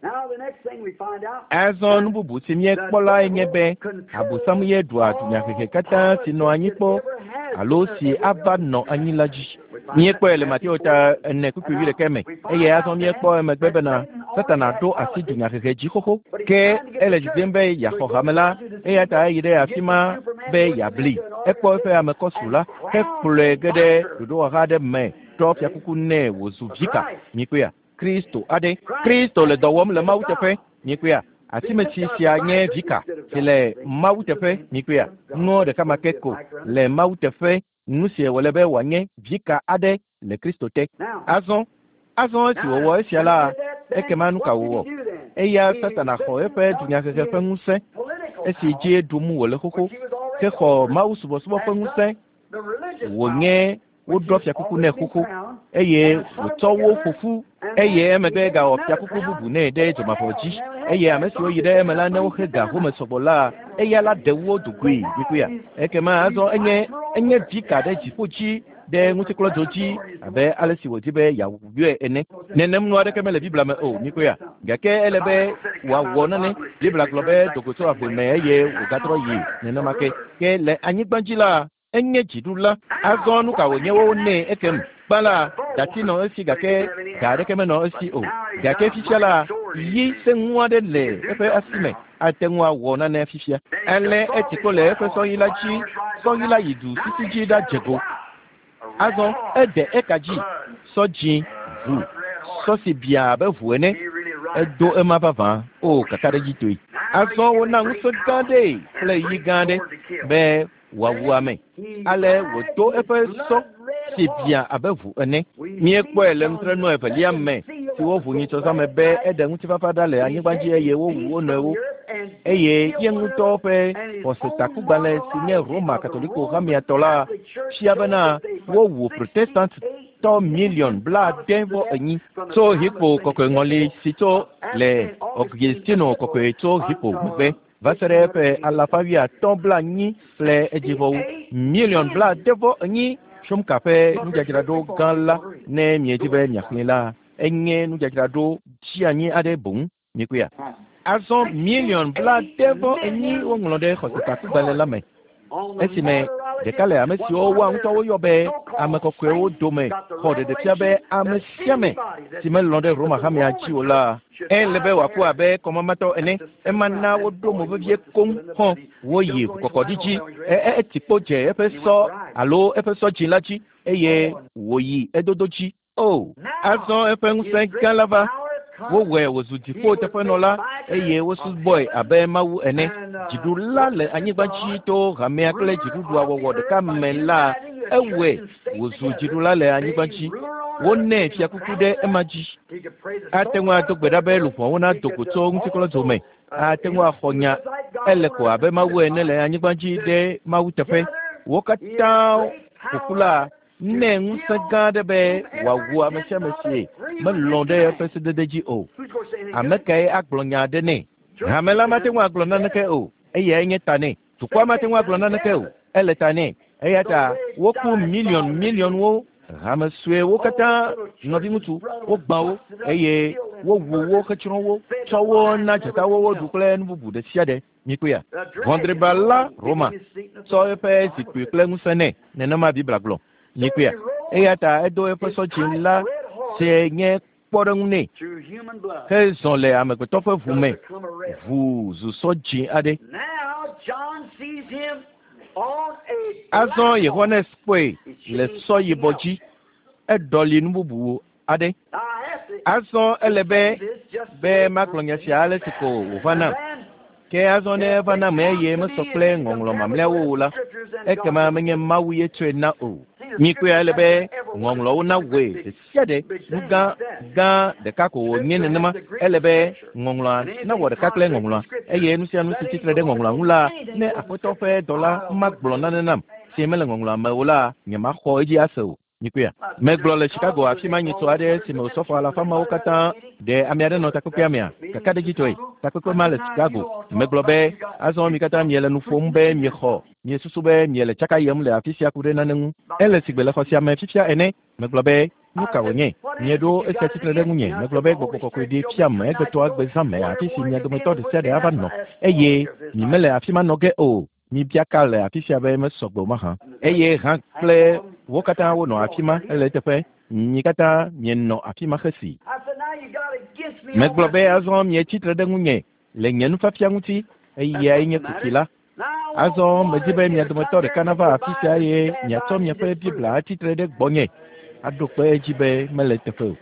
Azɔ nu bubu si míekpɔ lae nye be Abosam ye ɖua dunyahehe katã si nɔ anyi kpɔ alo si ava nɔ anyi la dzi. Míekpɔe le Mateo ta ene kpukpui wuiɖekɛ me eye azɔ míekpɔ emegbe bena Satana ɖo asi dunyahehe dzi xoxo. Ke ele didim be yeaxɔ hame la, eya ta eyi ɖe afi ma be yeabli. Ekpɔ eƒe ame kɔsu la hekplɔe ge ɖe ɖoɖowɔha aɖe me ɖɔ fiakuku nɛ wòzu vika. Mikpɔea, Kristo aɖe. Kristo le dɔ wɔm le Mawu teƒe. Mikpɔea, asimesi sia nye vika si le Mawu teƒe. Mikpɔea, nuɔ ɖeka ma ke ko le Mawu teƒe. Nu si wòle be wòanye vika aɖe le Kristo te. Azɔ azɔ esi wòwɔ esia la, ekema nu ka wòwɔ? Eya Satana xɔ eƒe dunyahehe ƒe ŋusẽ esi dzi ɖum wòle xoxo hexɔ Mawu subɔsubɔ ƒe ŋusẽ wònye woɖɔ fiakuku nɛ xoxo eye wòtsɔ wo ƒo ƒu eye emegbe gawɔ fiakuku bubu nɛ ɖe dzomavɔ dzi eye ame siwo yi ɖe eme la ne woxe ga home sɔgbɔ la eya la ɖe wo dogoe. Mikpɔea, ekema azɔ enye enye vika ɖe dziƒo dzi ɖe ŋutikplɔdzo dzi abe ale si wòdi be yeawɔe ene. Nenem nu aɖeke mele Biblia me o. Mikpɔea, gake ele be wòawɔ nane. Biblia gblɔ be dogo tso ave me eye wògatrɔ yi nenema ke. Ke le anyigba dzi la enye dziɖula. Azɔ nu ka wònye wo nɛ ekem? Gbã la, dati nɔ esi gake ga aɖeke menɔ esi o. Gake fifia la, yi sẽŋu aɖe le eƒe asi me ate ŋu awɔ nane fifia. Ale etsi kpo le eƒe sɔyi la dzi. Sɔyi la yi du sisi dzi ɖadze go. Azɔ ede eka dzi. Sɔ dzĩ ʋu sɔ si bia abe ʋu ene. Edo ema vavã o kakaɖedzitɔe. Azɔ wona ŋusẽ gã ɖee kple yi gã aɖe be wòawu ame. Ale wòdo eƒe sɔ si bia abe ʋu ene. Míekpɔe le nutrenu evelia me si woʋu nyitsɔzã me be eɖe ŋutifafa ɖa le anyigba dzi eye wowu wo nɔewo eye ye ŋutɔ ƒe xɔsetakugbalẽ si nye Roma Katoliko hamea tɔ la fia bena wowu Protestant tɔ miliɔn blaade vɔ enyi tso Hippo kɔkɔe ŋɔli si tso le Augustino kɔkɔe tso Hippo megbe va se ɖe eƒe alafa wuiatɔ̃ blaenyi kple edzivɔwo miliɔn blaade vɔ enyi Shumka ƒe nudzadzraɖo gã la ne miedi be miaxlẽe la enye nudzadzraɖo dzianyi aɖe boŋ mikpɔea. Azɔ miliɔn blaade vɔ enyi woŋlɔ ɖe xɔsetakugbalẽ la me esime ɖeka le ame siwo woa ŋutɔ woyɔ be ame kɔkɔewo dome xɔ ɖeɖefia be ame sia ame si melɔ̃ ɖe Roma hamea dzi o la ele be wòaku abe kɔmamatɔ ene. Ema na woɖo mo vevie koŋ hɔ̃ woyi ʋukɔkɔɖi dzi eti kpo dze eƒe sɔ alo eƒe sɔ dzi la dzi eye wòyi edodo dzi. O azɔ eƒe ŋusẽ gã la va. Wowɔe wòzu dziƒo teƒenɔla eye wosubɔe abe Mawu ene. Dziɖula le anyigba dzi to hamea kple dziɖuɖua wɔwɔ ɖeka me la ewɔe wòzu dziɖula le anyigba dzi. Wonɛ fiakuku ɖe ema dzi. Ate ŋu ado gbe ɖa be luʋɔwo nado go tso ŋutikɔlɔdzo me. Ate ŋu axɔ nya ele ko abe Mawu ene le anyigba dzi ɖe Mawu teƒe. Wo katã ƒoƒu la nɛ ŋusẽ gã aɖe be wòawu ame sia ame si melɔ̃ ɖe eƒe sedede dzi o. Ame kae agblɔ nya aɖe nɛ? Hame la mate ŋu agblɔ naneke o, eyae nye ta nɛ. Dukɔa mate ŋu agblɔ naneke o, ele ta nɛ. Eya ta woku miliɔn miliɔnwo hame suewo katã nɔviŋutsu wogbã wo eye wowu wo hetsrɔ̃ wo tsɔ wo na dzatawo woɖu kple nu bubu ɖe sia ɖe. Mikpɔea ʋɔdriba la Roma tsɔ eƒe zikpui kple ŋusẽ nɛ nenema Biblia gblɔ. Mikpɔea eya ta edo eƒe sɔ dzi la si nye kpɔɖeŋu nɛ hezɔ le amegbetɔ ƒe ʋu me ʋu zu sɔ dzi aɖe. Azɔ Yohanes kpɔe le sɔ yibɔ dzi eɖɔli nu bubu aɖe. Azɔ ele be be magblɔ nya sia ale si ko wòva nam. Ke azɔ ne eva nam eye mesɔ kple ŋɔŋlɔ mamlɛawo o la ekema menye Mawu ye tsɔe na o. Mikpɔea ele be ŋɔŋlɔwo nawɔe ɖe sia ɖe nu gã gã ɖeka ko wònye nenema. Ele be ŋɔŋlɔa nawɔ ɖeka kple ŋɔŋlɔa eye nu sia nu si tsitre ɖe ŋɔŋlɔa ŋu la ne Aƒetɔ ƒe dɔla magblɔ nane nam si mele ŋɔŋlɔa me o la nyemaxɔ edzi ase o. Mikpɔea megblɔ le Chicago afi ma nyitsɔ aɖe si me wòsɔfɔ alafa mawo katã ɖe ame aɖe nɔ takpekpea mea kakaɖedzitɔe takpekpe ma le Chicago. Megblɔ be azɔ mi katã miele nu ƒom be miexɔ miesusu be miele tsaka yem le afi sia ku ɖe nane ŋu. Ele sigbe le xɔ sia me fifia ene. Megblɔ be nu ka wònye mieɖo esia tsitre ɖe ŋunye. Megblɔ be gbɔgbɔ kɔkɔe ɖe fiam egbetɔa gbe zã me afi si mia dometɔ ɖe sia ɖe ava nɔ eye mi mele afi ma nɔ ge o. Mibia ka le afi sia be mesɔ gbɔ mahã eye hã kple wo katã wonɔ afi ma ele teƒe mi katã mienɔ afi ma xesi. Megblɔ be azɔ mietsi tre ɖe ŋunye le nye nufiafia ŋuti eyae nye kuxi la. Azɔ medi be mia dometɔ ɖeka nava afi sia eye miatsɔ miaƒe Biblia atsi tre ɖe gbɔnye aɖo kpe edzi be mele teƒe o.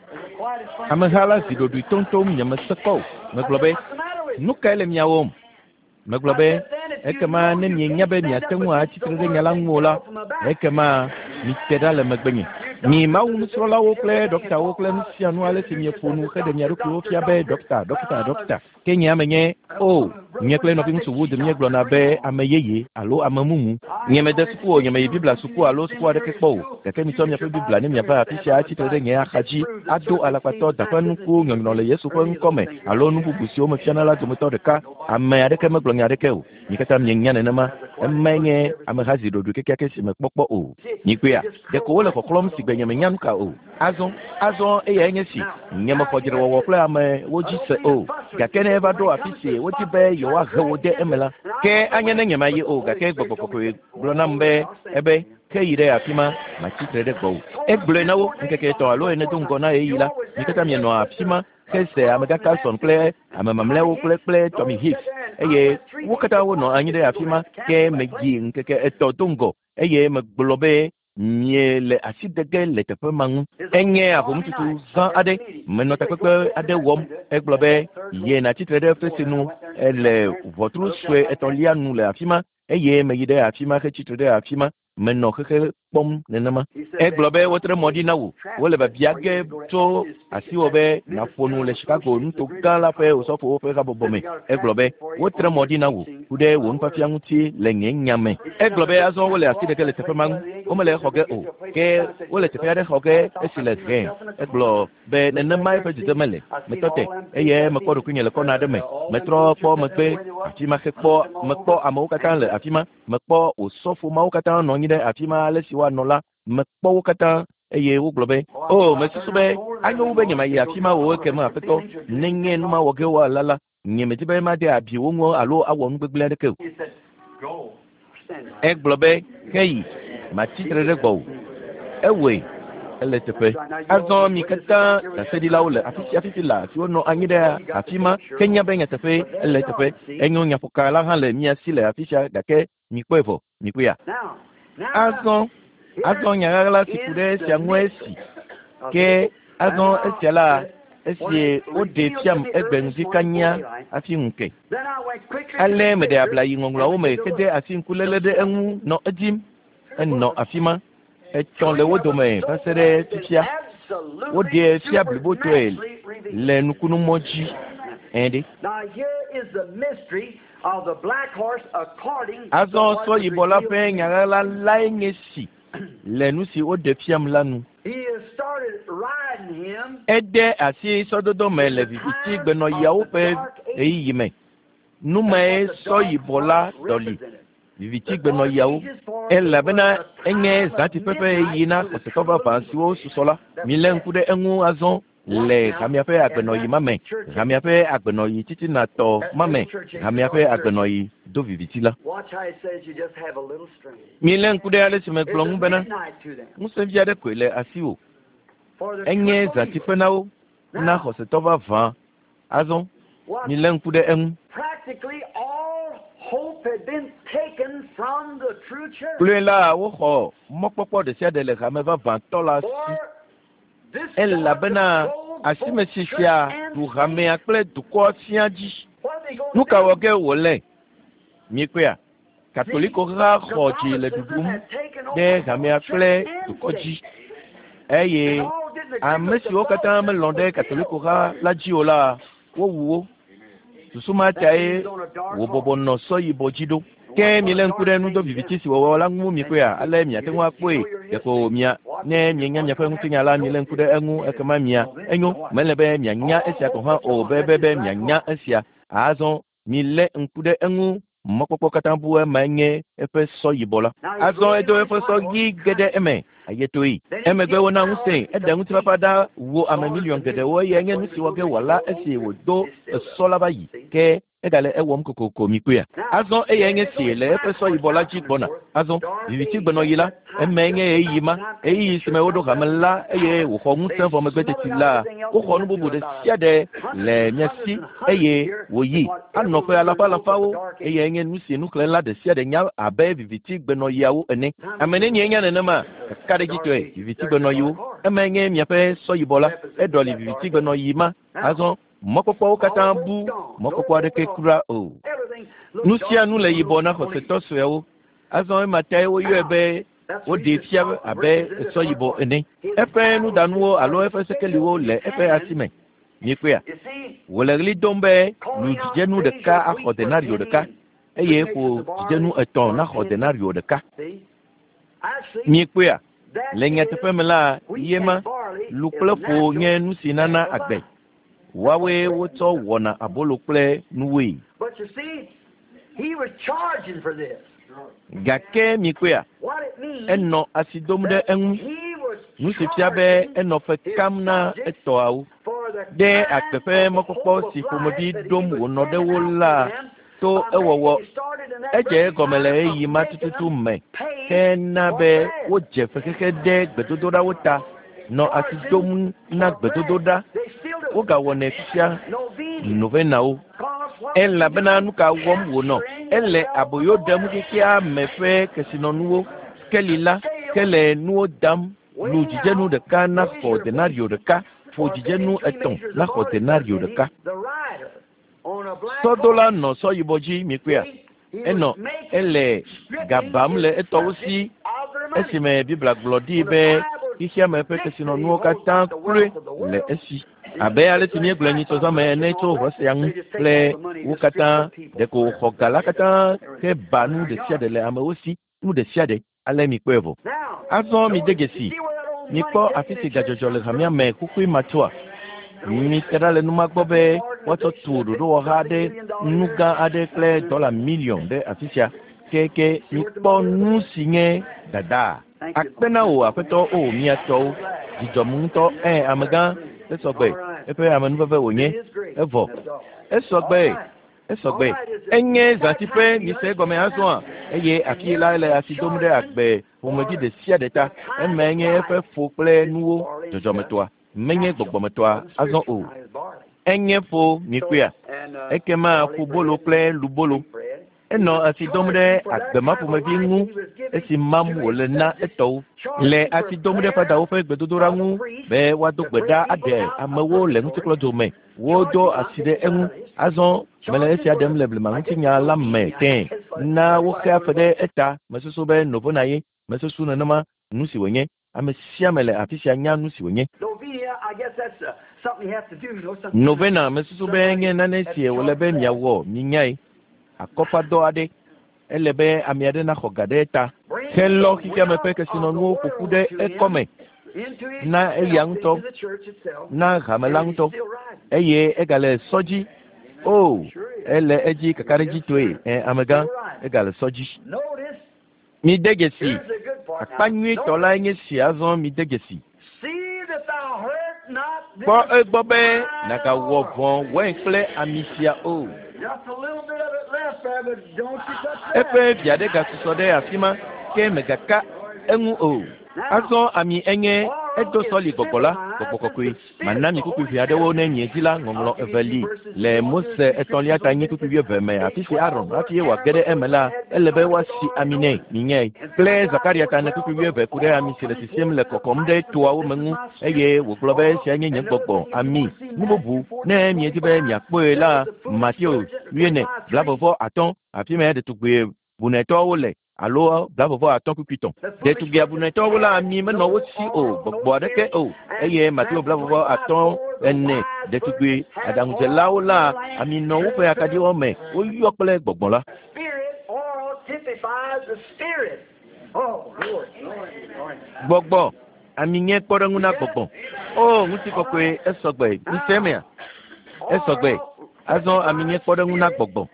Ameha la zi ɖoɖoe toŋtoŋ nyemese kpɔ o. Megblɔ be nu kae le mia wɔm? Megblɔ be ekema ne mienya be miate ŋu atsi tre ɖe nya la ŋu o la ekema mite ɖa le megbenye. Mi Mawu nusrɔ̃lawo kple ɖɔktawo kple nu sia nu ale si mieƒo nu heɖe mia ɖokuiwo fia be ɖɔkta ɖɔkta ɖɔkta ke nye ame nye o nye kple nɔviŋutsu Wood míegblɔna be ame yeye alo ame mumu. Nye mede suku o, nye meyi Biblia suku alo suku aɖeke kpɔ o gake mitsɔ miaƒe Biblia ne miava afi sia atsi tre ɖe nye axa dzi ado alakpatɔ daƒe nuku nyɔnyrɔ le Yesu ƒe ŋkɔ me alo nu bubu siwo mefiana la dometɔ ɖeka. Ame aɖeke megblɔ nya aɖeke o. Mi katã mienya nenema. Emae nye ameha zi ɖoɖoe kekeake si mekpɔkpɔ o. Mikpɔea ɖeko wole xɔxlɔ̃m si gbe nye menya nu ka o. Azɔ azɔ eyae nye si nye mexɔ dzrewɔwɔ kple amewo dzi se o gake ne eva ɖo afi si wodi be yewoahe wo de eme la ke anye ne nyemayi o gake gbɔgbɔ kɔkɔe gblɔ nam be ebe ke yi ɖe afi ma matsi tre ɖe gbɔwò. Egblɔe na wo ŋkeke etɔ̃ alo ene do ŋgɔ na ɣeyiɣi la mi katã mienɔ afi ma hese amegã Carlson kple ame mamlɛawo kple kple Tommy Hicks eye wo katã wonɔ anyi ɖe afi ma ke meyi ŋkeke etɔ̃ do ŋgɔ eye megblɔ be miele asi de ge le teƒe ma ŋu. Enye ahomututu zã aɖe menɔ takpekpe aɖe wɔm. Egblɔ be ye natsi tre ɖe fesre nu ele ʋɔtru sue etɔ̃lia nu le afi ma eye meyi ɖe afi ma hetsi tre ɖe afi ma. Menɔ xexe kpɔm nenema. Egblɔ be wotre mɔ ɖi na wò. Wole biabia ge tso asiwò be nàƒo nu le Chicago nuto gã la ƒe osɔfowo ƒe habɔbɔ me. Egblɔ be wotre mɔ ɖi na wò ku ɖe wò nufiafia ŋuti le nye nya me. Egblɔ be azɔ wole asi ɖeke le teƒe ma ŋu. Womele xɔ ge o. Ke wole teƒe aɖe xɔ ge esi le hẽ. Egblɔ be nenema eƒe dzedzeme le. Metɔ te eye mekpɔ ɖokuinye le kɔna aɖe me. Metrɔ kpɔ megbe afi ma hekpɔ mekpɔ amewo katã le afi ma. Mekpɔ osɔfo mawo katã nɔ anyi ɖe afi ma ale si woanɔ la. Mekpɔ wo katã eye wogblɔ be o mesusu be anyo wu be nyemayi afi ma o ekema aƒetɔ nenye nu ma wɔ ge woala la nyemedi be made abi wo ŋu alo awɔ nu gbegblẽ aɖeke o. Egblɔ be heyi matsi tre ɖe gbɔwò. Ewɔe ele teƒe. Azɔ mi katã ɖaseɖilawo le afi sia fifi la siwo nɔ anyi ɖe afi ma ke nya be nyateƒe ele teƒe. Enyo nyaƒoka la hã le mia si le afi sia gake mikpɔe vɔ mikpɔea. Azɔ azɔ nya ɣaɣla si ku ɖe esia ŋue esi ke azɔ esia la esi woɖe fiam egbe ŋdi kanya hafi ŋu ke. Ale meɖe abla yi ŋɔŋlɔawo me hede asi ŋkuléle ɖe eŋu nɔ edim. Enɔ afi ma. Etsɔ le wo dome va se ɖe fifia. Woɖee fia blibotɔe le nukunumɔ dzi. Ɛ̃ ɖe. Azɔ sɔ yibɔ la ƒe nya ɣaɣla lae nye si le nu si woɖe fiam la nu. Ede asi sɔdodo me le viviti gbenɔɣiawo ƒe ɣeyiɣi me. Nu mae sɔ yibɔ la ɖɔli viviti gbenɔɣiawo elabena enye zãtiƒe ƒe ɣeyiɣi na xɔsetɔ vavã siwo susɔ la. Milé ŋku ɖe eŋu azɔ le hamea ƒe agbenɔɣi ma me, hamea ƒe agbenɔɣi titinatɔ ma me, hamea ƒe agbenɔɣi do viviti la. Milé ŋku ɖe ale si megblɔ ŋu bena ŋusẽvi aɖe koe le asiwò. Enye zãtiƒe na wo, na xɔsetɔ vavã. Azɔ milé ŋku ɖe eŋu. Kloe la woxɔ mɔkpɔkpɔ ɖe sia ɖe le hame vavãtɔ la si. Elabena asimesi sia ɖu hamea kple dukɔa sia dzi. Nu ka wɔ ge wòle? Miekpɔea? Katoliko ha xɔ dzi le ɖuɖum ɖe hamea kple dukɔ dzi. Eye ame siwo katã melɔ̃ ɖe Katoliko ha la dzi o la, wowu wo. Susu ma tae wòbɔbɔ nɔ sɔ yibɔ dzi ɖo. Ke milé ŋku ɖe nudo viviti si wɔwɔ la ŋu mikpɔea? Ale miate ŋu akpɔe. Ɖeko mia ne mienya miaƒe ŋutinya la, milé ŋku ɖe eŋu ekema mia enyo. Mele be mianya esia gɔ̃ hã o be be be mianya esia. Azɔ milé ŋku ɖe eŋu. Mɔkpɔkpɔ katã bu emae nye eƒe sɔ yibɔ la. Azɔ edo eƒe sɔ ɣi ge ɖe eme ayetoe. Emegbe wona ŋusẽ eɖe ŋutifafa ɖa wu ame miliɔn geɖewo eye nye nu si wɔ ge wòala esi wòdo esɔ la va yi. Ke egale ewɔm kokoko mikpɔea. Azɔ eyae nye si le eƒe sɔ yibɔ la dzi gbɔna. Azɔ viviti gbenɔɣi la, emae nye ɣeyiɣi ma, ɣeyiɣi si me woɖo hame la eye wòxɔ ŋusẽ vɔ megbe teti la, woxɔ nu bubu ɖe sia ɖe le mia si eye wòyi anɔ ƒe alafa alafawo eye nye nu si nuxlẽla ɖe sia ɖe nya abe viviti gbenɔɣiawo ene. Ame nenie nya nenema? Kakaɖedzitɔe viviti gbenɔɣiwo. Emae nye miaƒe sɔ yibɔ la. Eɖɔli viviti gbenɔɣi ma. Azɔ mɔkpɔkpɔwo katã bu mɔkpɔkpɔ aɖeke kura o. Nu sia nu le yibɔ na xɔsetɔ suewo. Azɔ ema tae woyɔe be woɖee fia abe sɔ yibɔ ene. Eƒe nudanuwo alo eƒe sekeliwo le eƒe asi me. Miekpɔea? Wòle ɣli dom be lu dzidzenu ɖeka axɔ denario ɖeka eye ƒo dzidzenu etɔ̃ naxɔ denario ɖeka. Miekpɔea? Le nyateƒe me la, ye ma lu kple ƒo nye nu si nana agbe. Woawoe wotsɔ wɔna abolo kple nuwoe. Gake mikpɔea? Enɔ asi dom ɖe eŋu. Nu si fia be enɔ fe kam na etɔawo. Ɖe agbe ƒe mɔkpɔkpɔ si ƒomevi ɖom wònɔ ɖe wo la to ewɔwɔ. Edze egɔme le ɣeyiɣi ma tututu me hena be wodze fexexe ɖe gbedodoɖawo ta nɔ asi dom na gbedodoɖa. Wogawɔnɛ fifia novenawo. Elabena nu ka wɔm wònɔ? Ele aboyo ɖem xexea me ƒe kesinɔnuwo. Keli la ke le nuwo dam. Lu dzidzenu ɖeka naxɔ denario ɖeka. Ƒo dzidzenu etɔ̃ naxɔ denario ɖeka. Sɔdola nɔ sɔ yibɔ dzi mikpɔea? Enɔ ele gabam le etɔwo si Esime Biblia gblɔ ɖi be xexeame ƒe kesinɔnuwo katã kloe le esi. Abe ale si míegblɔe nyitsɔzãme ene tso Hosea ŋu kple wo katã, ɖeko wòxɔ ga la katã heba nu ɖe sia ɖe le amewo si, nu ɖe sia ɖe. Ale mikpɔe vɔ. Azɔ mide dzesi, mikpɔ afi si gadzɔdzɔ le hamea me xoxoe matsoa. Mite ɖa le numa gbɔ be woatsɔ tu ɖoɖowɔha aɖe, nu gã aɖe kple dɔla miliɔn ɖe afi sia. Keke mikpɔ nu si nye dada. Akpe na wò aƒetɔ o mía tɔwo. Dzidzɔm ŋutɔ ɛ amegã esɔgbe eƒe amenuveve wònye evɔ. Esɔgbe esɔgbe enye zãtiƒe mise egɔme azɔa eye afi la le asi dom ɖe agbe ƒomevi ɖe sia ɖe ta. Emae nye eƒe ƒo kple nuwo dzɔdzɔmetɔa menye gbɔgbɔmetɔa azɔ o. Enye ƒo mikpɔea ekema ƒobolo kple lubolo. Enɔ asi dom ɖe agbe ma ƒomevi ŋu esi mam wòle na etɔwo. Le asi dom ɖe fadawo ƒe gbedodoɖa ŋu be woado gbe ɖa aɖe amewo le ŋutikplɔdzo me. Wodo asi ɖe eŋu. Azɔ mele esia ɖem le blemaŋutinya la me tẽ. Na woxe afe ɖe eta. Mesusu be novena ye. Mesusu nenema nu si wònye. Ame sia ame le afi sia nya nu si wònye. Novena mesusu be nye nane si wòle be miawɔ minyae. Akɔfadɔ aɖe. Ele be ame aɖe naxɔ ga ɖe eta. Helɔ xexeame ƒe kesinɔnuwo ƒoƒu ɖe ekɔme na eya ŋutɔ, na hame la ŋutɔ eye egale sɔ dzi. O, ele edzi kakaɖedzitɔe. Ɛ amegã, egale sɔ dzi. Mide dzesi. Akpa nyuitɔ lae nye si azɔ mide dzesi. Kpɔ egbɔ be nàgawɔ vɔ̃ wain kple ami sia o. Eƒe vi aɖe gasusɔ ɖe afi ma ke megaka eŋu o. Azɔ ami enye edo sɔli gbɔgbɔ la, gbɔgbɔ kɔkɔe. Mana mi kpukpui ʋɛ aɖewo ne miedzi la ŋɔŋlɔ eve li le Mose etɔ̃lia ta nyi kpukpui wuieve me afi si Aron hafi wòage ɖe eme la ele be woasi ami nɛ minyae. Kple Zakaria ta ene kpukpui wuieve ku ɖe ami si le sisim le kɔkɔm ɖe toawo me ŋu eye wògblɔ be esia nye nye gbɔgbɔ ami. Nu bubu ne miedi be miakpɔe la Mateo wuiene blaeve atɔ̃ afi ma ɖetugbui bunetɔwo le alo blaeve atɔ̃ kpukpui tɔ̃. Ɖetugbui abunetɔwo la ami menɔ wo si o gbɔgbɔ aɖeke o eye Mateo blaeve atɔ̃ ene ɖetugbui aɖaŋudzelawo la ami nɔ woƒe akaɖiwo me woyɔ kple gbɔgbɔ la. Gbɔgbɔ ami nye kpɔɖeŋu na gbɔgbɔ. O ŋutikɔkɔe esɔgbe mise emea esɔgbe azɔ ami nye kpɔɖeŋu na gbɔgbɔ.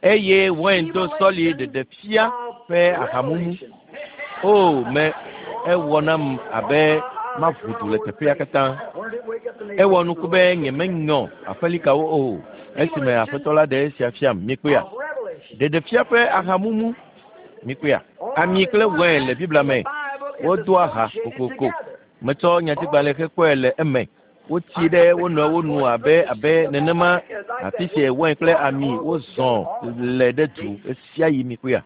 Eye wain do sɔli ɖeɖe fia ƒe ahamumu. O me ewɔ nam abe maʋu du le teƒea katã. Ewɔ nuku be nyemenyɔ aƒelikawo o esime aƒetɔ la ɖe esia fiam mikpɔea. Ɖeɖefia ƒe ahamumu mikpɔea. Ami kple wain le Biblia me wodoa ha kokoko. Metsɔ nyatigbalẽ hekpɔe le eme. Wotsi ɖe wo nɔewo nu abe abe nenema afi si wain kple ami wozɔ le ɖe du esia yi mikpɔea.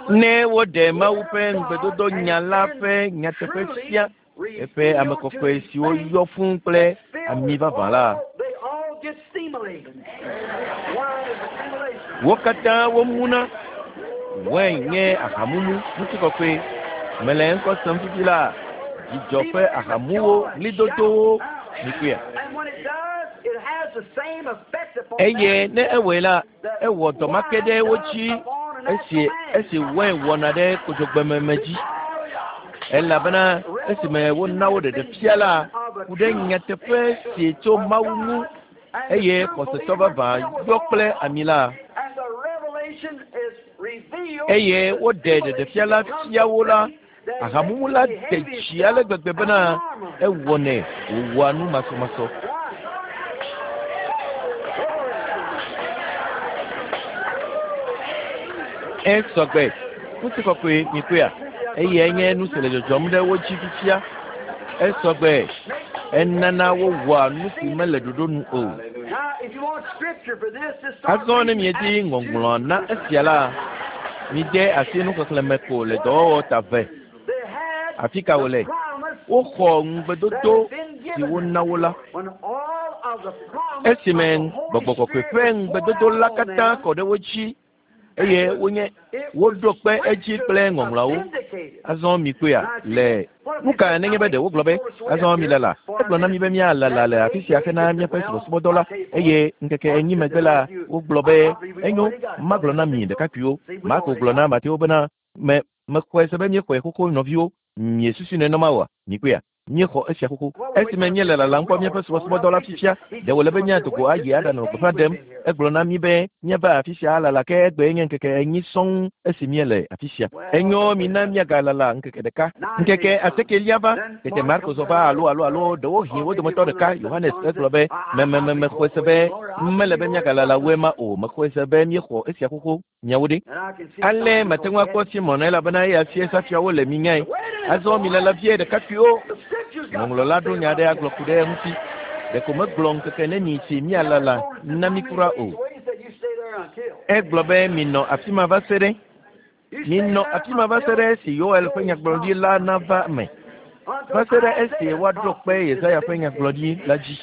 Ne woɖe Mawu ƒe ŋugbedodo nya la ƒe nyateƒe fia eƒe ame kɔkɔe siwo yɔ fũu kple ami vavã la, wo katã womuna. Wain nye ahamumu ŋutikɔkɔe. Mele ŋkɔ sem fifi la dzidzɔ ƒe ahamuwo ɣlidodowo mikpɔea. Eye ne ewɔe la, ewɔ dɔ ma ke ɖe wo dzi esi esi wain wɔna ɖe kodzogbememe dzi. Elabena esime wona wo ɖeɖe fia la ku ɖe nyateƒe si tso Mawu ŋu eye xɔsetɔ vavã yɔ kple ami la eye woɖe ɖeɖefia la fia wo la ahamumu la de dzi ale gbegbe bena ewɔnɛ wòwɔa nu masɔmasɔ. Esɔgbe ŋutikɔkɔe mikpɔea eye nye nu si le dzɔdzɔm ɖe wo dzi fifia. Esɔgbe enana wowɔa nu si mele ɖoɖo nu o. Azɔ ne miedi ŋɔŋlɔ na esia la, mide asi nuxexlẽme ko le dɔwɔwɔ ta ve. Afi ka wòle? Woxɔ ŋugbedodo si wona wo la. Esime gbɔgbɔ kɔkɔe ƒe ŋugbedodo la katã kɔ ɖe wo dzi eye wonye woɖo kpe edzi kple ŋɔŋlɔawo. Azɔ mi kpɔea le nu ka nenye be ɖe wogblɔ be azɔ mi lala egblɔ na mi be míalala le afi sia hena míaƒe subɔsubɔdɔ la eye ŋkeke enyi megbe la wogblɔ be enyo magblɔ na mi ɖekakpuiwo Marko gblɔ na Mateo bena me mexɔe se be míexɔe xoxo nɔviwo miesusu nenema oa mi kpɔea míexɔ esia xoxo esime míele lalam kpɔ míaƒe subɔsubɔdɔ la fifia ɖe wòle be míado go ayi aɖanɔ gbeƒã ɖem egblɔ na mí be míava afi sia alala ke egbe nye ŋkeke enyi sɔŋ esi míele afi sia enyo mina míagalala ŋkeke ɖeka ŋkeke asiekelia va tete Marko zɔ va alo alo alo ɖewohĩ wo dometɔ ɖeka Yohanes egblɔ be me me mexɔe se be mele be míagalala woe ma o mexɔe se be míexɔ esia xoxo miawo ɖe ale mate ŋu akpɔ Simon elabena eya fie safiawo le mi nyae azɔ mi lala vie ɖekakpuiwo ŋɔŋlɔ la ɖo nya ɖe agblɔ ku ɖe eŋuti ɖeko megblɔ ŋkeke neni si míalala na mi kura o egblɔ be minɔ afi ma va se ɖe minɔ afi ma va se ɖe esi Yoel ƒe nyagblɔɖi la nava me va se ɖe esi woaɖo kpe Yesaya ƒe nyagblɔɖi la dzi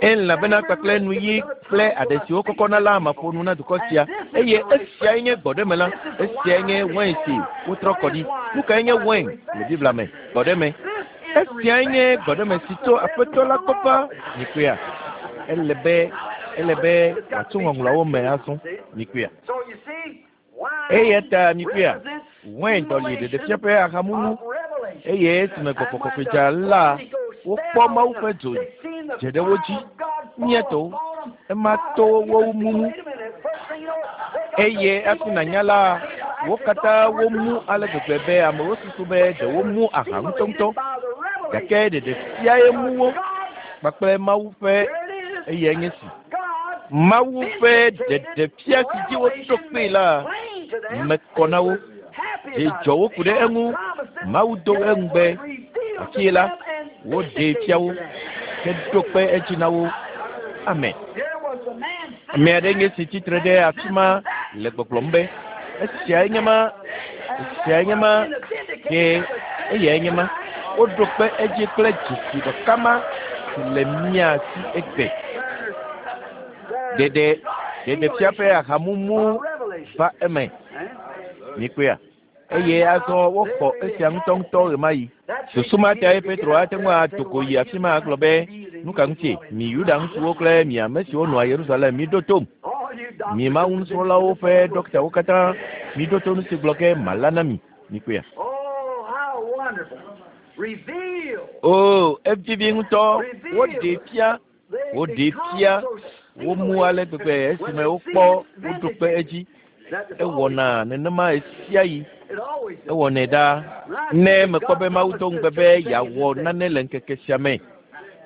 elabena kpakple nuyi kple aɖe siwo kɔkɔna la maƒo nu na dukɔ sia eye esiae nye gbɔɖeme la esiae nye wain si wotrɔ kɔ ɖi nu kae nye wain le Biblia me gbɔɖeme esiae nye gbɔɖeme si tso aƒetɔ la gbɔ va mikpɔea ele be ele be wòatso ŋɔŋlɔawo me azɔ mikpɔea eya ta mikpɔea wain dɔli ɖeɖefia ƒe ahamumu eye esime gbɔgbɔ kɔkɔe dza la wokpɔ Mawu ƒe dzo dze ɖe wo dzi míetɔwo ema to wo mumu eye hafi nànya la wo katã womu ale gbegbe be amewo susu be ɖe womu aha ŋutɔŋutɔ gake ɖeɖefiae mu wo kpakple Mawu ƒe eyae nye si Mawu ƒe ɖeɖefia si dzi woɖo kpee la mekɔ na wo dzi dzɔ wo ku ɖe eŋu Mawu do eŋugbe afie la woɖee fia wo heɖo kpe edzi na wo amen ame aɖe nye si tsitre ɖe afi ma le gbɔgblɔm be esiae nye ma esiae nye ma ke eyae nye ma woɖo kpe edzi kple dzesi ɖeka ma si le mía si egbe ɖeɖe ɖeɖefia ƒe ahamumu va eme mikpɔea eye azɔ woxɔ esia ŋutɔŋutɔ ɣemaɣi susu ma tae Petro ate ŋu ado go yi afi ma agblɔ be nu ka ŋutie mi Yuda ŋutsuwo kple mi ame siwo nɔa Yerusalem miɖo tom mi Mawu nusrɔ̃lawo ƒe ɖɔktawo katã miɖo to nu si gblɔ ke mala na mi mikpɔea o evivi ŋutɔ woɖee fia woɖee fia womu ale gbegbe esime wokpɔ woɖo kpe edzi ewɔna nenema ɣesiaɣi ewɔnɛ ɖaa ne mekpɔ be Mawu do ŋugbe be yeawɔ nane le ŋkeke sia me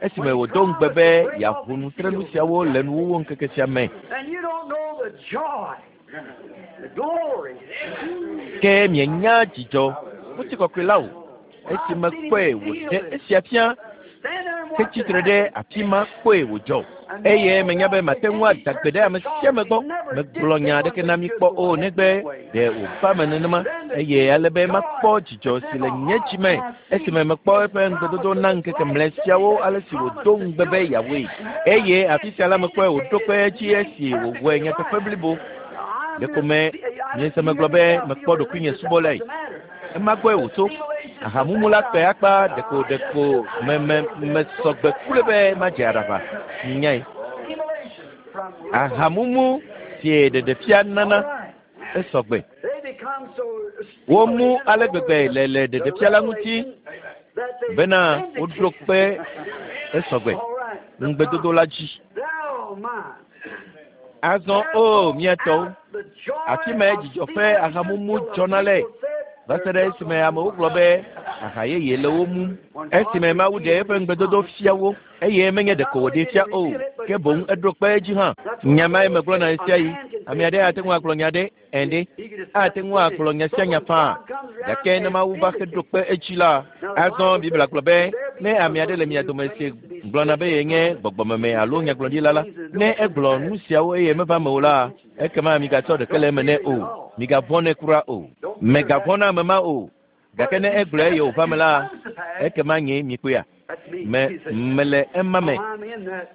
esime wòdo ŋugbe be yeaʋu nutrenu siawo le nuwuwu ŋkeke sia me ke mienya dzidzɔ ŋutikɔkɔe la o esime kpɔe wòɖe esia fia hetsitre ɖe afi ma kpɔe wòdzɔ eye menya be mate ŋu ada gbe ɖe ame sia ame gbɔ megblɔ nya aɖeke na mi kpɔ o negbe ɖe wòva me nenema eye ale be makpɔ dzidzɔ si le nye dzi me esime mekpɔ eƒe ŋugbedodo na ŋkeke mlɛ siawo ale si wòdo ŋugbe be yeawoe eye afi sia la mekpɔe wòɖo kpe edzi esi wòwɔe nyateƒe blibo ɖeko me miese megblɔ be mekpɔ ɖokuinye subɔlae ema gbɔe wòtso ahamumu la kpe akpa ɖeko ɖeko me me mesɔgbe kple be madze aɖaʋa nyae ahamumu si ɖeɖefia nana esɔgbe womu ale gbegbe le le ɖeɖefia la ŋuti bena woɖo kpe esɔgbe ŋugbedodo la dzi azɔ o miatɔwo afi mae dzidzɔ ƒe ahamumu dzɔna le va se ɖe esime amewo gblɔ be aha yeye le wo mum esime Mawu ɖe eƒe ŋugbedodo fia wo eye menye ɖeko wòɖee fia o ke boŋ eɖo kpe edzi hã nya mae megblɔna ɣesiaɣi ame aɖe ate ŋu agblɔ nya ɖe ɛnde ate ŋu agblɔ nya sia nya faa gake ne Mawu va heɖo kpe edzi la azɔ Biblia gblɔ be ne ame aɖe le mia dome si gblɔna be yenye gbɔgbɔmeme alo nyagblɔɖila la ne egblɔ nu siawo eye meva me o la ekema migatsɔ ɖeke le eme nɛ o migavɔ̃ nɛ kura o mègavɔ̃ na ame ma o gake ne egblɔe eye wòva me la ekema nye mikpɔea Me mele ema me.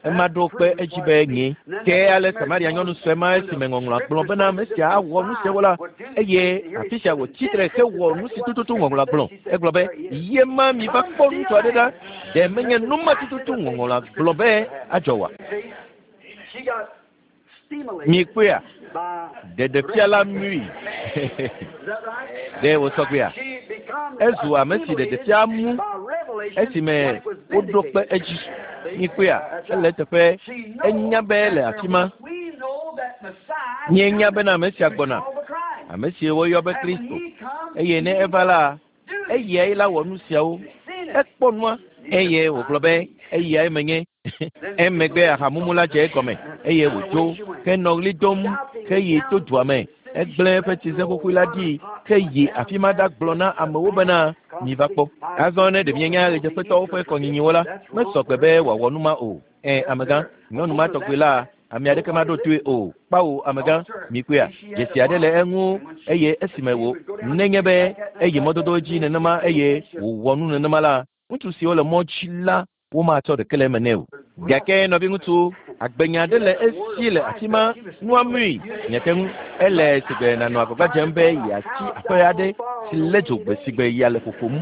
Ema ɖo kpe edzi be nye. Ke ale Samaria nyɔnu sue ma esime ŋɔŋlɔa gblɔ bena ame sia awɔ nu siawo la, eye afi sia wòtsi tre hewɔ nu si tututu ŋɔŋlɔa gblɔ. Egblɔ be, ye ma mi va kpɔ ŋutsu aɖe ɖa, ɖe menye nu ma tututu ŋɔŋlɔa gblɔ be adzɔ oa? Mi kpɔea? Ɖeɖefia la mui. Ɖe wòsɔ gbea? Ezu ame si ɖeɖefia mu esime woɖo kpe edzi. Mi kpɔea? Ele eteƒe. Enya be le afi ma. Míenya bena ame sia gbɔna, ame si woyɔ be Kristo. Eye ne eva la, eyae la wɔ nu siawo. Ekpɔ nua eye wògblɔ be eyae menye. Emegbe ahamumu la dze egɔme eye wòdzo henɔ ɣli dom heyi to dua me. Egblẽ eƒe tsize xoxoe la ɖi heyi afi ma ɖagblɔ na amewo bena miva kpɔ. Azɔ ne ɖe mienya ɣedzeƒetɔwo ƒe kɔnyinyiwo la, mesɔ gbe be wòawɔ nu ma o. Ɛ amegã, nyɔnu ma tɔgbi la, ame aɖeke maɖo toe o. Kpawo amegã, mikpɔea, dzesi aɖe le eŋu eye esime wò nenye be eyi mɔdodo dzi nenema eye wòwɔ nu nenema la, ŋutsu siwo le mɔ dzi la womatsɔ ɖeke le eme nɛ o. Gake nɔviŋutsu, agbenya aɖe le esi le afi ma, nua mui. Miate ŋu ele sigbe nanɔ agbagba dzem be yeatsi aƒe aɖe si lé dzo gbe sigbe ya le ƒoƒom.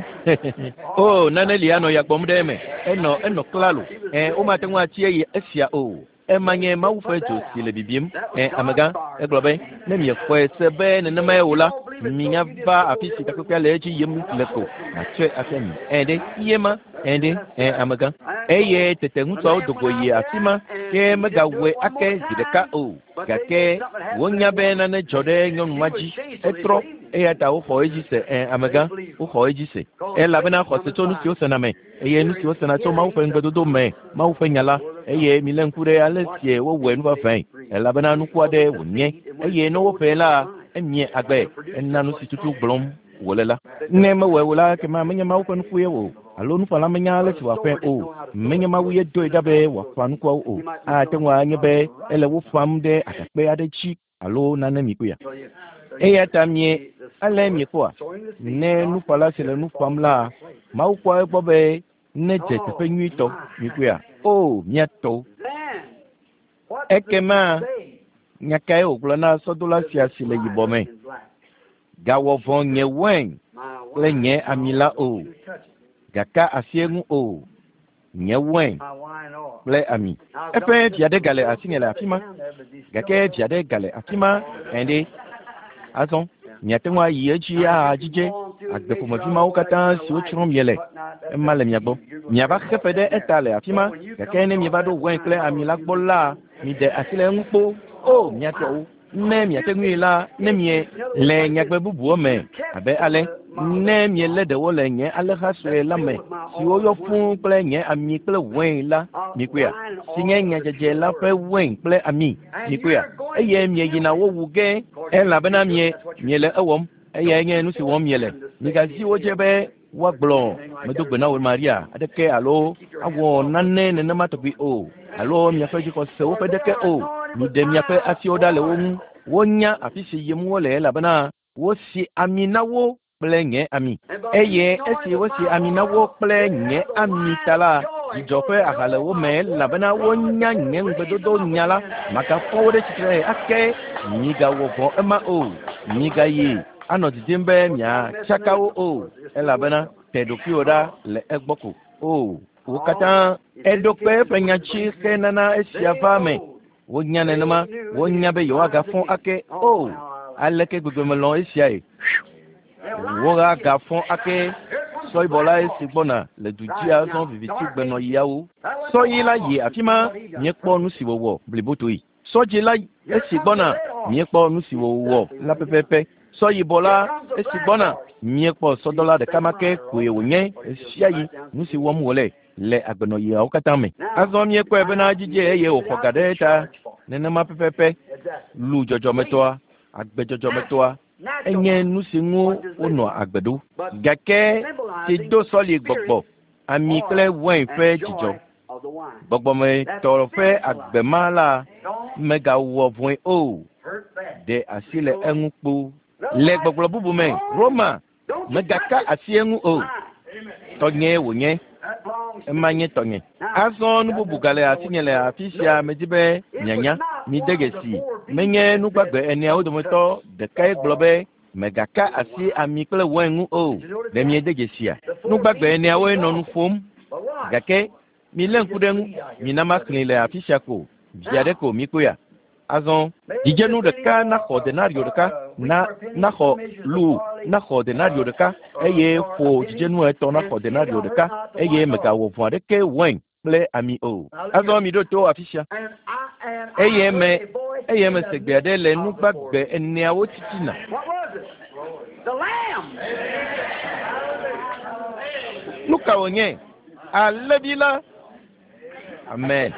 O, nane li anɔ ya gbɔm ɖe eme. Enɔ enɔ klalo. Ɛ, womate ŋu atsi eye esia o. Ema nye Mawu ƒe dzo si le bibim. Ɛ, amegã, egblɔ be, ne miexɔe se be nenemae o la, minya va afi si takpekpea le edzi yim le ko, matsɔe afia mi. Ɛ ɖe, ye ma, ɛ ɖe, ɛ amegã. Eye tete ŋutsuawo do go yi afi ma, ke megawɔe ake zi ɖeka o. Gake wonya be nane dzɔ ɖe nyɔnu ma dzi. Etrɔ, eya ta woxɔ edzi se. Ɛ, amegã, woxɔ edzi se. Elabena xɔse tso nu si wosena me, eye nu si wosena tso Mawu ƒe ŋugbedodo me, Mawu ƒe nya la. Eye milé ŋku ɖe ale si wowɔe nu vavãe, elabena nuku aɖe wònye. Eye ne woƒee la, emie agbe, ena nu si tutu gblɔm wòle la. Ne mewɔe o la, ekema menye Mawu ƒe nuku ye o, alo nuƒãla menya ale si wòaƒãe o. Menye Mawu ye doe ɖa be wòaƒã nukuawo o. Ate ŋu anye be ele wo ƒãm ɖe agakpe aɖe dzi alo nane mi kpɔea. Eya ta mie ale miekpɔa, ne nuƒãla si le nu ƒãm la, Mawu kpɔa egbɔ be nedze teƒe nyuitɔ. Mi kpɔea? O, mía tɔwo. Ekema nya kae wògblɔ na sɔdola sia si le yibɔ me? Gawɔ vɔ̃ nye wain kple nye ami la o. Gaka asi eŋu o. Nye wain kple ami. Eƒe vi aɖe gale asinye le afi ma. Gake vi aɖe gale afi ma ɛ ɖe. Azɔ miate ŋu ayi edzi ahadzidze agbe ƒomevi mawo katã siwo tsrɔ̃m miele. Ema le mia gbɔ. Miava xe fe ɖe eta le afi ma. Gake ne mieva ɖo wain kple ami la gbɔ la, miɖe asi le eŋu kpo. O, mia tɔwo. Ne miate ŋui la, ne mie le nyagbe bubuwo me abe ale, ne mielé ɖewo le nye alẽha sue la me, siwo yɔ fũu kple nye ami kple wain la, mikpɔea, si nye nyadzedze la ƒe wain kple ami, mikpɔea, eye mieyina wo wu ge, elabena mie miele ewɔm, eyae nye nu si wɔm miele. Migazi wo dzi be woagblɔ medo gbe na wò Maria aɖeke alo awɔ nane nenema tɔgbi o, alo miaƒe dzixɔsewo ƒe ɖeke o. Miɖe miaƒe asiwo ɖa le wo ŋu. Wonya afi si yim wole elabena wosi ami na wo kple nye ami. Eye esi wosi ami na wo kple nye ami ta la, dzidzɔ ƒe aha le wo me elabena wonya nye ŋugbedodo nya la. Magafɔ wo ɖe tsitre ake. Migawɔ vɔ̃ ema o. Migayi anɔ didim be miatsaka wo o, elabena te ɖokuiwò ɖa le egbɔ ko. O, wo katã eɖo kpe eƒe nya dzi henana esia va eme. Wonya nenema, wonya be yewoagafɔ ake. O, aleke gbegbe melɔ̃ esiae. Woagafɔ ake. Sɔ yibɔ la esi gbɔna le du dzi azɔ viviti gbenɔɣiawo. Sɔ ɣi la yi afi ma, míekpɔ nu si wòwɔ blibotoe. Sɔ dzĩ la esi gbɔna, míekpɔ nu si wòwɔ la pɛpɛpɛ. Sɔ yibɔ la esi gbɔna, míekpɔ sɔdɔla ɖeka ma ke koe wònye ɣesiaɣi nu si wɔm wòle le agbenɔɣiawo katã me. Azɔ míekpɔe bena dzidze eye wòxɔ ga ɖe eta nenema pɛpɛpɛ. Lu dzɔdzɔmetɔa, agbe dzɔdzɔmetɔa, enye nu si ŋu wonɔa agbe ɖo. Gake si do sɔli gbɔgbɔ, ami kple wain ƒe dzidzɔ. Gbɔgbɔmetɔ ƒe agbe ma la megawɔ vɔ̃e o. Ɖe asi le eŋu kpo. Le gbɔgblɔ bubu me, Roma megaka asi eŋu o. Tɔnyee wònye. Ema nye tɔnye. Azɔ nu bubu gale asinye le afi sia medzi be mianya. Mide dzesi. Menye nugbagbe eneawo dometɔ ɖekae gblɔ be mègaka asi ami kple wain ŋu o. Ɖe miede dzesia? Nugbagbe eneawoe nɔ nu ƒom. Gake milé ŋku ɖe ŋu. Mina maxlẽe le afi sia ko. Vi aɖe ko mikpɔea. Azɔ dzidzenu ɖeka naxɔ denario ɖeka na naxɔ lu naxɔ denario ɖeka eye ƒo dzidzenu etɔ̃ naxɔ denario ɖeka eye mègawɔ vɔ̃ aɖeke wain kple ami o. Azɔ miɖo to afi sia. Eye me eye mese gbe aɖe le nugbagbe eneawo titina. What was it? The Lamb. Nu ka wònye? Alẽvi la. Amen.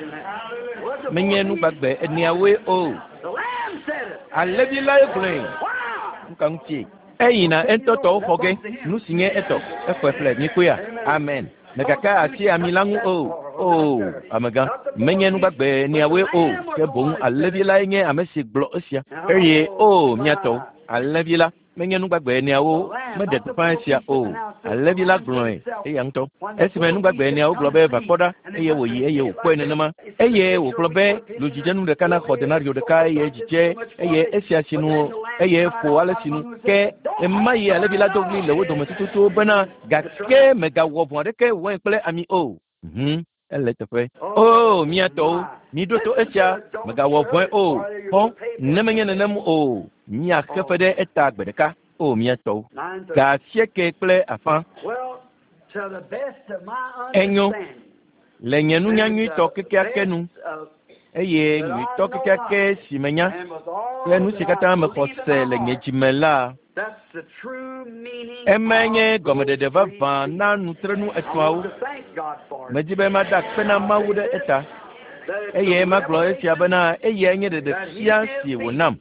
Was the Menye nugbagbe eneawoe o. The Lamb said it. Alẽvi lae gblɔe. Why? Nu ka ŋutie? Eyina eŋutɔ tɔwo xɔ ge. Nu si nye etɔ. Exɔe ƒle. Mikpɔea? Amen. Mègaka asi ami la ŋu o. O, amegã. Menye nugbagbe eneawoe o. Ke boŋ alẽvi lae nye ame si gblɔ esia. Eye o, mía tɔwo, alẽvi la menye nugbagbe eneawo meɖe gbeƒã esia o. Alẽvi la gblɔe eya ŋutɔ. Esime nugbagbe eneawo gblɔ be va kpɔ ɖa eye wòyi eye wòkpɔe nenema. Eye wògblɔ be lu dzidzenu ɖeka naxɔ denario ɖeka eye dzidze eye esia sinu eye ƒo ale sinu. Ke ema yi alẽvi la do ɣli le wo dome tututu bena gake mègawɔ vɔ̃ aɖeke wain kple ami o. Mhm. Ele teƒe. O, mía tɔwo, miɖo to esia, mègawɔ vɔ̃e o. Xɔ, ne menye nenem o, miaxe fe ɖe eta gbe ɖeka. O, mía tɔwo. Nine thirty. Ga asieke kple afã. Well, to the best of my Enyo. understanding, Le nye nunya nyuitɔ kekeake nu and the best of- eye nyuitɔ kekeake si menya and with all kple nu si that katã I mexɔ believe in se my le nye heart, dzime la, that's the true meaning emae nye of gɔmeɖeɖe those vavã three na nutrenu I etɔ̃awo. want to thank God for it. Medi be mada akpe na Mawu ɖe eta That it's eye the magblɔ esia revelation bena eyae nye ɖeɖefia si wònam.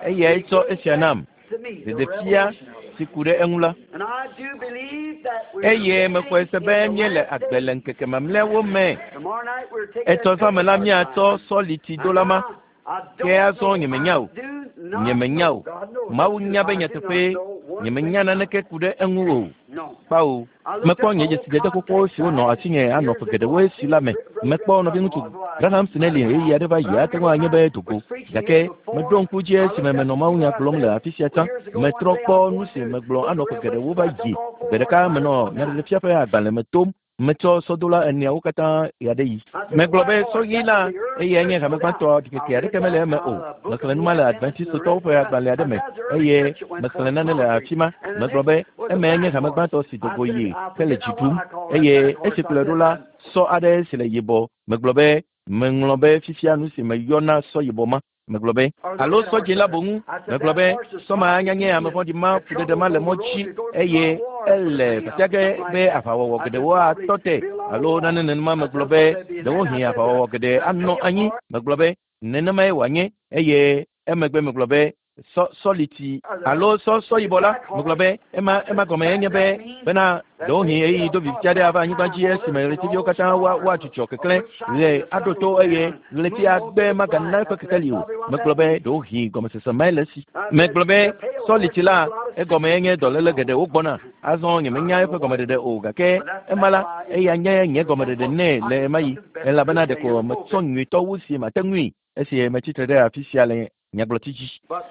Eyae tsɔ esia nam, to me, the ɖeɖefia revelation of it. si ku ɖe eŋu la. And I do believe that we're Eye mexɔe se be living in the míele last agbe le days. ŋkeke mamlɛawo me. Tomorrow night we're taking Etsɔ that zã me la Pentecost míatsɔ line. sɔlitidola ma. And I, I Ke don't azɔ know. nyemenya I o. do not Nyemenya know. o. God knows. Mawu nya be I do not nyateƒee know one nyemenya thing. naneke ku ɖe eŋu o. No. Kpao. I looked Mekpɔ up nye old dzesidede xoxo contacts siwo I nɔ had asinye anɔ years ƒe ago. geɖewoe I si seen la me. Brother Mekpɔ nɔviŋutsu Graham Snelly ɣeyiɣi aɖe va yi ate ŋu anye be dogo. Gake meɖo ŋku dzi esime menɔ mawunya gblɔm le afi sia tsã. Metrɔ kpɔ nu si megblɔ anɔ ƒe geɖewo va yi. Gbe ɖeka menɔ nyaɖeɖefia ƒe agbalẽ me tom. Metsɔ sɔdola eneawo katã ɣe aɖe yi. Megblɔ be sɔɣi la eyae nye hame gbãtɔ ɖikeke aɖeke mele eme o. Mexlẽ nu ma le Adventistɔwo ƒe agbalẽ aɖe me eye mexlẽ nane le afi ma. Megblɔ be emae nye hame gbãtɔ si dogo yi hele dzi ɖum eye esi kplɔe ɖo la sɔ aɖe si le yibɔ. Megblɔ be meŋlɔ be fifia nu si meyɔna sɔ yibɔ ma. Megblɔ be alo sɔ dzĩ la boŋ. Megblɔ be sɔ ma anya nye ame vɔ̃ɖi ma fuɖeɖe ma le mɔ dzi eye ele fafia ge be aʋawɔwɔ geɖewo atɔ te alo nane nenema. Megblɔ be ɖewohĩ aʋawɔwɔ geɖe anɔ anyi. Megblɔ be nenemae wòanye eye emegbe megblɔ be sɔ sɔliti alo sɔ sɔ yibɔ la. Megblɔ be ema ema gɔme enye be bena ɖewohĩ ɣeyiɣi do viviti aɖe ava anyigba dzi esime ɣletiviwo katã woa woadzudzɔ keklẽ ɣe aɖo to eye ɣleti agbe magana eƒe kekeli o. Megblɔ be ɖewohĩ gɔmesese mae le esi. Megblɔ be sɔliti la egɔme enye dɔléle geɖewo gbɔna. Azɔ nyemenya eƒe gɔmeɖeɖe o gake ema la eya nye nye gɔmeɖeɖe nɛ le ema yi elabena ɖeko metsɔ nyuitɔ wu si mate ŋui esi metsitre ɖe afi sia le nyagblɔti dzi. But,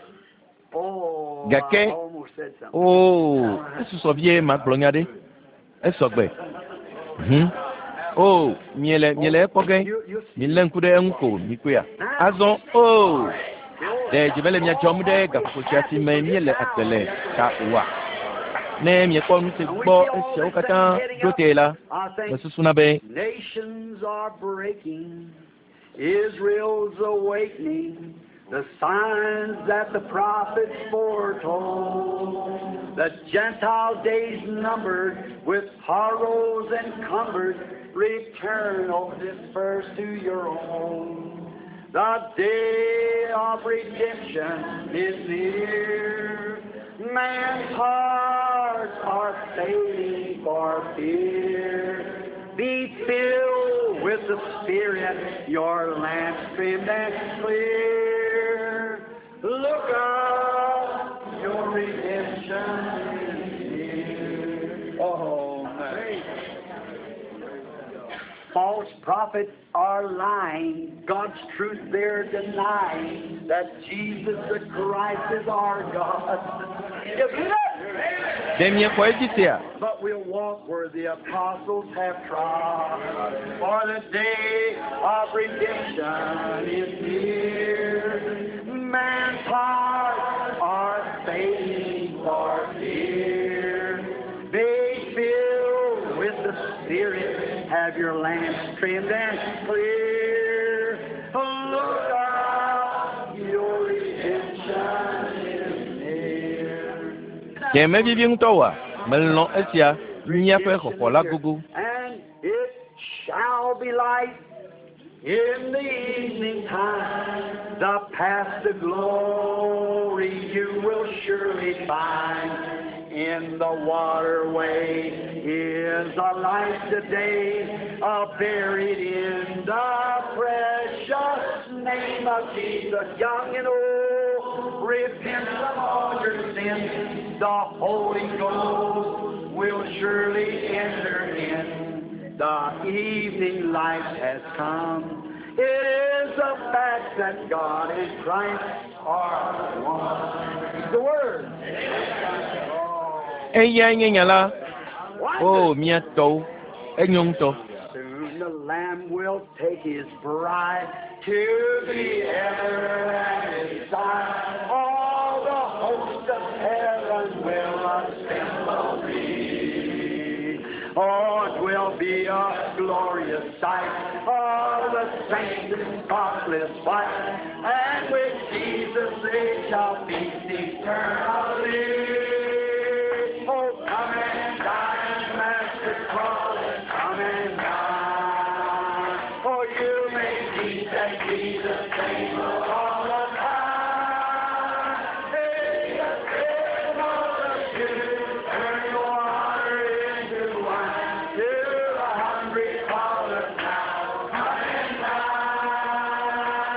oh, I Gake almost said something. oo esusɔ vie magblɔ nya ɖe. Esɔgbe. Hm. O miele miele ekpɔ ge. You, you see. Milé ŋku ɖe eŋu ko mikpɔea. Azɔ o ɖe dzi mele mia dzɔm ɖe gaƒoƒo sia si me míele agbe le ta oa? Ne miekpɔ nu si gbɔ esiawo katã ɖo tee la, I think mesusuna be nations are breaking, Israel's awakening, the signs that the prophets foretold. The Gentile days numbered, with sorrows encumbered, return, O dispersed to your own. The day of redemption is near. Man's hearts are failing for fear. Be filled with the Spirit, your lamps trimmed and clear. Look up, your redemption is near. Oh, man. False prophets are lying. God's truth they're denying that Jesus the Christ is our God. You believe that? Ɖe miexɔ edzi sea? But we'll walk where the apostles have trod. For the day of redemption is near. Man's hearts are failing for fear. Be filled with the Spirit. Have your lamps trimmed and clear. Look out, your redemption is near. Ɖe mevivi ŋutɔ oa? Melɔ̃ esia, míaƒe xɔxɔ la gogo. And it shall be light in the evening time. The path to glory you will surely find. In the waterway is a light today, uh, buried in the precious name of Jesus. Young and old, repent of all your sins. The Holy Ghost will surely enter in. The evening light has come. It is a fact that God and Christ are one. The Word. Eyae nye nya la. Why O mía tɔwo, enyo ŋutɔ. Soon the Lamb will take his bride to be ever at his side. All the hosts of heaven will assemble be. Oh, it will be a glorious sight of the saints in spotless white, and with Jesus they shall feast eternally. Oh, come and dine, Master Crawley, come and dine. For you may feast at Jesus' table all the time. Hey, the table of Jews, turn your water into wine. To the hungry calleth now, come and dine.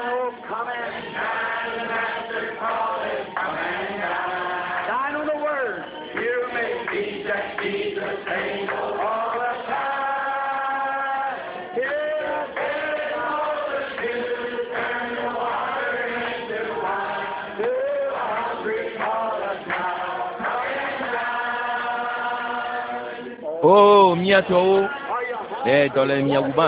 Oh, come and dine, Master Crawley, come and dine. Dine on the Word. You may feast at Jesus' table all the time. Here the table of the Jews, turn the water into wine. To the hungry calleth now, come and dine. O mía tɔwo, Are you ɖe dɔ le mia wuma?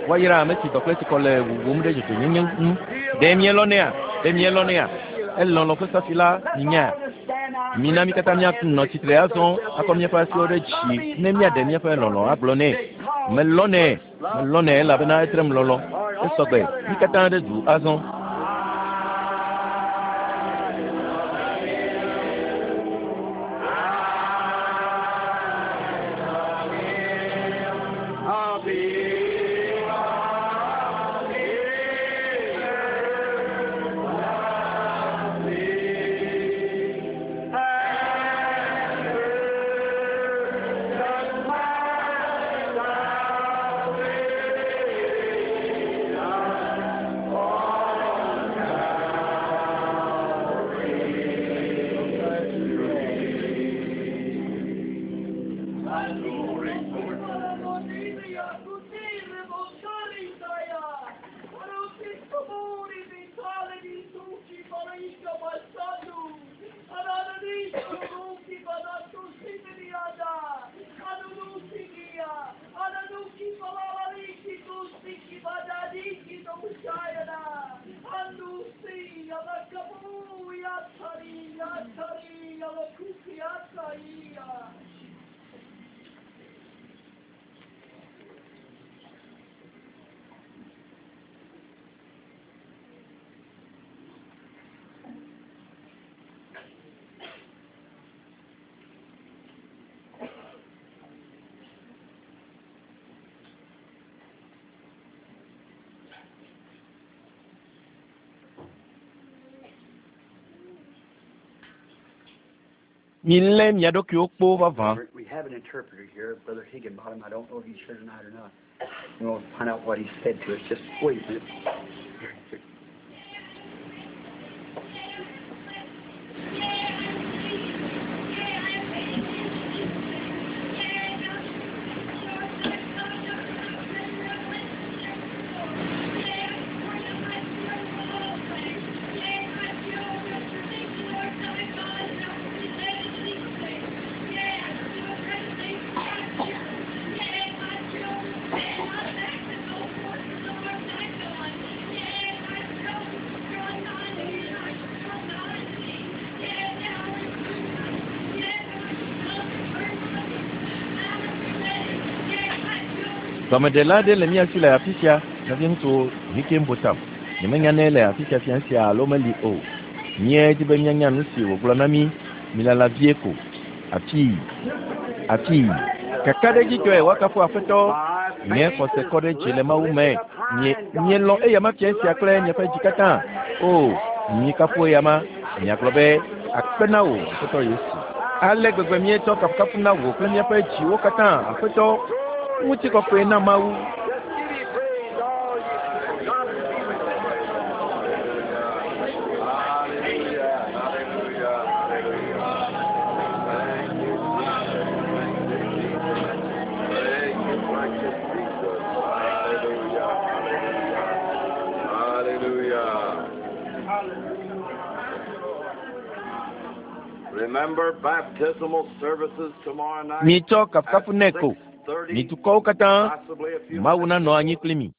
Woayra ame si dɔ kple tsikɔ le wuwum ɖe dzɔdzɔenyenye ŋu. Ɖe mielɔ̃nɛa? Ɖe mielɔ̃nɛa? Elɔlɔ̃ ƒe safi la minya. Mina mí katã míanɔ tsitre azɔ akɔ míaƒe asiwo ɖe dzi ne míaɖe míaƒe lɔlɔ̃ agblɔ nɛ. Melɔ̃nɛ, melɔ̃nɛ elabena etrem lɔlɔ̃. Esɔgbe, mí katã ɖe du azɔ. I'll be Milé mia ɖokuiwo kpoo vavã. We have an interpreter here, Brother Higginbottom. I don't know if he's here tonight or not. We'll find out what he said to us. Just wait a minute. Gɔmeɖela aɖe le mía si le afi sia, nɔviŋutsu Hickenbotham. Nyemenya ne ele afi sia fia sia alo meli o. Míedi be míanya nu si wògblɔ na mí. Milala vie ko. Afii, afii. Kakaɖedzitɔe woakafu Aƒetɔ. Nye xɔse kɔ ɖe dzi le Mawu me. Nye mielɔ̃ eyama fia sia kple miaƒe dzi katã. O, mikafu eyama. Miagblɔ be akpe na wò Aƒetɔ Yesu. Ale gbegbe míetsɔ kafukafu na wò kple míaƒe dziwo katã, Aƒetɔ. Ŋutikɔkɔe na Mawu. Just give him praise, all you people. God be with you. Hallelujah, hallelujah, hallelujah. Thank you, Jesus. Thank you, Jesus. Thank you, precious Jesus. Hallelujah, hallelujah. Hallelujah. Remember baptismal services tomorrow night Mitsɔ at kafukafu nɛ ko. six thirty, Mi dukɔwo katã, possibly a few Mawu minutes nanɔ anyi before. kpli mi.